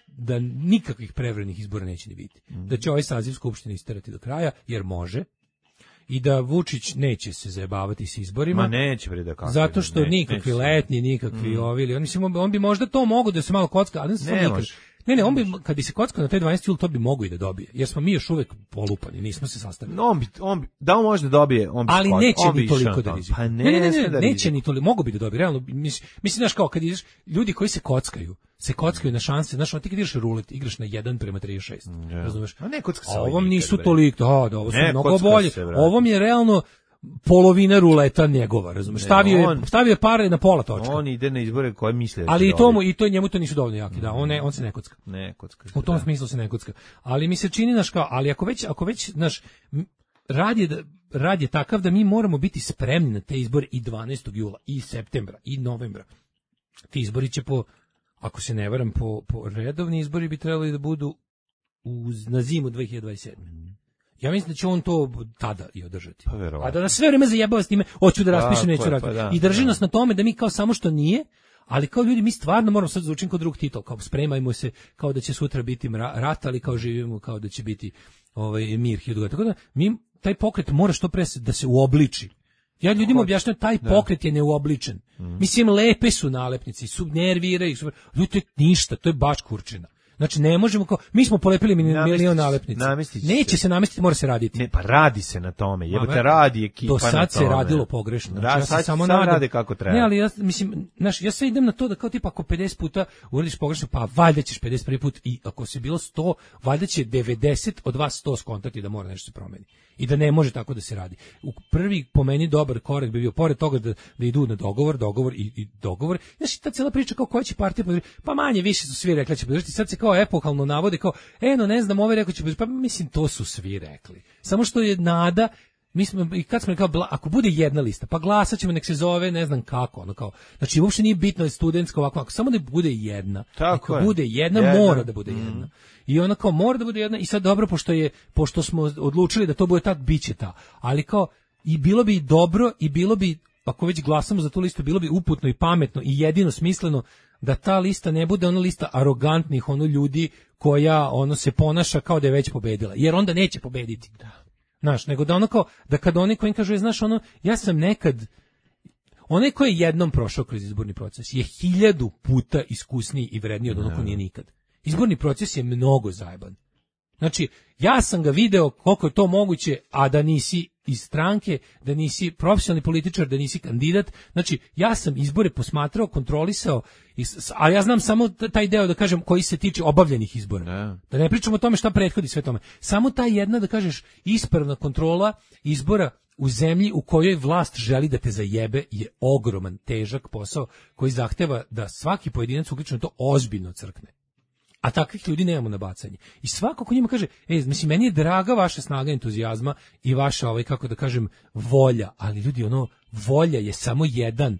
Speaker 6: da nikakvih prevremenih izbora neće ni biti. Da će ovaj saziv Skupštine isterati do kraja, jer može. I da Vučić neće se zajebavati s izborima.
Speaker 7: Ma neće, bre, da kako.
Speaker 6: Zato što nikakvi letnji, nikakvi ovili. On bi možda to mogu da se malo kocka, ali ne može. Ne, on bi, kad bi se kockao na taj 12. jul, to bi mogo i da dobije, jer smo mi još uvek polupani, nismo se sastavili.
Speaker 7: On bi, da on može da dobije, on bi
Speaker 6: ali neće ni toliko da rizikuje.
Speaker 7: Pa
Speaker 6: neće ni toliko, mogo bi da dobije, realno, mislim, znaš kao, kad ideš, ljudi koji se kockaju na šanse, znaš, ti kad ideš rulet, igraš na 1:36, razumeš?
Speaker 7: A ne kocka se.
Speaker 6: A ovom nisu toliko, da, ovo su mnogo bolje, ovom je realno polovina ruleta njegova, razumeš? Stavio je pare na pola točka.
Speaker 7: On ide na izbore koje misle da
Speaker 6: ali njemu to nisu dovoljno jaki, da, on se ne kocka. U tom smislu se ne kocka. Ali mi se čini, znaš, kao, ali ako već, znaš, rad je takav da mi moramo biti spremni na te izbore i 12. jula, i septembra, i novembra. Ti izbori će ako se ne varam, po redovni izbori bi trebali da budu na zimu 2027. Ja mislim da će on to tada i održati. A da nas sve vreme zajebava s time, hoću da raspišem, neću raditi. I drži nas na tome da mi kao samo što nije, ali kao ljudi mi stvarno moramo sad zvučiti kao drug Tito, kao spremajmo se kao da će sutra biti rat, ali kao živimo kao da će biti mir 1000 godina. Tako da mi taj pokret mora što pre da se uobliči. Ja ljudima objašnjam, taj pokret je neuobličen. Mislim, lepe su nalepnici, nerviraju, ljudi, ništa, to je baš kurčina. Znači ne možemo kao mi smo polepili milion nalepnica. Neće se namestiti, mora se raditi.
Speaker 7: Ne, pa radi se na tome. Jebote, radi ekipa na tome.
Speaker 6: Do sad se radilo pogrešno.
Speaker 7: Znači, ja se samo rade kako treba.
Speaker 6: Ne, ali ja mislim, ja sve idem na to da kao tipa ako 50 puta uradiš pogrešno, pa valjda ćeš 51 put i ako se bilo 100, valjda će 90 od vas 100 skontati da mora nešto se promeni. I da ne može tako da se radi. U prvi po meni dobar korak bi bio pored toga da idu na dogovor i dogovor. Znači ta cijela priča kao koja će partija podržati, pa manje više su svi rekli će podržati. Sad se kao epohalno navode kao ne znam, ovaj rekao će podržati. Pa mislim to su svi rekli. Samo što je nada. Mi smo i kad smo rekao ako bude jedna lista, pa glasaćemo, nek se zove ne znam kako, ono kao. Znači uopšte nije bitno je studentska ovako, ako samo da bude jedna. Ako bude jedna, mora da bude jedna. I ona kao mora da bude jedna i sad dobro pošto smo odlučili da to bude tad, biće ta. Ali kao i bilo bi dobro i bilo bi ako već glasamo za tu listu, bilo bi uputno i pametno i jedino smisleno da ta lista ne bude ona lista arogantnih ljudi koja se ponaša kao da je već pobedila, jer onda neće pobediti. Znaš, nego da kao, da kad oni koji kažu, znaš, ja sam nekad, onaj koji je jednom prošao kroz izborni proces je 1000 puta iskusniji i vredniji od onog ko nije nikad. Izborni proces je mnogo zajeban. Znači, ja sam ga video koliko je to moguće, a da nisi iz stranke, da nisi profesionalni političar, da nisi kandidat. Znači, ja sam izbore posmatrao, kontrolisao, a ja znam samo taj deo, da kažem, koji se tiče obavljenih izbora. Da ne pričamo o tome šta prethodi sve tome. Samo ta jedna, da kažeš, ispravna kontrola izbora u zemlji u kojoj vlast želi da te zajebe je ogroman, težak posao koji zahteva da svaki pojedinac uključeno to ozbiljno crkne. A takvih ljudi nemamo na bacanje. I svako ko njima kaže, mislim, meni je draga vaša snaga entuzijazma i vaša, kako da kažem, volja, ali ljudi, volja je samo jedan,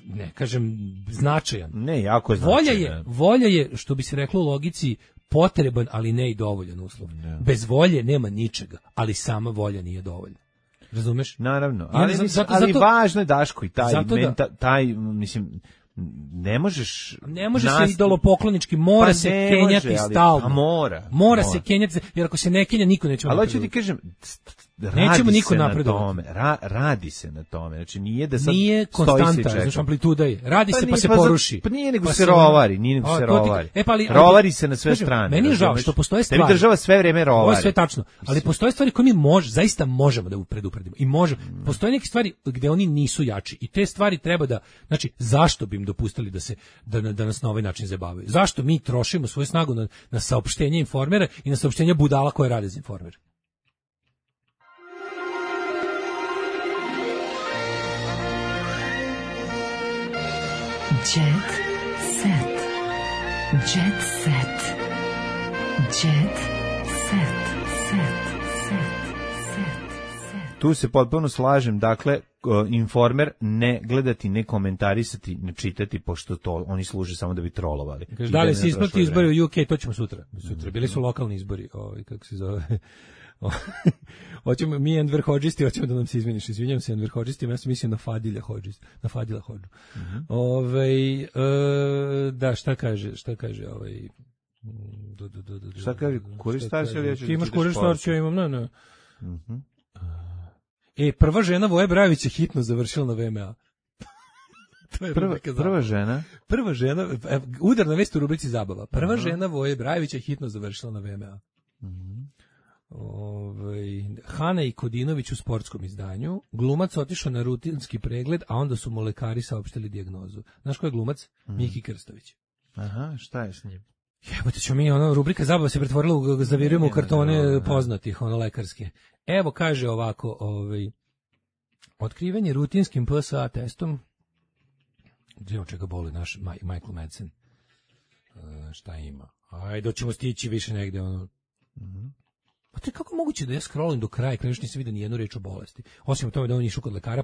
Speaker 6: ne kažem, značajan.
Speaker 7: Ne, jako je značajan.
Speaker 6: Volja je, što bi se reklo u logici, potreban, ali ne i dovoljan uslov. Ne. Bez volje nema ničega, ali sama volja nije dovoljna. Razumeš?
Speaker 7: Naravno. Ali važno je, Daško, i taj, mislim, ne možeš
Speaker 6: se idolopoklonički, mora se kenjati stalno.
Speaker 7: Mora
Speaker 6: se kenjati, jer ako se ne kenja, niko neće.
Speaker 7: Ali hoću ti kažem,
Speaker 6: Nećemo niko napredovati.
Speaker 7: Radi se na tome. Znači nije da sad
Speaker 6: nije konstanta, znači amplituda je. Radi se pa se poruši.
Speaker 7: Pa nije nego se rovari, rovari. Rovari se na sve strane.
Speaker 6: Meni je žao što postoje stvari.
Speaker 7: Tebi država sve vreme rovari.
Speaker 6: Ovo je sve tačno, ali postoje stvari koje mi zaista možemo da predupredimo. I postoje neke stvari gde oni nisu jači i te stvari treba da, znači zašto bi im dopustili da nas na ovaj način zabavaju? Zašto mi trošimo svoju snagu na saopštenje Informera i na saopštenje budala koje rade za Informer?
Speaker 4: Jet set. Jet set. Jet set.
Speaker 7: Tu se potpuno slažem, dakle, Informer ne gledati, ne komentarisati, ne čitati, pošto to oni služe samo da bi trolovali.
Speaker 6: Da li se isprati izbori u UK, to ćemo sutra. Bili su lokalni izbori, kako se zove... Hoćemo mi Enver Hodžisti, hoćemo da nam se izmeniš. Izvinjavam se Enver Hodžistima, ja sam mislio na Fadila Hodžu. Da, šta kaže
Speaker 7: Šta kaže Kurir Starčev?
Speaker 6: Ti imaš Kurir Starčev, ja imam, ne. Prva žena Voje Brajevića hitno završila na VMA.
Speaker 7: Prva žena?
Speaker 6: Prva žena, udar na vest u rubrici zabava. Prva žena Voje Brajevića hitno završila na VMA. Hana i Kodinović u sportskom izdanju. Glumac otišao na rutinski pregled, a onda su mu lekari saopštili dijagnozu. Znaš ko je glumac? Miki Krstović.
Speaker 7: Aha, šta je s njim?
Speaker 6: Jebote ćemo mi, rubrika zabava se pretvorila zavirujemo u kartone poznatih, lekarske. Evo kaže ovako, otkrivanje rutinskim PSA testom. Gdje od čega boli naš Michael Madsen? Šta ima? Ajde, ćemo stići više negde, Pa to je kako moguće da ja scrollim do kraja, kada još nisam vidio nijednu reč o bolesti. Osim tome da on išao kod lekara,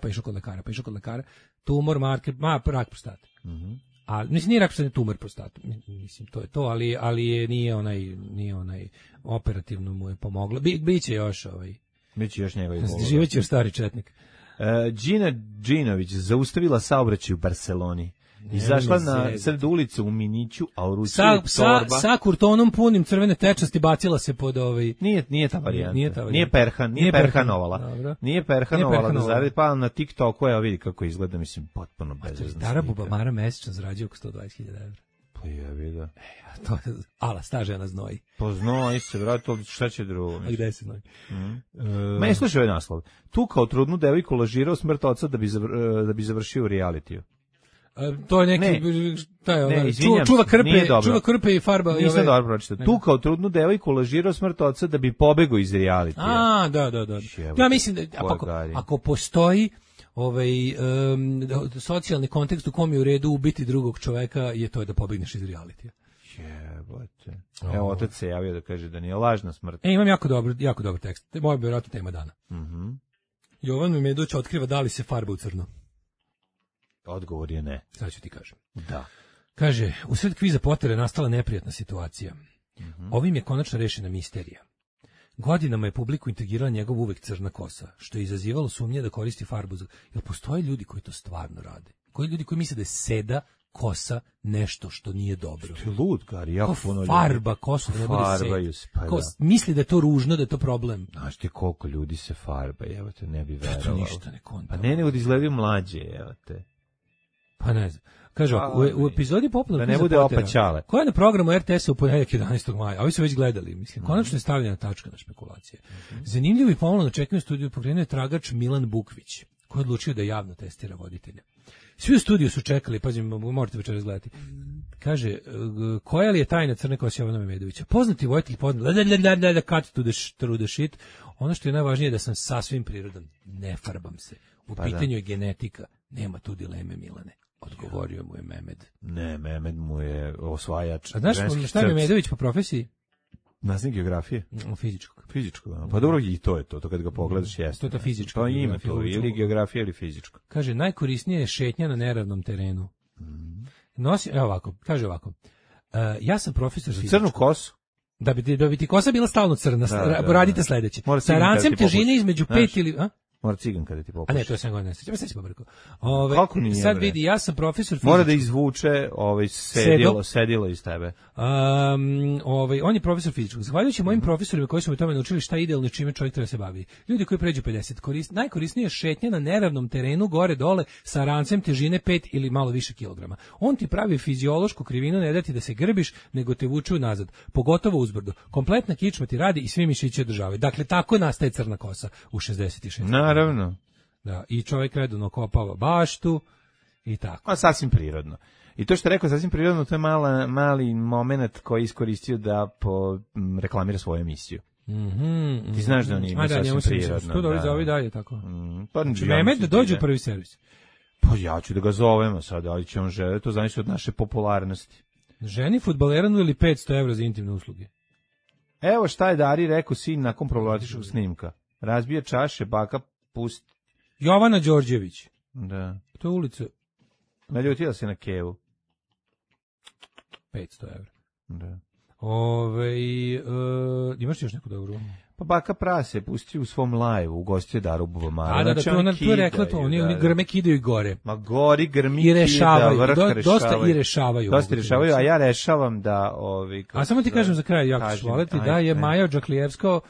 Speaker 6: tumor, marker, rak prostate. A mislim nije rak prostate, tumor prostate. Mislim to je to, ali nije onaj operativno mu je pomoglo. Biće još
Speaker 7: Biće još njegovi bolesti.
Speaker 6: Živeće još stari četnik.
Speaker 7: Gina Đinović zaustavila saobraćaj u Barseloni. Izašla na sred ulice u miniću, a u ruci je torba. Sa kurtonom punim crvene tečnosti bacila se pod Nije ta varijanta. Nije perhanovala. Nije perhanovala da zaradi, pa na TikToku vidi kako izgleda, mislim, potpuno bezvezno.
Speaker 6: Stara bubamara mesečno zarađuje oko 120.000 €.
Speaker 7: Pa jebi ga.
Speaker 6: Ala, sta žena znoji.
Speaker 7: Pa znoji se, vrati, šta će drugo?
Speaker 6: A gde se znoji?
Speaker 7: Ma slušaj ovaj naslov. Tu kao trudnu devojku lažirao smrt oca da bi završio u realitiju.
Speaker 6: To je neki čuva krpe i farba.
Speaker 7: Nisam dobro pročitao. Tu kao trudnu devojku lažirao smrt oca da bi pobegao iz realitija.
Speaker 6: Da. Ja mislim da ako postoji socijalni kontekst u kom je u redu ubiti drugog čoveka, je to da pobegneš iz realitija.
Speaker 7: Jebote. Evo, otac se javio da kaže da nije lažna smrt.
Speaker 6: Imam jako dobar tekst. Moja bi vjerojatno tema dana. Jovan Memedović otkriva da li se farba u crno.
Speaker 7: Odgovor je ne.
Speaker 6: Sad ću ti kažem.
Speaker 7: Da.
Speaker 6: Kaže, u sred kviza Pottera je nastala neprijatna situacija. Ovim je konačno rešena misterija. Godinama je publiku integrirala njegov uvek crna kosa, što je izazivalo sumnje da koristi farbu. Jel postoje ljudi koji to stvarno rade? Koji ljudi koji misle da je seda kosa nešto što nije dobro?
Speaker 7: Što je lud, Gari, jako puno ljudi.
Speaker 6: Farba kosu, da ne bude seda. Misli da je to ružno, da je to problem.
Speaker 7: Znaš ti koliko ljudi se farba, evo te, ne bi verovalo.
Speaker 6: To ništa ne konta.
Speaker 7: Pa ne, nego da izgledaju mlađe, evo te.
Speaker 6: Pa ne znam. Kaže, u epizodi popularnog
Speaker 7: da ne bude opaćale.
Speaker 6: Koja je na programu RTS-a u ponedjeljak 11. maja, a ovi su već gledali, mislim, konačno je stavljena tačka na špekulacije. Zanimljivo i pomalo na čekanju studiju pokrenuo je tragač Milan Bukvić, koji je odlučio da javno testira voditelja. Svi u studiju su čekali, pazim, morate večeras gledati. Kaže, koja li je tajna crne kose Jovana Memedovića? Poznati vojitelj, cut to the shit. Ono što je najvažnije je da sam sasvim prirodan. Ne farbam se. U pitanju je genetika. Nema tu dileme, Milane. Odgovorio mu je Memed.
Speaker 7: Ne, Memed mu je osvajač.
Speaker 6: A znaš šta je Memedović po profesiji?
Speaker 7: Nastavnik geografije.
Speaker 6: Fizičkog.
Speaker 7: Fizičkog, da. Pa dobro, i to je to kad ga pogledaš jeste.
Speaker 6: To je ta fizička.
Speaker 7: Pa ima to, ili geografija ili fizičko.
Speaker 6: Kaže, najkorisnije je šetnja na neravnom terenu. Kaže ovako. Ja sam profesor fizičkog.
Speaker 7: Crnu kosu?
Speaker 6: Da bi ti kosa bila stalno crna, radite sledeće. Sa rancem težine između 5 ili...
Speaker 7: Mora ciganka da ti popuši.
Speaker 6: A ne, to je 7 godina, sećam brko.
Speaker 7: Kako nije,
Speaker 6: sad
Speaker 7: bre?
Speaker 6: vidi, ja sam profesor fizičkog.
Speaker 7: Mora da izvuče sedilo iz tebe.
Speaker 6: On je profesor fizičkog. Zahvaljujući mojim profesorima koji su me tome naučili šta je idealno i čime čovjek treba se bavi. Ljudi koji pređu 50, najkorisnije je šetnja na neravnom terenu gore dole sa rancem težine 5 ili malo više kilograma. On ti pravi fiziološku krivinu, ne da ti da se grbiš, nego te vuče nazad, pogotovo uzbrdo. Kompletna kičma ti radi i svi mišići održavaju. Dakle, tako nastaje crna kosa u 66.
Speaker 7: Naravno.
Speaker 6: Da, i čovjek redovno kopava baštu i tako.
Speaker 7: A sasvim prirodno. I to što je rekao sasvim prirodno, to je mali moment koji je iskoristio da reklamira svoju emisiju. Ti znaš da on ima sasvim prirodno.
Speaker 6: To da za ovi dalje tako.
Speaker 7: Pa,
Speaker 6: Mehmet da dođe u prvi servis.
Speaker 7: Pa ja ću da ga zovemo sad, ali će on žele, to znači od naše popularnosti.
Speaker 6: Ženi fudbaleranu ili 500 evra za intimne usluge?
Speaker 7: Evo šta je Dari rekao sin nakon problematičnog snimka. Razbije čaše, baka pusti.
Speaker 6: Jovana Đorđević.
Speaker 7: Da.
Speaker 6: To je ulica.
Speaker 7: Naljutila se na Kevu.
Speaker 6: 500 evra.
Speaker 7: Da.
Speaker 6: Imaš još neku dobru?
Speaker 7: Pa baka prase pusti u svom live-u, ugostio Daru Bubamara.
Speaker 6: Da, to je rekla to, oni grme kidaju gore.
Speaker 7: Ma gori grmi
Speaker 6: i rešavaju,
Speaker 7: vrh
Speaker 6: dosta i rešavaju.
Speaker 7: Dosta rešavaju, a ja rešavam da...
Speaker 6: A samo ti kažem za kraj, jako ću voleti, da je Maja Džaklijevska...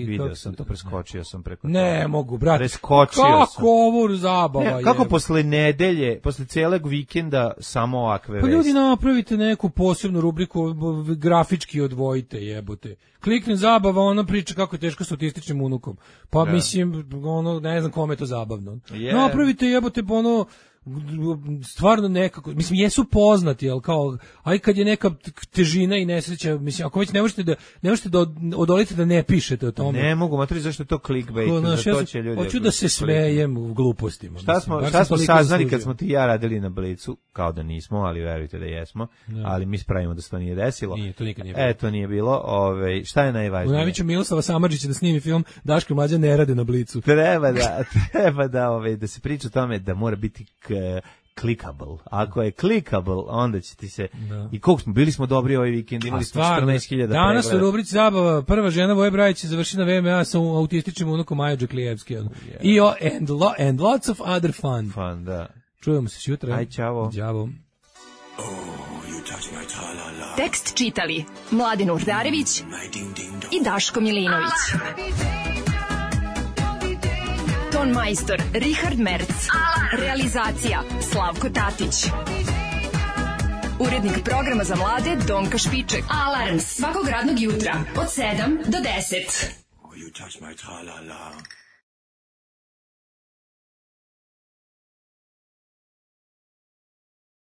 Speaker 7: Video sam to, preskočio sam preko
Speaker 6: ne mogu, brate.
Speaker 7: Preskočio
Speaker 6: kako
Speaker 7: sam.
Speaker 6: ovo zabava je.
Speaker 7: Kako posle nedelje, posle celog vikenda samo ovakve
Speaker 6: pa
Speaker 7: vesti.
Speaker 6: Ljudi, napravite neku posebnu rubriku, grafički odvojite, jebote. Klikne zabava, ona priča kako je teško s autističnim unukom. Pa mislim, ne znam kome je to zabavno. Napravite, jebote, stvarno nekako, mislim, jesu poznati, ali kao, aj kad je neka težina i nesreća, mislim, ako već ne možete da odolite da ne pišete o tome.
Speaker 7: Ne mogu, matri, zašto je to clickbait, to će ljudi...
Speaker 6: Hoću da se smejem u glupostima.
Speaker 7: Šta smo saznali kad smo ti i ja radili na Blicu, kao da nismo, ali verujte da jesmo, ali mi spravimo da se to nije desilo.
Speaker 6: Nije, to nikad nije bilo.
Speaker 7: To nije bilo, šta je najvažnije?
Speaker 6: U najvećem Miloslava Samardžića da snimi film Daško i Mlađa ne rade na Blicu.
Speaker 7: Treba da se priča o tome da mora biti clickable. Ako je clickable, onda će ti se... Da. I koliko smo, bili smo dobri ovaj vikend, imali smo 14.000 pregleda.
Speaker 6: Danas u rubrici zabava, prva žena Voje Brajić je završila na VMA sa autističnim unukom Maja Džaklijevski. And lots of other fun.
Speaker 7: Fun, da.
Speaker 6: Čujemo se sutra.
Speaker 7: Aj, čavo.
Speaker 6: Đavo.
Speaker 4: Tekst čitali Mladen Urdarević i Daško Milinović. Ton majstor Richard Merc. Realizacija Slavko Tatić. Urednik programa za mlade Donka Špiček. Alarms svakog radnog jutra od 7 do 10.